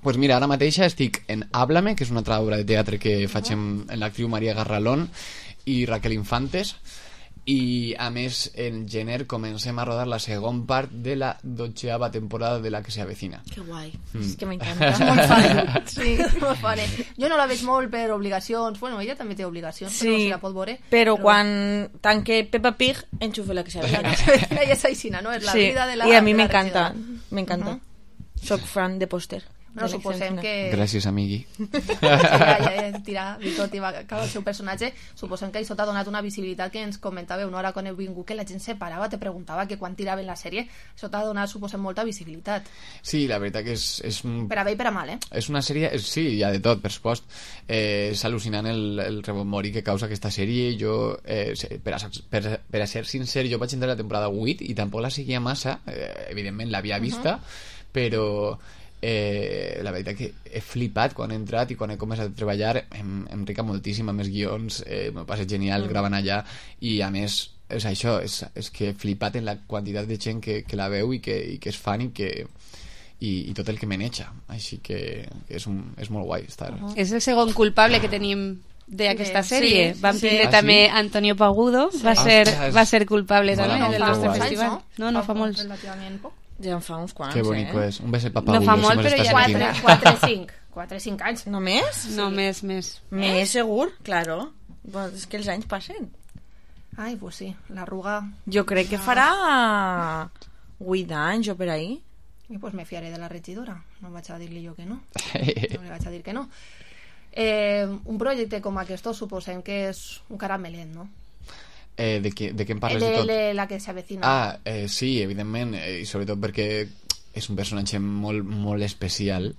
Pues mira, ara mateixa estic en Háblame, que és una altra obra de teatre que faig en, en l'actriu Maria Garralón i Raquel Infantes, i a més en gener comencem a rodar la segon part de la dotzeava temporada de La que se avecina. Que guai, Mm. és que m'encanta. És molt fàcil. Sí, molt fàcil. Jo no la veig molt per obligacions. Bueno, ella també té obligacions, Sí, però no si la pot veure. però, però... quan tanque Peppa Pig, enxufe La que se avecina. Ella és aixina, no? És la sí. vida de la... I a mi de la m'encanta, regidora. m'encanta. Uh -huh. Soc fan de pòster. No, suposem que... Gràcies, amigui. Sí, ja, ja, tira, Víctor tira cada el seu personatge. Suposem que això t'ha donat una visibilitat que ens comentàveu, no? Ara quan heu vingut que la gent se parava, te preguntava que quan tiraven la sèrie, això t'ha donat, suposem, molta visibilitat. Sí, la veritat que és... és un... Per a bé i per a mal, eh? És una sèrie, és, sí, hi ha de tot, per supost. Eh, és al·lucinant el, el rebombori que causa aquesta sèrie. Jo, eh, per, a, per, per a ser sincer, jo vaig entrar a la temporada vuit i tampoc la seguia massa, eh, evidentment l'havia vista, uh -huh. però eh, la veritat que he flipat quan he entrat i quan he començat a treballar em, em rica moltíssim amb els guions, eh, m'ho passa genial Mm. gravant allà, i a més és això, és, és que he flipat en la quantitat de gent que, que la veu i que, i que és fan i que i, i tot el que maneja, així que, que és, un, és molt guai estar. Uh -huh. És el segon culpable que tenim d'aquesta Sí, sèrie. sí, Vam sí. tindre Ah, també sí? Antonio Pagudo, va, Sí. ser, Ostres. va ser culpable Mola també molt, del molt nostre guai. festival. no? No, no fa molts. Relativament poc. Ja en fa uns quants, Que bonico eh? és. Un beset pa No fa Pagudo, molt, si mos però estàs ja- sentint. quatre, cinc. quatre, cinc anys. Només? No, més, més. Més segur, claro. Pues és que els anys passen. Ai, pues sí, l'arruga... Jo crec que farà vuit anys o per ahí. I pues me fiaré de la regidora. No vaig a dir-li jo que no. No li vaig a dir que no. Eh, un projecte com aquest suposem que és un caramelet, no? Eh, de, què, de què em parles de, de tot? de la que s'avecina. Ah, eh, sí, evidentment, eh, i sobretot perquè és un personatge molt, molt especial,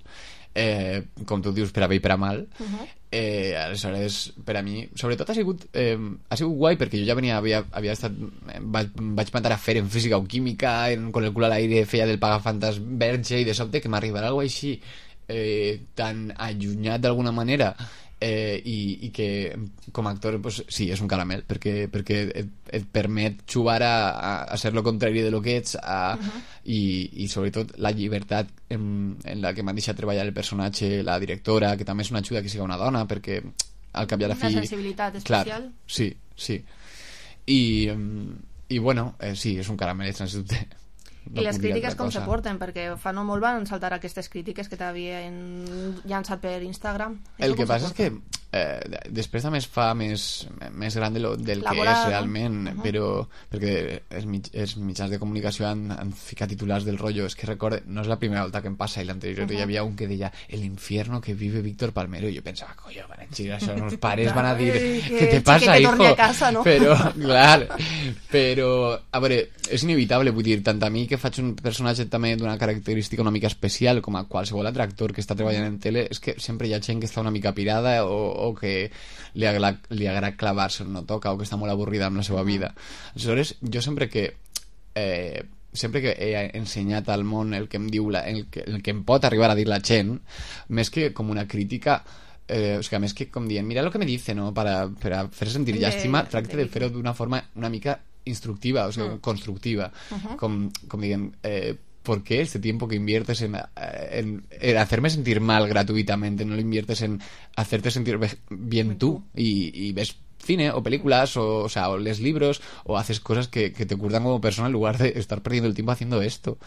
eh, com tu dius, per a bé i per a mal. Uh -huh. eh, aleshores, per a mi, sobretot ha sigut eh, ha sigut guai, perquè jo ja venia havia, havia estat, eh, vaig, vaig matar a fer en física o química, en, con el cul a l'aire feia del pagafantas verge, i de sobte que m'arribarà alguna cosa així eh, tan allunyat d'alguna manera, eh, i, i que com a actor pues, sí, és un caramel perquè, perquè et, et permet jugar a, a, a ser lo contrari de lo que ets, a, uh-huh. i, i sobretot la llibertat en, en la que m'han deixat treballar el personatge, la directora, que també és una ajuda que siga una dona, perquè al cap i a la Una fi... sensibilitat especial. Clar, sí, sí. I, mm, i bueno, eh, sí, és un caramel, sens dubte. No I les puc dir crítiques altra com cosa. se porten? Perquè fa no molt van saltar aquestes crítiques que t'havien llançat per Instagram. El Això que com se passa és porta? que eh, després també es fa més, més gran de lo, del La que bola, és no? realment, Uh-huh. però perquè els, mig, els mitjans de comunicació han, han ficat titulars del rotllo. És que recorde, no és la primera volta que em passa, i l'anterior Uh-huh. hi havia un que deia el infierno que vive Víctor Palmero, i jo pensava, coño, van a girar això, els pares van a dir Que- què te que passa, te hijo? torni a casa, no? Però, clar, però, a veure, és inevitable, vull dir, tant a mi que faig un personatge també d'una característica una mica especial com a qualsevol altre actor que està treballant en tele, és que sempre hi ha gent que està una mica pirada o, o que li agrada, li agrada clavar-se on no toca, o que està molt avorrida amb la seva vida. Aleshores, jo sempre que eh, sempre que he ensenyat al món el que em diu la, el, que, el que em pot arribar a dir la gent, més que com una crítica, eh, o sigui, més que com dient, mira lo que me dice, no? Para, per a fer sentir llàstima, tracte de fer-ho d'una forma una mica instructiva, o sigui, Mm. constructiva, Uh-huh. com, com dient, eh, ¿por qué este tiempo que inviertes en, en, en hacerme sentir mal gratuitamente no lo inviertes en hacerte sentir be- bien tú y, y ves cine o películas o, o sea, o lees libros o haces cosas que, que te curtan como persona en lugar de estar perdiendo el tiempo haciendo esto?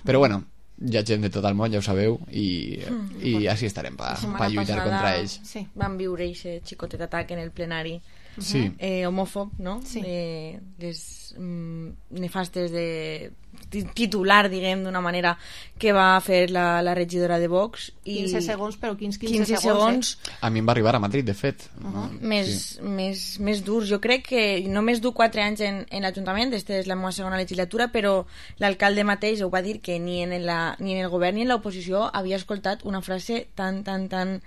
Pero bueno, hi ha gent de tot el món, ja ho sabeu, i, Mm. i així estarem per La setmana pa lluitar passada contra ells. Sí. Van viure aquest xicotet atac en el plenari. Sí. Eh, homòfob, no? Sí. Eh, les mm, nefastes de ti- titular, diguem, d'una manera que va fer la, la regidora de Vox. I quinze segons, però quins quinze, quinze segons, segons A mi em va arribar a Madrid, de fet. Uh-huh. no? més, Sí. més, més durs. Jo crec que només du quatre anys en, en l'Ajuntament, aquesta és la meva segona legislatura, però l'alcalde mateix ho va dir que ni en, la, ni en el govern ni en l'oposició havia escoltat una frase tan, tan, tan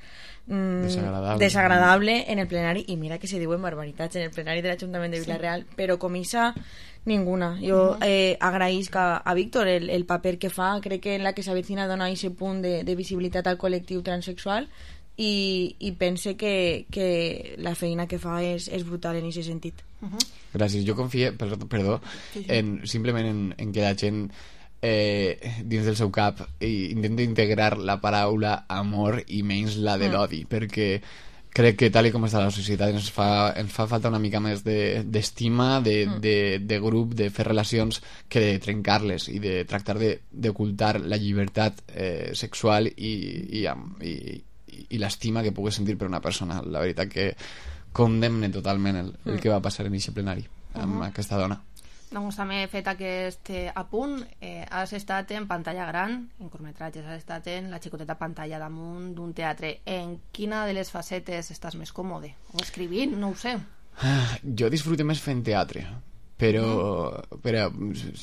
mm, Desagradable. desagradable en el plenari, i mira que se diuen barbaritats en el plenari de l'Ajuntament de Vila-real, però com isa ninguna. Jo Uh-huh. eh, agraïsc a, a Víctor el, el paper que fa, crec que en la que s'avecina dona aquest punt de, de visibilitat al col·lectiu transexual, i, i pense que, que la feina que fa és, és brutal en aquest sentit. Uh-huh. Gràcies. Jo confio, perdó, perdó Sí, sí. en, simplement en, en que la gent eh, dins del seu cap i intenta integrar la paraula amor i menys la de Mm. l'odi, perquè crec que tal i com està la societat ens fa, ens fa falta una mica més de- d'estima, de, Mm. de, de grup, de fer relacions, que de trencar-les i de tractar de- d'ocultar la llibertat eh, sexual i, i, amb- i, i, i l'estima que pugues sentir per una persona. La veritat que condemne totalment el, el Mm. que va passar en aquest plenari amb Mhm. aquesta dona. Doncs també he fet aquest eh, apunt. Eh, has estat en pantalla gran, en curtmetratges, has estat en la xicoteta pantalla damunt d'un teatre. En quina de les facetes estàs més còmode? O escrivint? No ho sé. Ah, jo disfruto més fent teatre, però, Mm. però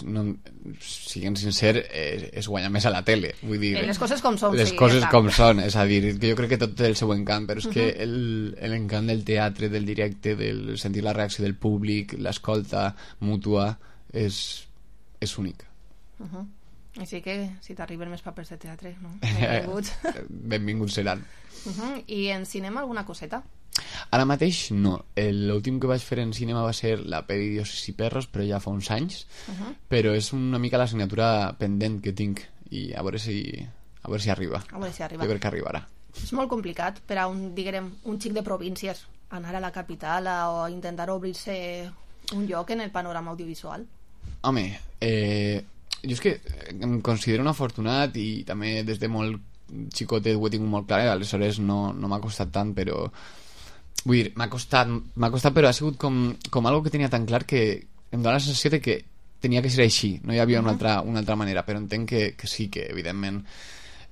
no, siguem sincer, es, es guanya més a la tele, vull dir, Eh, les coses com són, les sí, coses ja està. com són, és a dir, que jo crec que tot té el seu encant, però és que Mhm. el- l'encant del teatre, del directe, del sentir la reacció del públic, l'escolta mútua, és, és únic. Uh-huh. Així que, si t'arriben més papers de teatre, no? Benvinguts. Benvinguts seran. Uh -huh. I en cinema alguna coseta? Ara mateix no. L'últim que vaig fer en cinema va ser la pel·li Dioses i perros, però ja fa uns anys. Uh -huh. Però és una mica l'assignatura pendent que tinc i a veure si, a veure si arriba. A veure si arriba. Jo crec que arribarà. És molt complicat per a un, diguem, un xic de províncies anar a la capital a, o intentar obrir-se un lloc en el panorama audiovisual. Home, eh, jo és que em considero un afortunat i també des de molt xicotet ho he tingut molt clar, eh? Aleshores no, no m'ha costat tant, però vull dir, m'ha costat, m'ha costat però ha sigut com, com algo que tenia tan clar que em dóna la sensació de que tenia que ser així, no hi havia una altra, una altra manera, però entenc que, que sí, que evidentment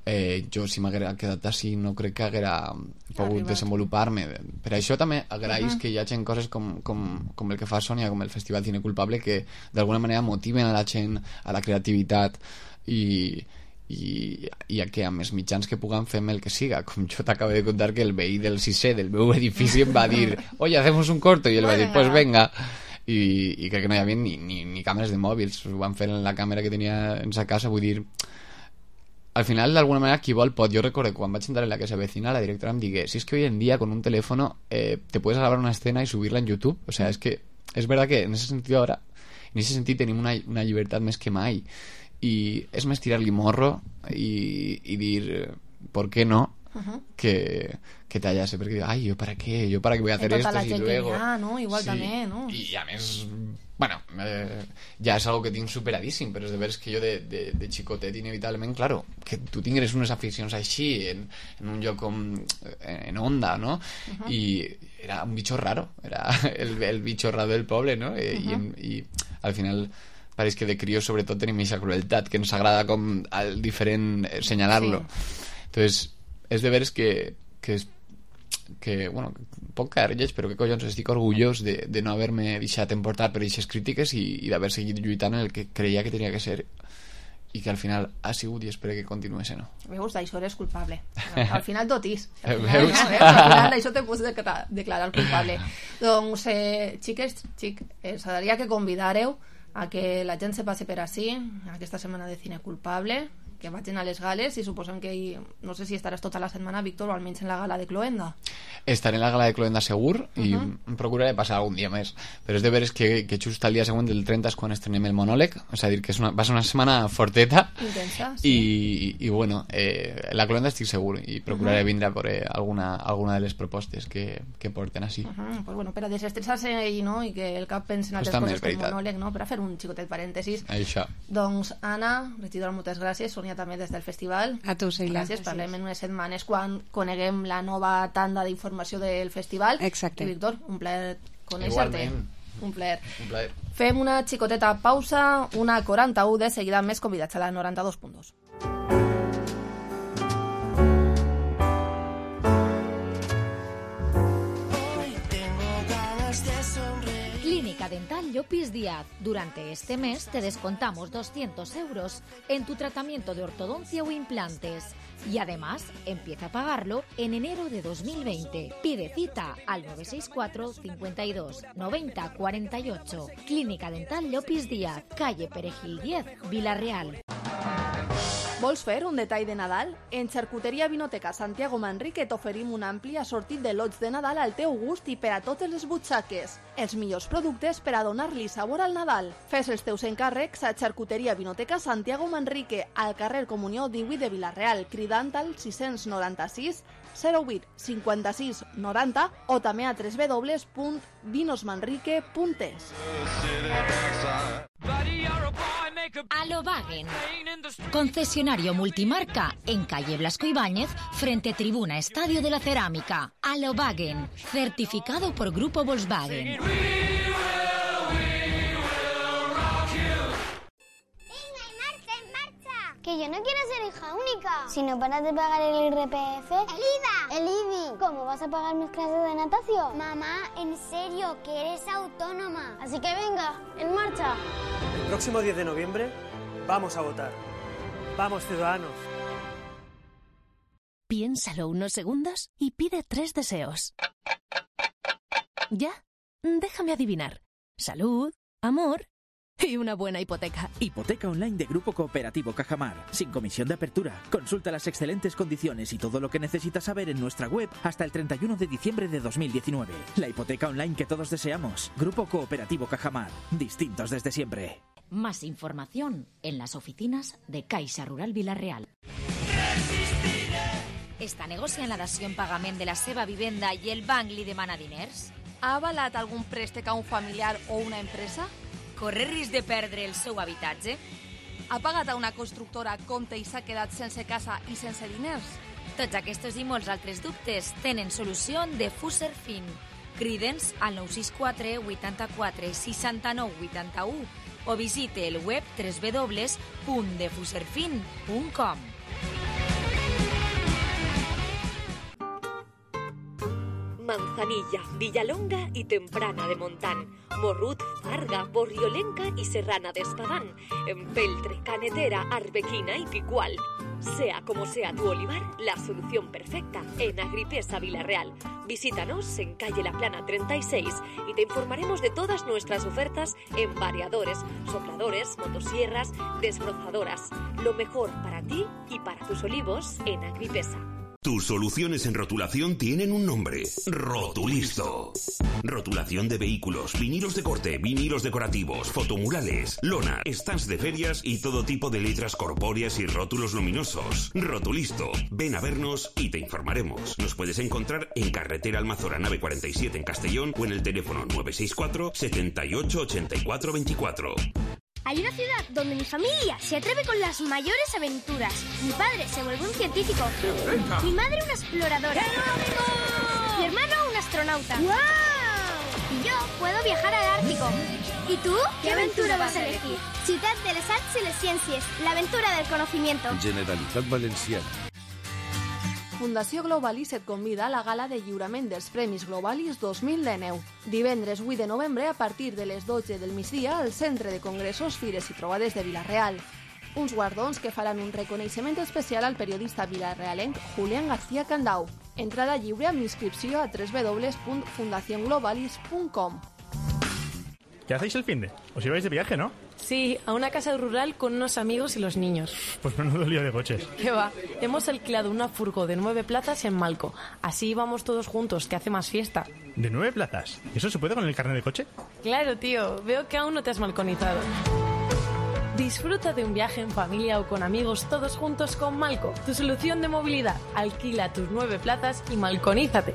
eh, jo si m'haguera quedat així no crec que haguera pogut Arribat. desenvolupar-me. Per això també agraïs uh -huh. que hi hagi coses com, com, com el que fa Sònia, com el Festival Cine Culpable, que d'alguna manera motiven a la gent, a la creativitat i, i, i a que amb els mitjans que puguen fem el que siga. Com jo t'acabo de contar que el veí del sisè del meu edifici em va dir oye, hacemos un corto, i ell va dir pues venga. I, i crec que no hi havia ni, ni, ni càmeres de mòbils, ho van fer en la càmera que tenia en sa casa, vull dir, al final d'alguna manera qui vol pot. Jo recordo quan vaig entrar en la que se vecina la directora em digué, si es que hoy en día con un teléfono eh, te puedes grabar una escena y subirla en YouTube, o sea, es que es verdad que en ese sentido ahora en ese sentido tenim una, una llibertat més que mai i és més tirar-li morro i, i dir, ¿por qué no? Uh-huh. que, que tallase, perquè ay, ¿yo para qué? ¿Yo para qué voy a hacer esto? Tota la si gent luego... que hi ha, no? Igual sí. també, no? I a més, bueno, eh, ja és algo que tinc superadíssim, però és de veres que jo de, de, de xicotet inevitablement, claro, que tu tingueres unes aficions així en, en un lloc com en Onda, no? Uh-huh. I era un bicho raro, era el, el bicho raro del poble, no? I, uh-huh. i, i al final pareix que de crios sobretot tenim aquesta crueltat que ens agrada com al diferent senyalar-lo. Sí. Entonces és de veres que, que, que bueno, poc caer lleig, però que collons, estic orgullós de, de no haver-me deixat emportar per aquestes crítiques i, i d'haver seguit lluitant en el que creia que tenia que ser i que al final ha sigut i espero que continuï sent. Veus, d'això eres culpable. Al final tot és. Al final, veus? No, veus? Al final d'això te pots declarar, declarar culpable. Doncs, eh, xiques, xic, eh, s'hauria que convidar-heu a que la gent se passi per ací, aquesta setmana de cine culpable, que vagin a les gales i suposem que hi, no sé si estaràs tota la setmana, Víctor, o almenys en la gala de Cloenda. Estaré en la gala de Cloenda segur i uh -huh. em procuraré passar algun dia més, però és de veres que, que just al dia següent del trenta és quan estrenem el monòleg, és a dir, que és una, va ser una setmana forteta intensa, sí. i, i bueno, eh, la Cloenda estic segur i procuraré uh -huh. vindre a veure alguna, alguna de les propostes que, que porten així. Uh -huh. Pues bueno, per a desestressar-se i, no, i que el cap pensi en altres coses que el monòleg, no? Per a fer un xicotet parèntesis. Això. Doncs Anna, regidora, moltes gràcies. Sònia també des del festival. A tu, Sheila. Gràcies. Parlem en unes setmanes quan coneguem la nova tanda d'informació del festival. Exacte. I Víctor, un plaer conèixer-te. Un plaer. Un plaer. Fem una xicoteta pausa, una quaranta-u, de seguida més convidats a la noranta-dos punt dos. Clínica Dental Llopis Díaz. Durante este mes te descontamos doscientos euros en tu tratamiento de ortodoncia o implantes. Y además, empieza a pagarlo en enero de dos mil veinte. Pide cita al nueve seis cuatro, cincuenta y dos, noventa, cuarenta y ocho. Clínica Dental Llopis Díaz, calle Perejil diez, Vila-real. Vols fer un detall de Nadal? En Xarcuteria Vinoteca Santiago Manrique t'oferim un ampli assortit de lots de Nadal al teu gust i per a totes les butxaques. Els millors productes per a donar-li sabor al Nadal. Fes els teus encàrrecs a Xarcuteria Vinoteca Santiago Manrique, al carrer Comunió divuit de Vila-real, cridant al sis nou sis, zero vuit, cinquanta-sis, noranta o també a w w w punt vinosmanrique punt es. Alobagen, concesionario multimarca en calle Blasco Ibáñez, frente Tribuna Estadio de la Cerámica. Alobagen, certificado por Grupo Volkswagen. Que yo no quiero ser hija única. Si no paras de pagar el I R P F... ¡El I V A! ¡El I B I! ¿Cómo vas a pagar mis clases de natación? Mamá, en serio, que eres autónoma. Así que venga, en marcha. El próximo diez de noviembre vamos a votar. ¡Vamos, ciudadanos! Piénsalo unos segundos y pide tres deseos. ¿Ya? Déjame adivinar. Salud, amor, Y una buena hipoteca. Hipoteca online de Grupo Cooperativo Cajamar. Sin comisión de apertura. Consulta las excelentes condiciones y todo lo que necesitas saber en nuestra web hasta el treinta y uno de diciembre de dos mil diecinueve. La hipoteca online que todos deseamos. Grupo Cooperativo Cajamar. Distintos desde siempre. Más información en las oficinas de Caixa Rural Vila-real. Està negociant la dació en pagament de la seva vivenda i el banc li demana diners? Ha avalat algun préstec a un familiar o una empresa? Corre risc de perdre el seu habitatge? Ha pagat a una constructora compte i s'ha quedat sense casa i sense diners? Tots aquests i molts altres dubtes tenen solució de Fuserfin. Crida'ns al nou sis quatre vuitanta-quatre seixanta-nou vuitanta-u o visite el web w w w punt de fuserfin punt com. Manzanilla, Villalonga y Temprana de Montán, Morrut, Farga, Borriolenca y Serrana de Espadán, Empeltre, Canetera, Arbequina y Picual. Sea como sea tu olivar, la solución perfecta en Agripesa Vila-real. Visítanos en calle La Plana treinta y seis y te informaremos de todas nuestras ofertas en variadores, sopladores, motosierras, desbrozadoras. Lo mejor para ti y para tus olivos en Agripesa. Tus soluciones en rotulación tienen un nombre. Rotulisto. Rotulación de vehículos, vinilos de corte, vinilos decorativos, fotomurales, lona, stands de ferias y todo tipo de letras corpóreas y rótulos luminosos. Rotulisto. Ven a vernos y te informaremos. Nos puedes encontrar en Carretera Almazora Nave cuarenta y siete en Castellón o en el teléfono nueve seis cuatro setenta y ocho ochenta y cuatro veinticuatro. Hay una ciudad donde mi familia se atreve con las mayores aventuras. Mi padre se vuelve un científico. Mi madre una exploradora. Mi hermano un astronauta. ¡Wow! Y yo puedo viajar al Ártico. ¿Y tú? ¿Qué aventura vas a elegir? Ciutat de les Arts i les Ciències, la aventura del conocimiento. Generalitat Valenciana. Fundació Globalis et convida a la gala de lliurament dels Premis Globalis dos mil dinou. Divendres vuit de novembre a partir de les dotze del migdia al Centre de Congressos, Fires i Trobades de Vila-real. Uns guardons que faran un reconeixement especial al periodista vilarealenc Julián García Candau. Entrada lliure amb inscripció a w w w punt fundación globalis punt com. ¿Qué hacéis el finde? Os ibais de viaje, ¿no? Sí, a una casa rural con unos amigos y los niños. Pues menudo lío de coches. ¿Qué va? Hemos alquilado una furgo de nueve plazas en Malco. Así íbamos todos juntos, que hace más fiesta. ¿De nueve plazas? ¿Eso se puede con el carnet de coche? Claro, tío. Veo que aún no te has malconizado. Disfruta de un viaje en familia o con amigos todos juntos con Malco, tu solución de movilidad. Alquila tus nueve plazas y malconízate.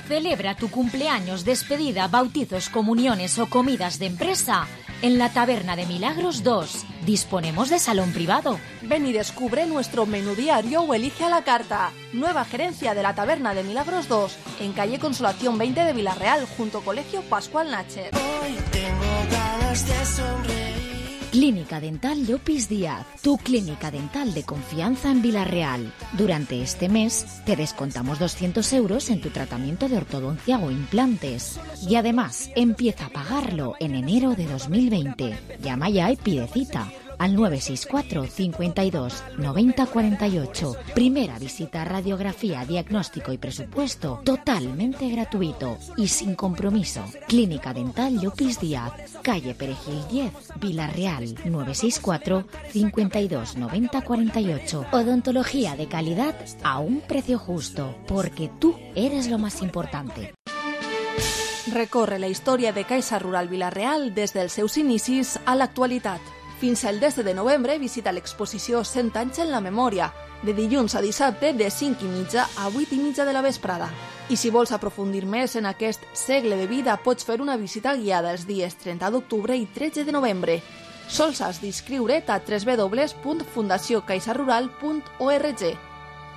Celebra tu cumpleaños, despedida, bautizos, comuniones o comidas de empresa en la Taberna de Milagros dos. Disponemos de salón privado. Ven y descubre nuestro menú diario o elige a la carta. Nueva gerencia de la Taberna de Milagros dos, en calle Consolación veinte de Vila-real, junto Colegio Pascual Nacher. Hoy tengo ganas de sonreír. Clínica Dental Llopis Díaz, tu clínica dental de confianza en Vila-real. Durante este mes te descontamos doscientos euros en tu tratamiento de ortodoncia o implantes. Y además, empieza a pagarlo en enero de dos mil veinte. Llama ya y pide cita al nueve seis cuatro cincuenta y dos noventa cuarenta y ocho. Primera visita, radiografía, diagnóstico y presupuesto totalmente gratuito y sin compromiso. Clínica Dental Llopis Díaz, calle Perejil diez, Vila-real, nueve seis cuatro cincuenta y dos noventa cuarenta y ocho. Odontología de calidad a un precio justo, porque tú eres lo más importante. Recorre la història de Caixa Rural Vila-real des dels seus inicis a l'actualitat. Fins al desè de novembre visita l'exposició cent anys en la memòria, de dilluns a dissabte de cinc i mitja a vuit i mitja de la vesprada. I si vols aprofundir més en aquest segle de vida, pots fer una visita guiada els dies trenta d'octubre i tretze de novembre. Sols has d'inscriure't a w w w punt fundació caixa rural punt org.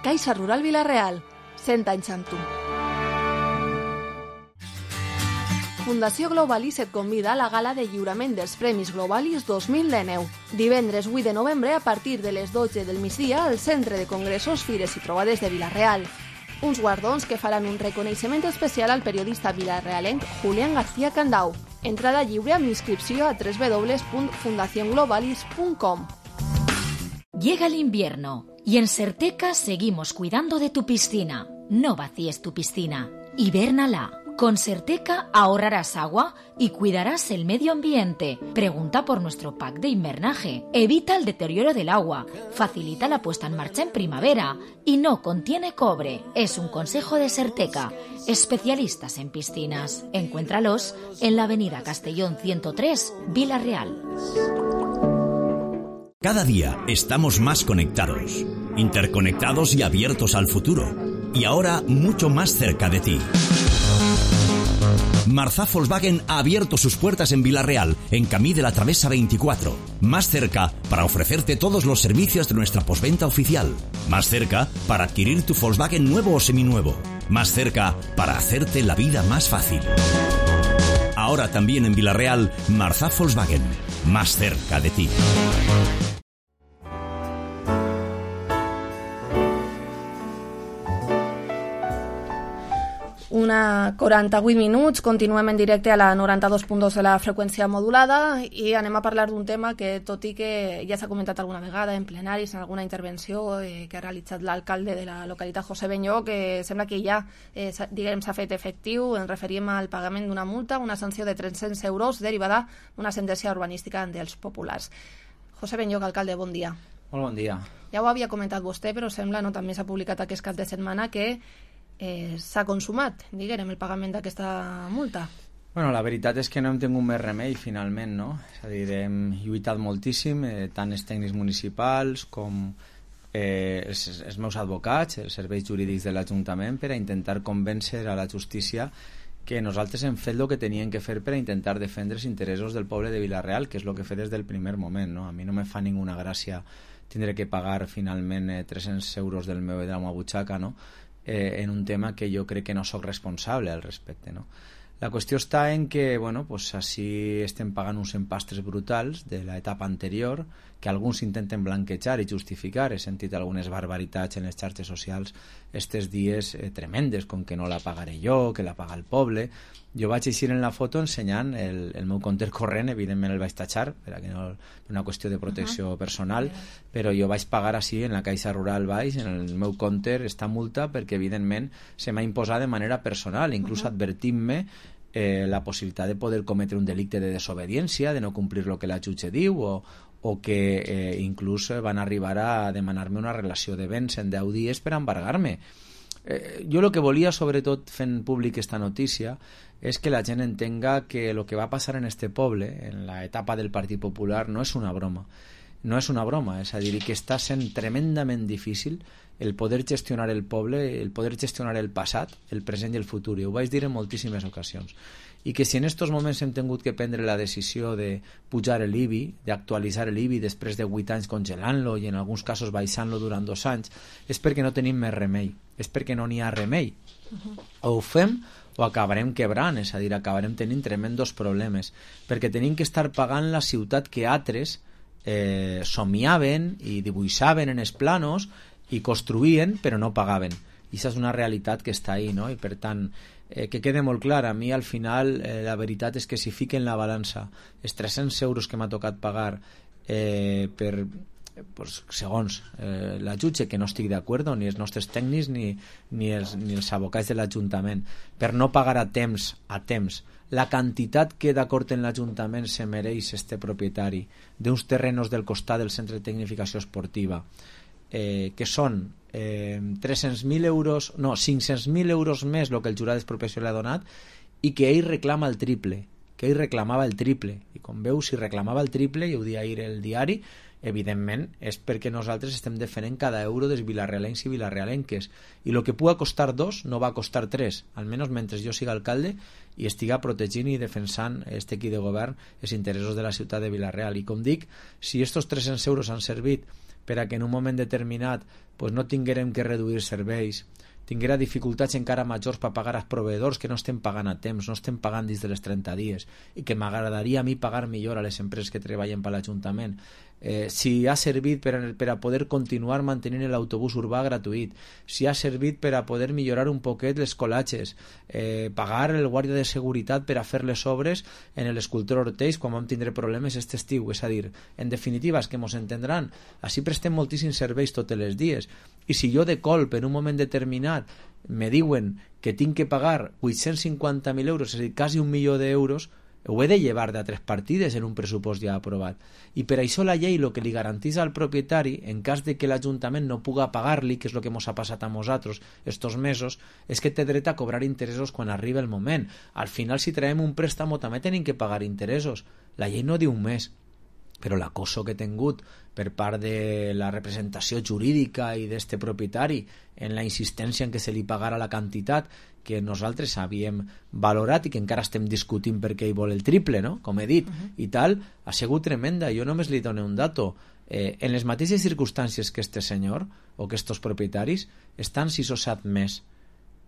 Caixa Rural Vila-real, cent anys amb tu. Fundació Globalis et convida a la gala de lliurament dels Premis Globalis dos mil dinou. Divendres vuit de novembre a partir de les dotze del migdia al Centre de Congressos, Fires i Trobades de Vila-real. Uns guardons que faran un reconeixement especial al periodista vilarealenc Julián García Candau. Entrada lliure amb inscripció a w w w punt fundación globalis punt com. Llega el invierno y en Serteca seguimos cuidando de tu piscina. No vacíes tu piscina. Hibérnala. Con Serteca ahorrarás agua y cuidarás el medio ambiente. Pregunta por nuestro pack de invernaje. Evita el deterioro del agua, facilita la puesta en marcha en primavera y no contiene cobre. Es un consejo de Serteca, especialistas en piscinas. Encuéntralos en la avenida Castellón ciento tres, Vila Real. Cada día estamos más conectados, interconectados y abiertos al futuro. Y ahora mucho más cerca de ti. Marzá Volkswagen ha abierto sus puertas en Vila-real, en Camí de la Travesa veinticuatro. Más cerca para ofrecerte todos los servicios de nuestra postventa oficial. Más cerca para adquirir tu Volkswagen nuevo o seminuevo. Más cerca para hacerte la vida más fácil. Ahora también en Vila-real, Marzá Volkswagen. Más cerca de ti. Una quaranta-vuit minuts, continuem en directe a la noranta-dos punt dos de la freqüència modulada i anem a parlar d'un tema que, tot i que ja s'ha comentat alguna vegada en plenaris, en alguna intervenció eh, que ha realitzat l'alcalde de la localitat, José Benyó, que sembla que ja eh, diguem s'ha fet efectiu, ens referim al pagament d'una multa, una sanció de tres-cents euros derivada d'una sentència urbanística dels populars. José Benyó, alcalde, bon dia. Molt bon dia. Ja ho havia comentat vostè, però sembla, no, també s'ha publicat aquest cap de setmana, que Eh, s'ha consumat, diguem, el pagament d'aquesta multa. Bueno, la veritat és que no hem tingut més remei, finalment, no? És a dir, hem lluitat moltíssim, eh, tant els tècnics municipals com eh, els, els meus advocats, els serveis jurídics de l'Ajuntament, per a intentar convèncer a la justícia que nosaltres hem fet el que tenien que fer per a intentar defendre els interessos del poble de Vila-real, que és el que he fet des del primer moment, no? A mi no me fa ninguna gràcia tindre que pagar finalment eh, tres-cents euros del meu, de la meva butxaca, no? Eh, en un tema que jo crec que no sóc responsable al respecte, no? La qüestió està en que, bueno, pues així estem pagant uns empastres brutals de l'etapa anterior, que alguns intenten blanquejar i justificar. He sentit algunes barbaritats en les xarxes socials estes dies eh, tremendes, com que no la pagaré jo, que la paga el poble. Jo vaig eixir en la foto ensenyant el, el meu compte corrent, evidentment el vaig tatxar, per que no, una qüestió de protecció uh-huh. personal, però jo vaig pagar així en la Caixa Rural baix, en el meu compte, esta multa, perquè evidentment se m'ha imposat de manera personal, inclús uh-huh. advertint-me eh, la possibilitat de poder cometre un delicte de desobediència, de no complir el que la jutge diu, o, o que eh, inclús van arribar a demanar-me una relació de béns en deu dies per embargar-me. Eh, jo el que volia, sobretot fent públic esta notícia, és que la gent entenga que el que va passar en este poble, en la etapa del Partit Popular, no és una broma. No és una broma, és a dir, que està sent tremendament difícil el poder gestionar el poble, el poder gestionar el passat, el present i el futur. I ho vaig dir en moltíssimes ocasions. I que si en aquests moments hem tingut que prendre la decisió de pujar l'I B I, d'actualitzar l'I B I després de vuit anys congelant-lo i en alguns casos baixant-lo durant dos anys, és perquè no tenim més remei, és perquè no n'hi ha remei. Uh-huh. O ho fem o acabarem quebrant, és a dir, acabarem tenint tremendos problemes, perquè tenim que estar pagant la ciutat que altres eh, somiaven i dibuixaven en els planos i construïen però no pagaven. I això és una realitat que està ahí, no? I per tant, eh, que quede molt clar, a mi al final eh, la veritat és que si fiquen la balança els tres-cents euros que m'ha tocat pagar eh, per, pues, segons eh, la jutge, que no estic d'acord, ni els nostres tècnics ni, ni, els, ni els advocats de l'Ajuntament, per no pagar a temps, a temps la quantitat que d'acord en l'Ajuntament se mereix este propietari d'uns terrenos del costat del Centre de Tecnificació Esportiva, eh, que són eh, tres-cents mil euros, no, cinc-cents mil euros més el que el jurat d'expropiació li ha donat, i que ell reclama el triple, que ell reclamava el triple, i com veu, si reclamava el triple, i ho dia ahir el diari, evidentment és perquè nosaltres estem defendent cada euro dels vilarrealencs i vilarrealenques, i el que pugui costar dos no va costar tres, almenys mentre jo siga alcalde i estiga protegint i defensant este equip de govern els interessos de la ciutat de Vila-real. I com dic, si estos tres-cents euros han servit per a que en un moment determinat pues, no tinguérem que reduir serveis, tinguera dificultats encara majors per pagar als proveïdors que no estem pagant a temps, no estem pagant dins de les trenta dies, i que m'agradaria a mi pagar millor a les empreses que treballen per l'Ajuntament, eh, si ha servit per a, per a poder continuar mantenint l'autobús urbà gratuït, si ha servit per a poder millorar un poquet les colatges, eh, pagar el guàrdia de seguretat per a fer les obres en l'escultor Ortells quan vam tindre problemes aquest estiu. És a dir, en definitiva, és que mos entendran, així prestem moltíssims serveis tots els dies, i si jo de colp en un moment determinat me diuen que tinc que pagar vuit-cents cinquanta mil euros, és a dir, quasi un milió d'euros, ho he de llevar de tres partides en un pressupost ja aprovat. I per això la llei el que li garanteix al propietari, en cas de que l'Ajuntament no puga pagar-li, que és el que ens ha passat a nosaltres estos mesos, és que té dret a cobrar interessos quan arriba el moment. Al final, si traiem un préstamo, també tenim que pagar interessos. La llei no diu un mes, però l'acoso que he tingut per part de la representació jurídica i d'este propietari en la insistència en que se li pagara la quantitat que nosaltres havíem valorat i que encara estem discutint perquè ell vol el triple, no? Com he dit, uh-huh. i tal, ha sigut tremenda. Jo només li dono un dato. Eh, en les mateixes circumstàncies que este senyor o que estos propietaris estan sis o set més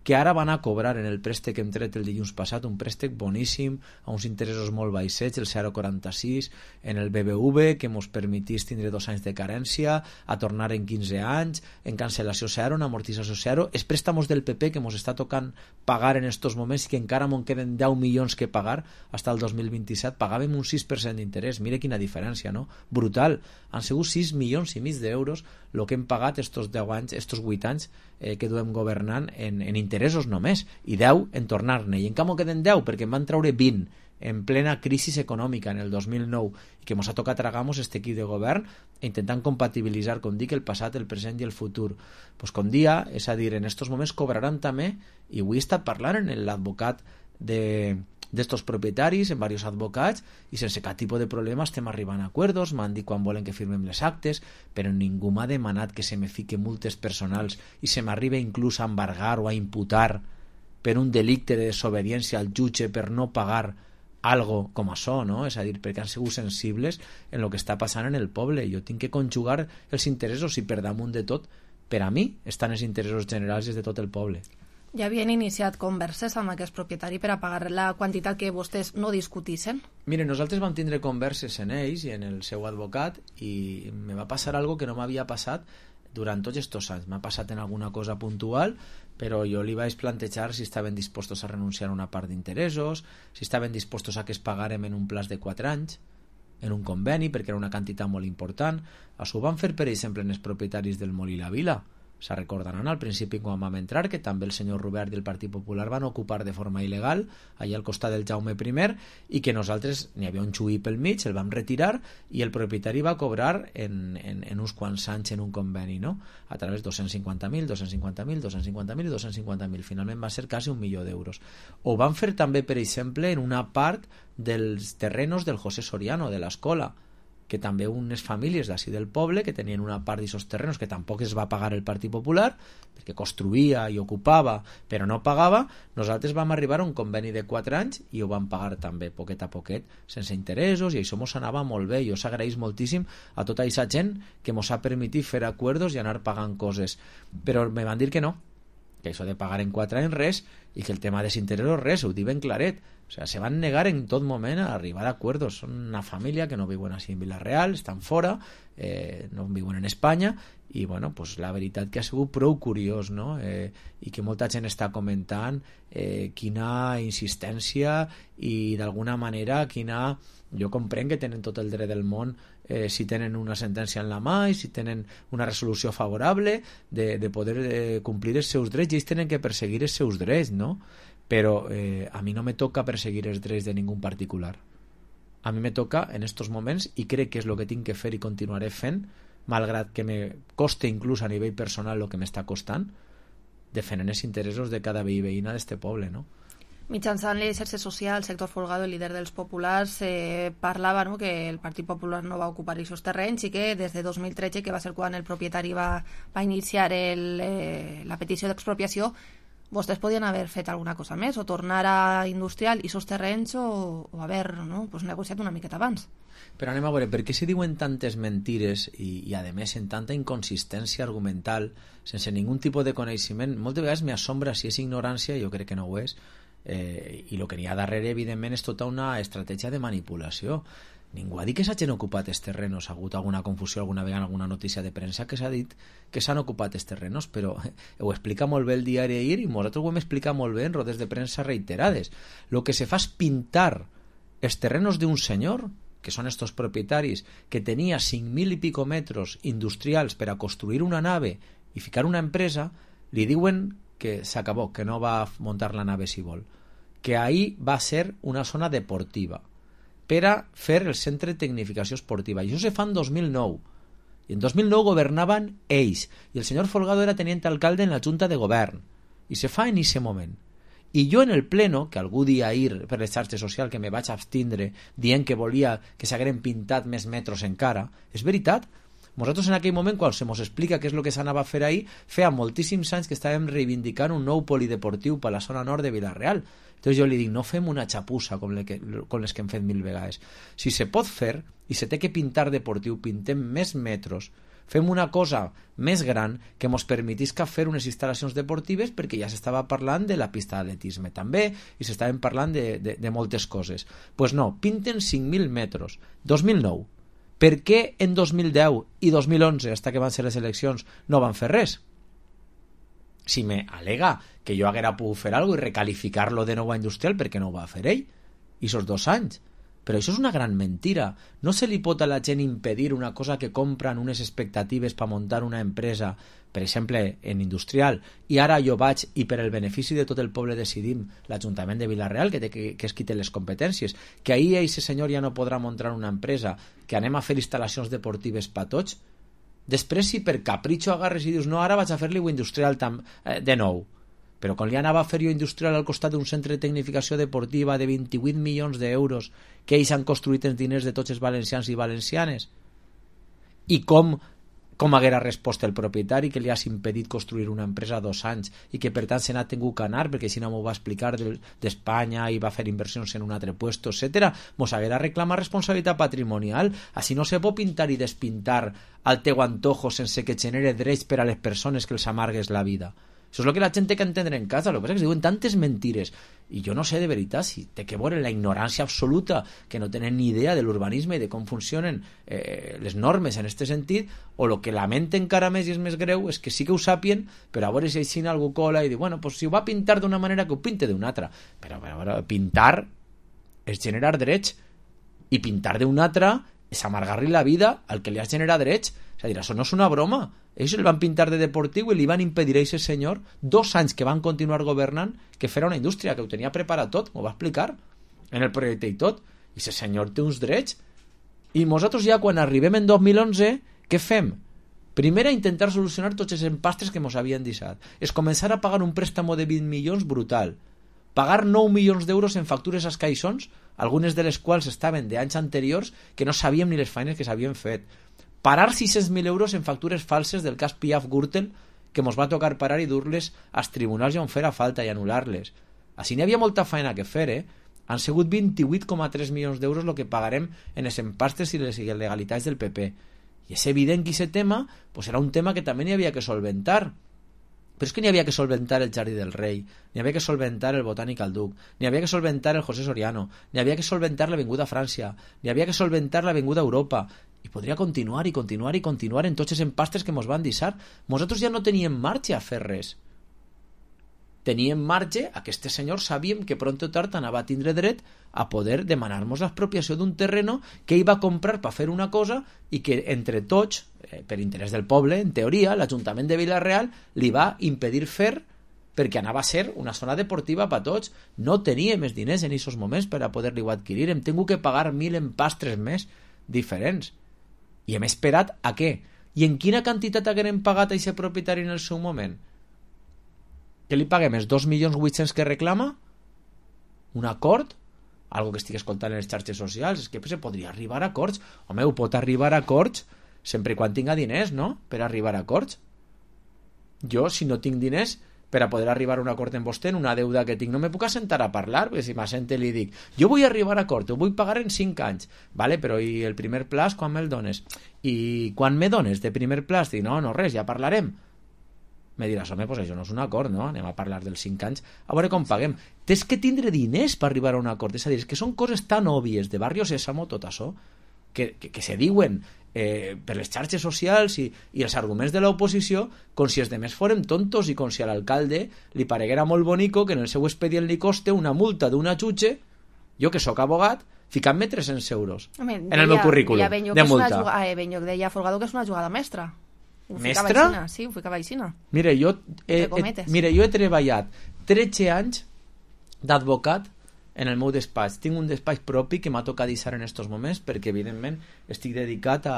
que ara van a cobrar en el préstec que hem tret el dilluns passat, un préstec boníssim, a uns interessos molt baixets, el zero coma quaranta-sis, en el B B V, que ens permetís tindre dos anys de carència, a tornar en quinze anys, en cancel·lació zero, en amortització zero, els préstamos del P P que ens està tocant pagar en estos moments i que encara ens queden deu milions que pagar fins al dos mil vint-i-set, pagàvem un sis per cent d'interès. Mire quina diferència, no? Brutal. Han sigut sis milions i mig d'euros el que hem pagat estos deu anys, estos vuit anys eh, que duem governant en, en interessos només, i deu en tornar-ne, i en canvi queden deu perquè en van treure vint en plena crisi econòmica en el dos mil nou i que ens ha tocat tragar-nos este equip de govern intentant compatibilitzar, com dic, el passat, el present i el futur. Pues com dia, és a dir, en estos moments cobraran també, i avui he estat parlant amb l'advocat de d'estos propietaris, en diversos advocats, i sense cap tipus de problema estem arribant a acords, m'han dit quan volen que firmem les actes, però ningú m'ha demanat que se me fique multes personals i se m'arriba inclús a embargar o a imputar per un delicte de desobediència al jutge per no pagar algo com això, no? És a dir, perquè han sigut sensibles en el que està passant en el poble. Jo tinc que conjugar els interessos i per damunt de tot, per a mi, estan els interessos generals de tot el poble. Ja havien iniciat converses amb aquest propietari per a pagar la quantitat que vostès no discutissin? Mire, nosaltres vam tindre converses en ells i en el seu advocat i me va passar algo que no m'havia passat durant tots aquests anys. M'ha passat en alguna cosa puntual, però jo li vaig plantejar si estaven dispostos a renunciar a una part d'interessos, si estaven dispostos a que es pagarem en un plaç de quatre anys, en un conveni, perquè era una quantitat molt important. Això ho van fer, per exemple, en els propietaris del Molí La Vila. Se recordaran al principi quan vam entrar que també el senyor Robert i el Partit Popular van ocupar de forma il·legal allà al costat del Jaume primer i que nosaltres n'hi havia un xuí pel mig, el vam retirar i el propietari va cobrar en, en, en uns quants anys en un conveni, no? A través de dos-cents cinquanta mil, dos-cents cinquanta mil, dos-cents cinquanta mil i dos-cents cinquanta mil. Finalment va ser quasi un milió d'euros. Ho van fer també, per exemple, en una part dels terrenos del José Soriano, de l'escola, que també unes famílies d'ací del poble que tenien una part d'aquests terrenos que tampoc es va pagar el Partit Popular perquè construïa i ocupava però no pagava, nosaltres vam arribar a un conveni de quatre anys i ho vam pagar també poquet a poquet, sense interessos, i això mos anava molt bé. Jo s'agraeix moltíssim a tota aquesta gent que mos ha permitit fer acords i anar pagant coses, però me van dir que no, que això de pagar en quatre anys res, i que el tema dels interessos res, ho diuen claret. O sea, se van negar en tot moment a arribar a acuerdos. Són una família que no viuen així en Vila-real, estan fora, eh, no viuen en Espanya, i bueno, pues la veritat que ha sigut prou curiós, no? Eh, i que molta gent està comentant eh, quina insistència i d'alguna manera quina... Jo comprenc que tenen tot el dret del món eh, si tenen una sentència en la mà i si tenen una resolució favorable de, de poder eh, complir els seus drets, i ells tenen que perseguir els seus drets, no? Però eh, a mi no me toca perseguir els drets de ningú particular. A mi me toca en estos moments, i crec que és el que tinc que fer i continuaré fent, malgrat que me coste inclús a nivell personal el que m'està costant, defendent els interessos de cada veí i veïna d'este poble, no? Mitjançant les xarxes socials, Héctor Folgado, el líder dels populars, eh, parlava, no?, que el Partit Popular no va ocupar aquests terrenys i que des de dos mil tretze, que va ser quan el propietari va, va iniciar el, eh, la petició d'expropiació, vostès podien haver fet alguna cosa més, o tornar a industrial i aquests terrenys, o, o haver, no?, pues, negociat una miqueta abans. Però anem a veure, per què se diuen tantes mentires i, i a més en tanta inconsistència argumental, sense ningun tipus de coneixement? Moltes vegades m'assombra si és ignorància, jo crec que no ho és, eh, i el que n'hi ha darrere, evidentment, és tota una estratègia de manipulació. Ningú ha dit que s'hagin ocupat els terrenos. Ha hagut alguna confusió alguna vegada en alguna notícia de premsa que s'ha dit que s'han ocupat els terrenos, però ho explica molt bé el diari ahir i nosaltres ho hem explicat molt bé en rodes de premsa reiterades. Lo que se fa és pintar els terrenos d'un senyor, que són estos propietaris, que tenia cinc mil i pico metros industrials per a construir una nave i ficar una empresa, li diuen que s'acabó, que no va muntar la nave si vol, que ahí va ser una zona deportiva per a fer el centre de tecnificació esportiva. I això se fa en dos mil nou. I en dos mil nou governaven ells. I el senyor Folgado era tenient alcalde en la Junta de Govern. I se fa en aquest moment. I jo en el pleno, que algú dia ahir per les xarxes socials que me vaig abstindre dient que volia que s'hagueren pintat més metros encara, és veritat. Nosaltres en aquell moment, quan se mos explica què és el que s'anava a fer ahir, feia moltíssims anys que estàvem reivindicant un nou polideportiu per la zona nord de Vila-real. Entonces jo li dic, no fem una xapussa com, le que, com les que hem fet mil vegades. Si se pot fer i se té que pintar deportiu, pintem més metros, fem una cosa més gran que ens permetisca fer unes instal·lacions deportives, perquè ja s'estava parlant de la pista d'atletisme també i s'estaven parlant de, de, de moltes coses. Doncs pues no, pinten cinc mil metros. dos mil nou. Per què en dos mil deu i dos mil onze, fins que van ser les eleccions, no van fer res? Si me alega que jo haguera pogut fer alguna cosa i recalificar-lo de nou a industrial, perquè no ho va fer ell? I esos dos anys. Però això és una gran mentira. No se li pot a la gent impedir una cosa que compren unes expectatives per muntar una empresa, per exemple, en industrial, i ara jo vaig i per el benefici de tot el poble decidim, l'Ajuntament de Vila-real, que, té, que, que es quite les competències, que ahir aquest senyor ja no podrà muntar una empresa, que anem a fer instal·lacions deportives per tots. Després, si per capritxo agarres i dius no, ara vaig a fer-li industrial tam, eh, de nou, però quan li anava a fer jo industrial al costat d'un centre de tecnificació deportiva de vint-i-vuit milions d'euros que ells han construït els diners de tots els valencians i valencianes, i com com haguera respost el propietari que li has impedit construir una empresa dos anys i que per tant se n'ha tingut que anar perquè si no m'ho va explicar d'Espanya i va fer inversions en un altre puesto, etcètera, mos haguera reclamar responsabilitat patrimonial. Així no se pot pintar i despintar al teu antojo sense que genere drets per a les persones que els amargues la vida. Això és el que la gent té que entendre en casa. El que passa és que es diuen tantes mentires i jo no sé de veritat si té que veure la ignorància absoluta, que no tenen ni idea de l'urbanisme i de com funcionen eh, les normes en aquest sentit, o el que lamenten encara més i és més greu és que sí que ho sàpien, però a veure si així algú cola i diu, bueno, pues si ho va pintar d'una manera que ho pinte d'una altra. Però, però, però pintar és generar drets i pintar d'una altra és amargar-li la vida al que li has generat drets. És a dir, això no és una broma. Ells el van pintar de deportiu i li van impedir a aquest senyor dos anys que van continuar governant que fera una indústria, que ho tenia preparat tot, m'ho va explicar en el projecte i tot, i aquest senyor té uns drets. I nosaltres ja quan arribem en dos mil onze, què fem? Primer a intentar solucionar tots els empastres que ens havien deixat. És començar a pagar un préstamo de vint milions brutal, pagar nou milions d'euros en factures als caixons, algunes de les quals estaven d'anys anteriors que no sabíem ni les feines que s'havien fet, parar sis-cents mil euros en factures falses del cas Piaf Gürtel, que ens va tocar parar i dur-les als tribunals on fera falta i anul·lar-les. Així n'hi havia molta feina que fer, eh? Han sigut vint-i-vuit coma tres milions d'euros el que pagarem en els empastres i les il·legalitats del P P. I és evident que aquest tema pues, era un tema que també n'hi havia que solventar. Però és que n'hi havia que solventar el Jardí del Rei, n'hi havia que solventar el Botànic al Duc, n'hi havia que solventar el José Soriano, n'hi havia que solventar l'Avinguda Frància, n'hi havia que solventar l'Avinguda Europa, i podria continuar i continuar i continuar en tots els empastres que ens van deixar. Nosaltres ja no teníem marge a fer res. Teníem marge a que este senyor sabíem que pront o tard anava a tindre dret a poder demanar-nos l'expropiació d'un terreno que ell va comprar per fer una cosa i que entre tots, eh, per interès del poble, en teoria, l'Ajuntament de Vila-real li va impedir fer perquè anava a ser una zona deportiva per tots. No teníem més diners en aquests moments per a poder-li adquirir. Hem tingut que pagar mil empastres més diferents. I hem esperat a què? I en quina quantitat haguem pagat a aquest propietari en el seu moment? Que li paguem els dos milions vuit-cents que reclama? Un acord? Algo que estic escoltant en les xarxes socials? És que se podria arribar a acords. Home, ho pot arribar a acords sempre quan tinga diners, no? Per arribar a acords. Jo, si no tinc diners per a poder arribar a un acord amb vostè en una deuda que tinc, no me puc assentar a parlar, perquè si m'assente li dic, jo vull arribar a acord, ho vull pagar en cinc anys, vale, però i el primer plaç quan me'l dones? I quan me dones de primer plaç? Dic, no, no, res, ja parlarem. Me diràs, home, pues això no és un acord, no? Anem a parlar dels cinc anys, a veure com paguem. Tens que tindre diners per arribar a un acord, és a dir, és que són coses tan òbvies de Barrio Sésamo, tot això, que, que, que se diuen eh, per les xarxes socials i, i els arguments de l'oposició com si els demés foren tontos i com si a l'alcalde li pareguera molt bonico que en el seu expedient li coste una multa d'una jutge, jo que sóc abogat, ficant-me tres-cents euros Home, en el meu currículum de multa. Jugada, eh, Benyoc deia Folgado que és una jugada mestra. Ho Mestra? Aixina, sí, ho ficava aixina. Mira, jo he, he, mira, jo he treballat tretze anys d'advocat en el meu despatx. Tinc un despatx propi que m'ha tocat deixar en estos moments perquè, evidentment, estic dedicat a,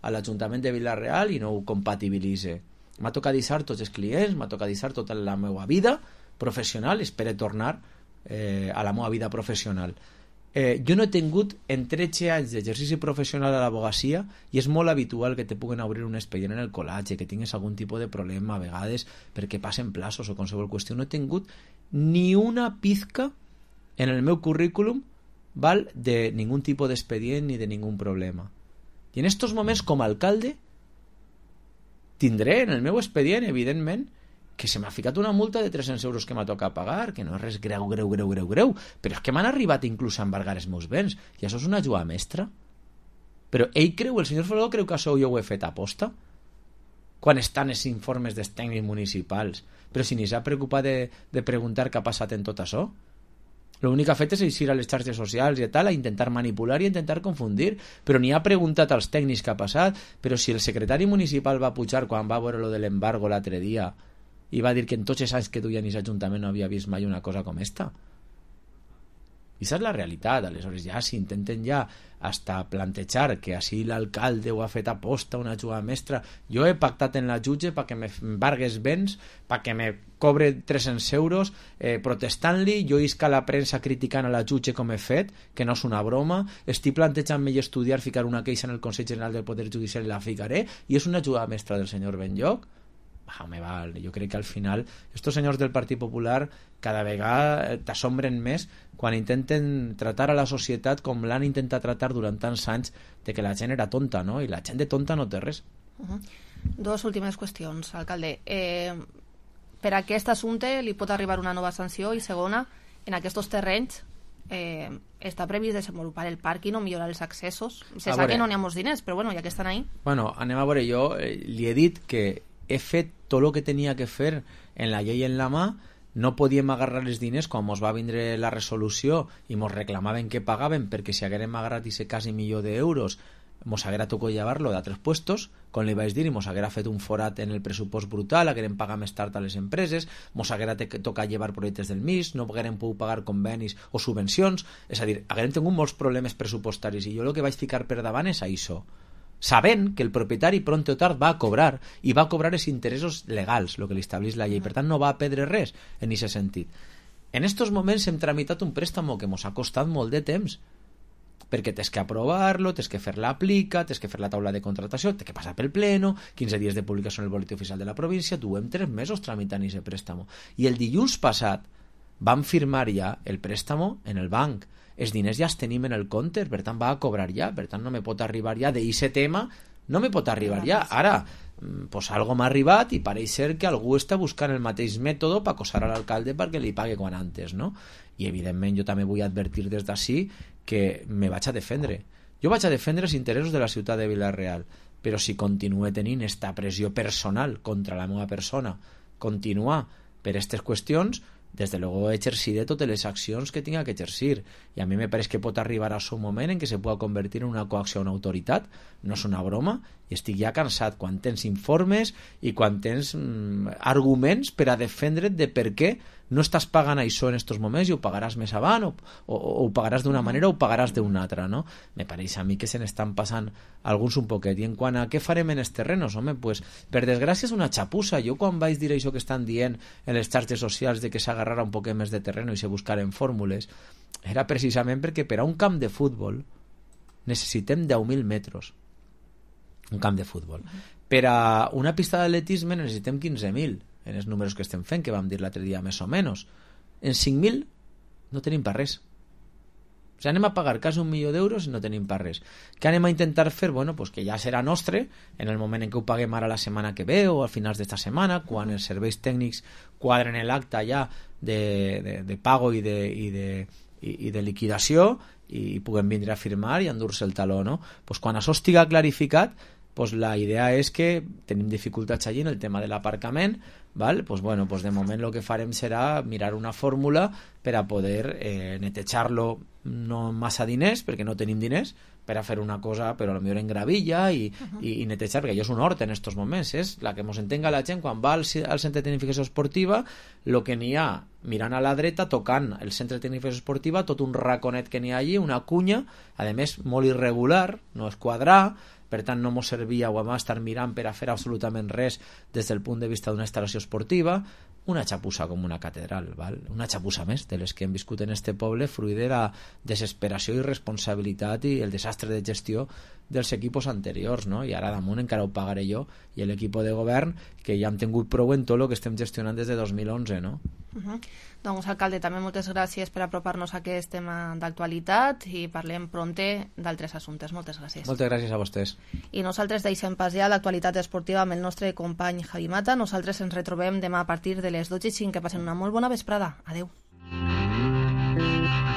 a l'Ajuntament de Vila-real i no ho compatibilitze. M'ha tocat deixar tots els clients, m'ha tocat deixar tota la meva vida professional, espero tornar eh, a la meva vida professional. Eh, jo no he tingut en tretze anys d'exercici professional a l'abogacia i és molt habitual que te puguen obrir un expedient en el col·latge, que tingues algun tipus de problema a vegades perquè passen plaços o qualsevol qüestió. No he tingut ni una pizca en el meu currículum, val, de ningún tipus d'expedient ni de ningún problema. I en estos moments, com a alcalde, tindré en el meu expedient, evidentment, que se m'ha ficat una multa de tres-cents euros que m'ha tocat pagar, que no és res greu, greu, greu, greu, greu, però és que m'han arribat inclús a embargar els meus béns, i això és una jugada mestra. Però ell creu, el senyor Folgado creu que això jo ho he fet a posta? Quan estan els informes dels tècnics municipals? Però si ni s'ha preocupat de, de preguntar què ha passat en tot això? L'únic que ha fet és eixir a les xarxes socials i tal, a intentar manipular i a intentar confundir, però ni ha preguntat als tècnics què ha passat. Però si el secretari municipal va pujar quan va veure lo de l'embargo l'altre dia i va dir que en tots els anys que duia en aquest ajuntament no havia vist mai una cosa com esta. I aquesta és la realitat. Aleshores ja si intenten ja hasta plantejar que així l'alcalde ho ha fet a posta, una jugada mestra, jo he pactat en la jutge perquè m'embargues béns, perquè me cobre tres-cents euros eh, protestant-li, jo isca a la premsa criticant a la jutge com he fet, que no és una broma, estic plantejant-me i estudiar ficar una queixa en el Consell General del Poder Judicial i la ficaré, i és una jugada mestra del senyor Benyoc. Ah, home, val, jo crec que al final estos senyors del Partit Popular cada vegada t'assombren més quan intenten tratar a la societat com l'han intentat tratar durant tants anys de que la gent era tonta, no? I la gent de tonta no té res. Uh-huh. Dos últimes qüestions, alcalde. Eh, per a aquest assumpte li pot arribar una nova sanció i segona, en aquests terrenys eh, està previst desenvolupar el pàrquing o millorar els accessos. Se sap que no n'hi ha molts diners, però bueno, ja que estan ahí. Bueno, anem a veure, jo eh, li he dit que he fet tot el que tenia que fer en la llei en la mà, no podíem agarrar els diners quan mos va vindre la resolució i mos reclamaven que pagaven perquè si haguérem agarrat ese quasi milió d'euros mos haguera tocat llevar-lo d'altres puestos, com li vaig dir, i mos haguera fet un forat en el pressupost brutal, haguérem pagat més tard a les empreses, mos haguera tocat llevar projectes del M I S, no haguérem pogut pagar convenis o subvencions, és a dir, haguérem tingut molts problemes pressupostaris i jo el que vaig ficar per davant és això, sabent que el propietari pront o tard va a cobrar i va a cobrar els interessos legals, el que li estableix la llei, per tant no va a perdre res en aquest sentit. En estos moments hem tramitat un préstamo que mos ha costat molt de temps, perquè tens que aprovar-lo, tens que fer l'aplica, tens que fer la taula de contratació, tens que passar pel pleno, quinze dies de publicació en el boletí oficial de la província, duem tres mesos tramitant aquest préstamo. I el dilluns passat vam firmar ja el préstamo en el banc. Els diners ja els tenim en el compte, per tant va a cobrar ja, per tant no me pot arribar ja d'aquest tema, no me pot arribar ja. Ara, pues algo m'ha arribat i pareix ser que algú està buscant el mateix mètode per acosar a l'alcalde perquè li pague quan antes, no? I evidentment jo també vull advertir des d'ací que me vaig a defendre. Jo vaig a defendre els interessos de la ciutat de Vila-real, però si continue tenint esta pressió personal contra la meva persona, continuar per aquestes qüestions, des de luego exerciré totes les accions que tinga que exercir, i a mi me pareix que pot arribar a un moment en què se pugui convertir en una coacció a una autoritat, no és una broma, i estic ja cansat quan tens informes i quan tens mm, arguments per a defendre't de per què no estàs pagant això en estos moments i ho pagaràs més avant o, o, o ho pagaràs d'una manera o ho pagaràs d'una altra, no? Me pareix a mi que se n'estan passant alguns un poquet. I en quant a què farem en els terrenos, home, pues, per desgràcia és una xapussa. Jo quan vaig dir això que estan dient en les xarxes socials de que s'agarrara un poquet més de terreno i se buscaren fórmules, era precisament perquè per a un camp de futbol necessitem deu mil metres, un camp de futbol. Per a una pista d'atletisme necessitem quinze mil, en els números que estem fent, que vam dir l'altre dia més o menys. En cinc mil no tenim per res. O sigui, anem a pagar quasi un milió d'euros i no tenim per res. Què anem a intentar fer? Bueno, pues que ja serà nostre en el moment en què ho paguem ara la setmana que ve o al finals d'esta setmana, quan els serveis tècnics quadren l'acte ja de, de, de pago i de, i de, i, i de liquidació, i puguem vindre a firmar i endur-se el taló, no? Pues quan això estiga clarificat, pues la idea és que tenim dificultats allí en el tema de l'aparcament, val? Pues bueno, pues de moment el que farem serà mirar una fórmula per a poder eh, netejar-lo, no massa diners, perquè no tenim diners, per a fer una cosa, però potser en gravilla i, uh-huh. i, i netejar, perquè allò és un hort en estos moments, és la que ens entenga la gent quan va al, al centre de tecnificació esportiva, el que n'hi ha mirant a la dreta, tocant el centre de tecnificació esportiva, tot un raconet que n'hi ha allí, una cunya, a més molt irregular, no és quadrar, per tant no mos servia o vam estar mirant per a fer absolutament res des del punt de vista d'una instal·lació esportiva, una xapussa com una catedral, val? Una xapussa més de les que hem viscut en este poble, fruit de la desesperació i responsabilitat i el desastre de gestió dels equipos anteriors, no? I ara damunt encara ho pagaré jo i l'equip de govern, que ja hem tingut prou en tot el que estem gestionant des de dos mil onze, no? Uh-huh. Doncs, alcalde, també moltes gràcies per apropar-nos a aquest tema d'actualitat i parlem prompte d'altres assumptes. Moltes gràcies. Moltes gràcies a vostès. I nosaltres deixem pas ja l'actualitat esportiva amb el nostre company Javi Mata. Nosaltres ens retrobem demà a partir de les dotze i cinc. Que passen una molt bona vesprada. Adeu.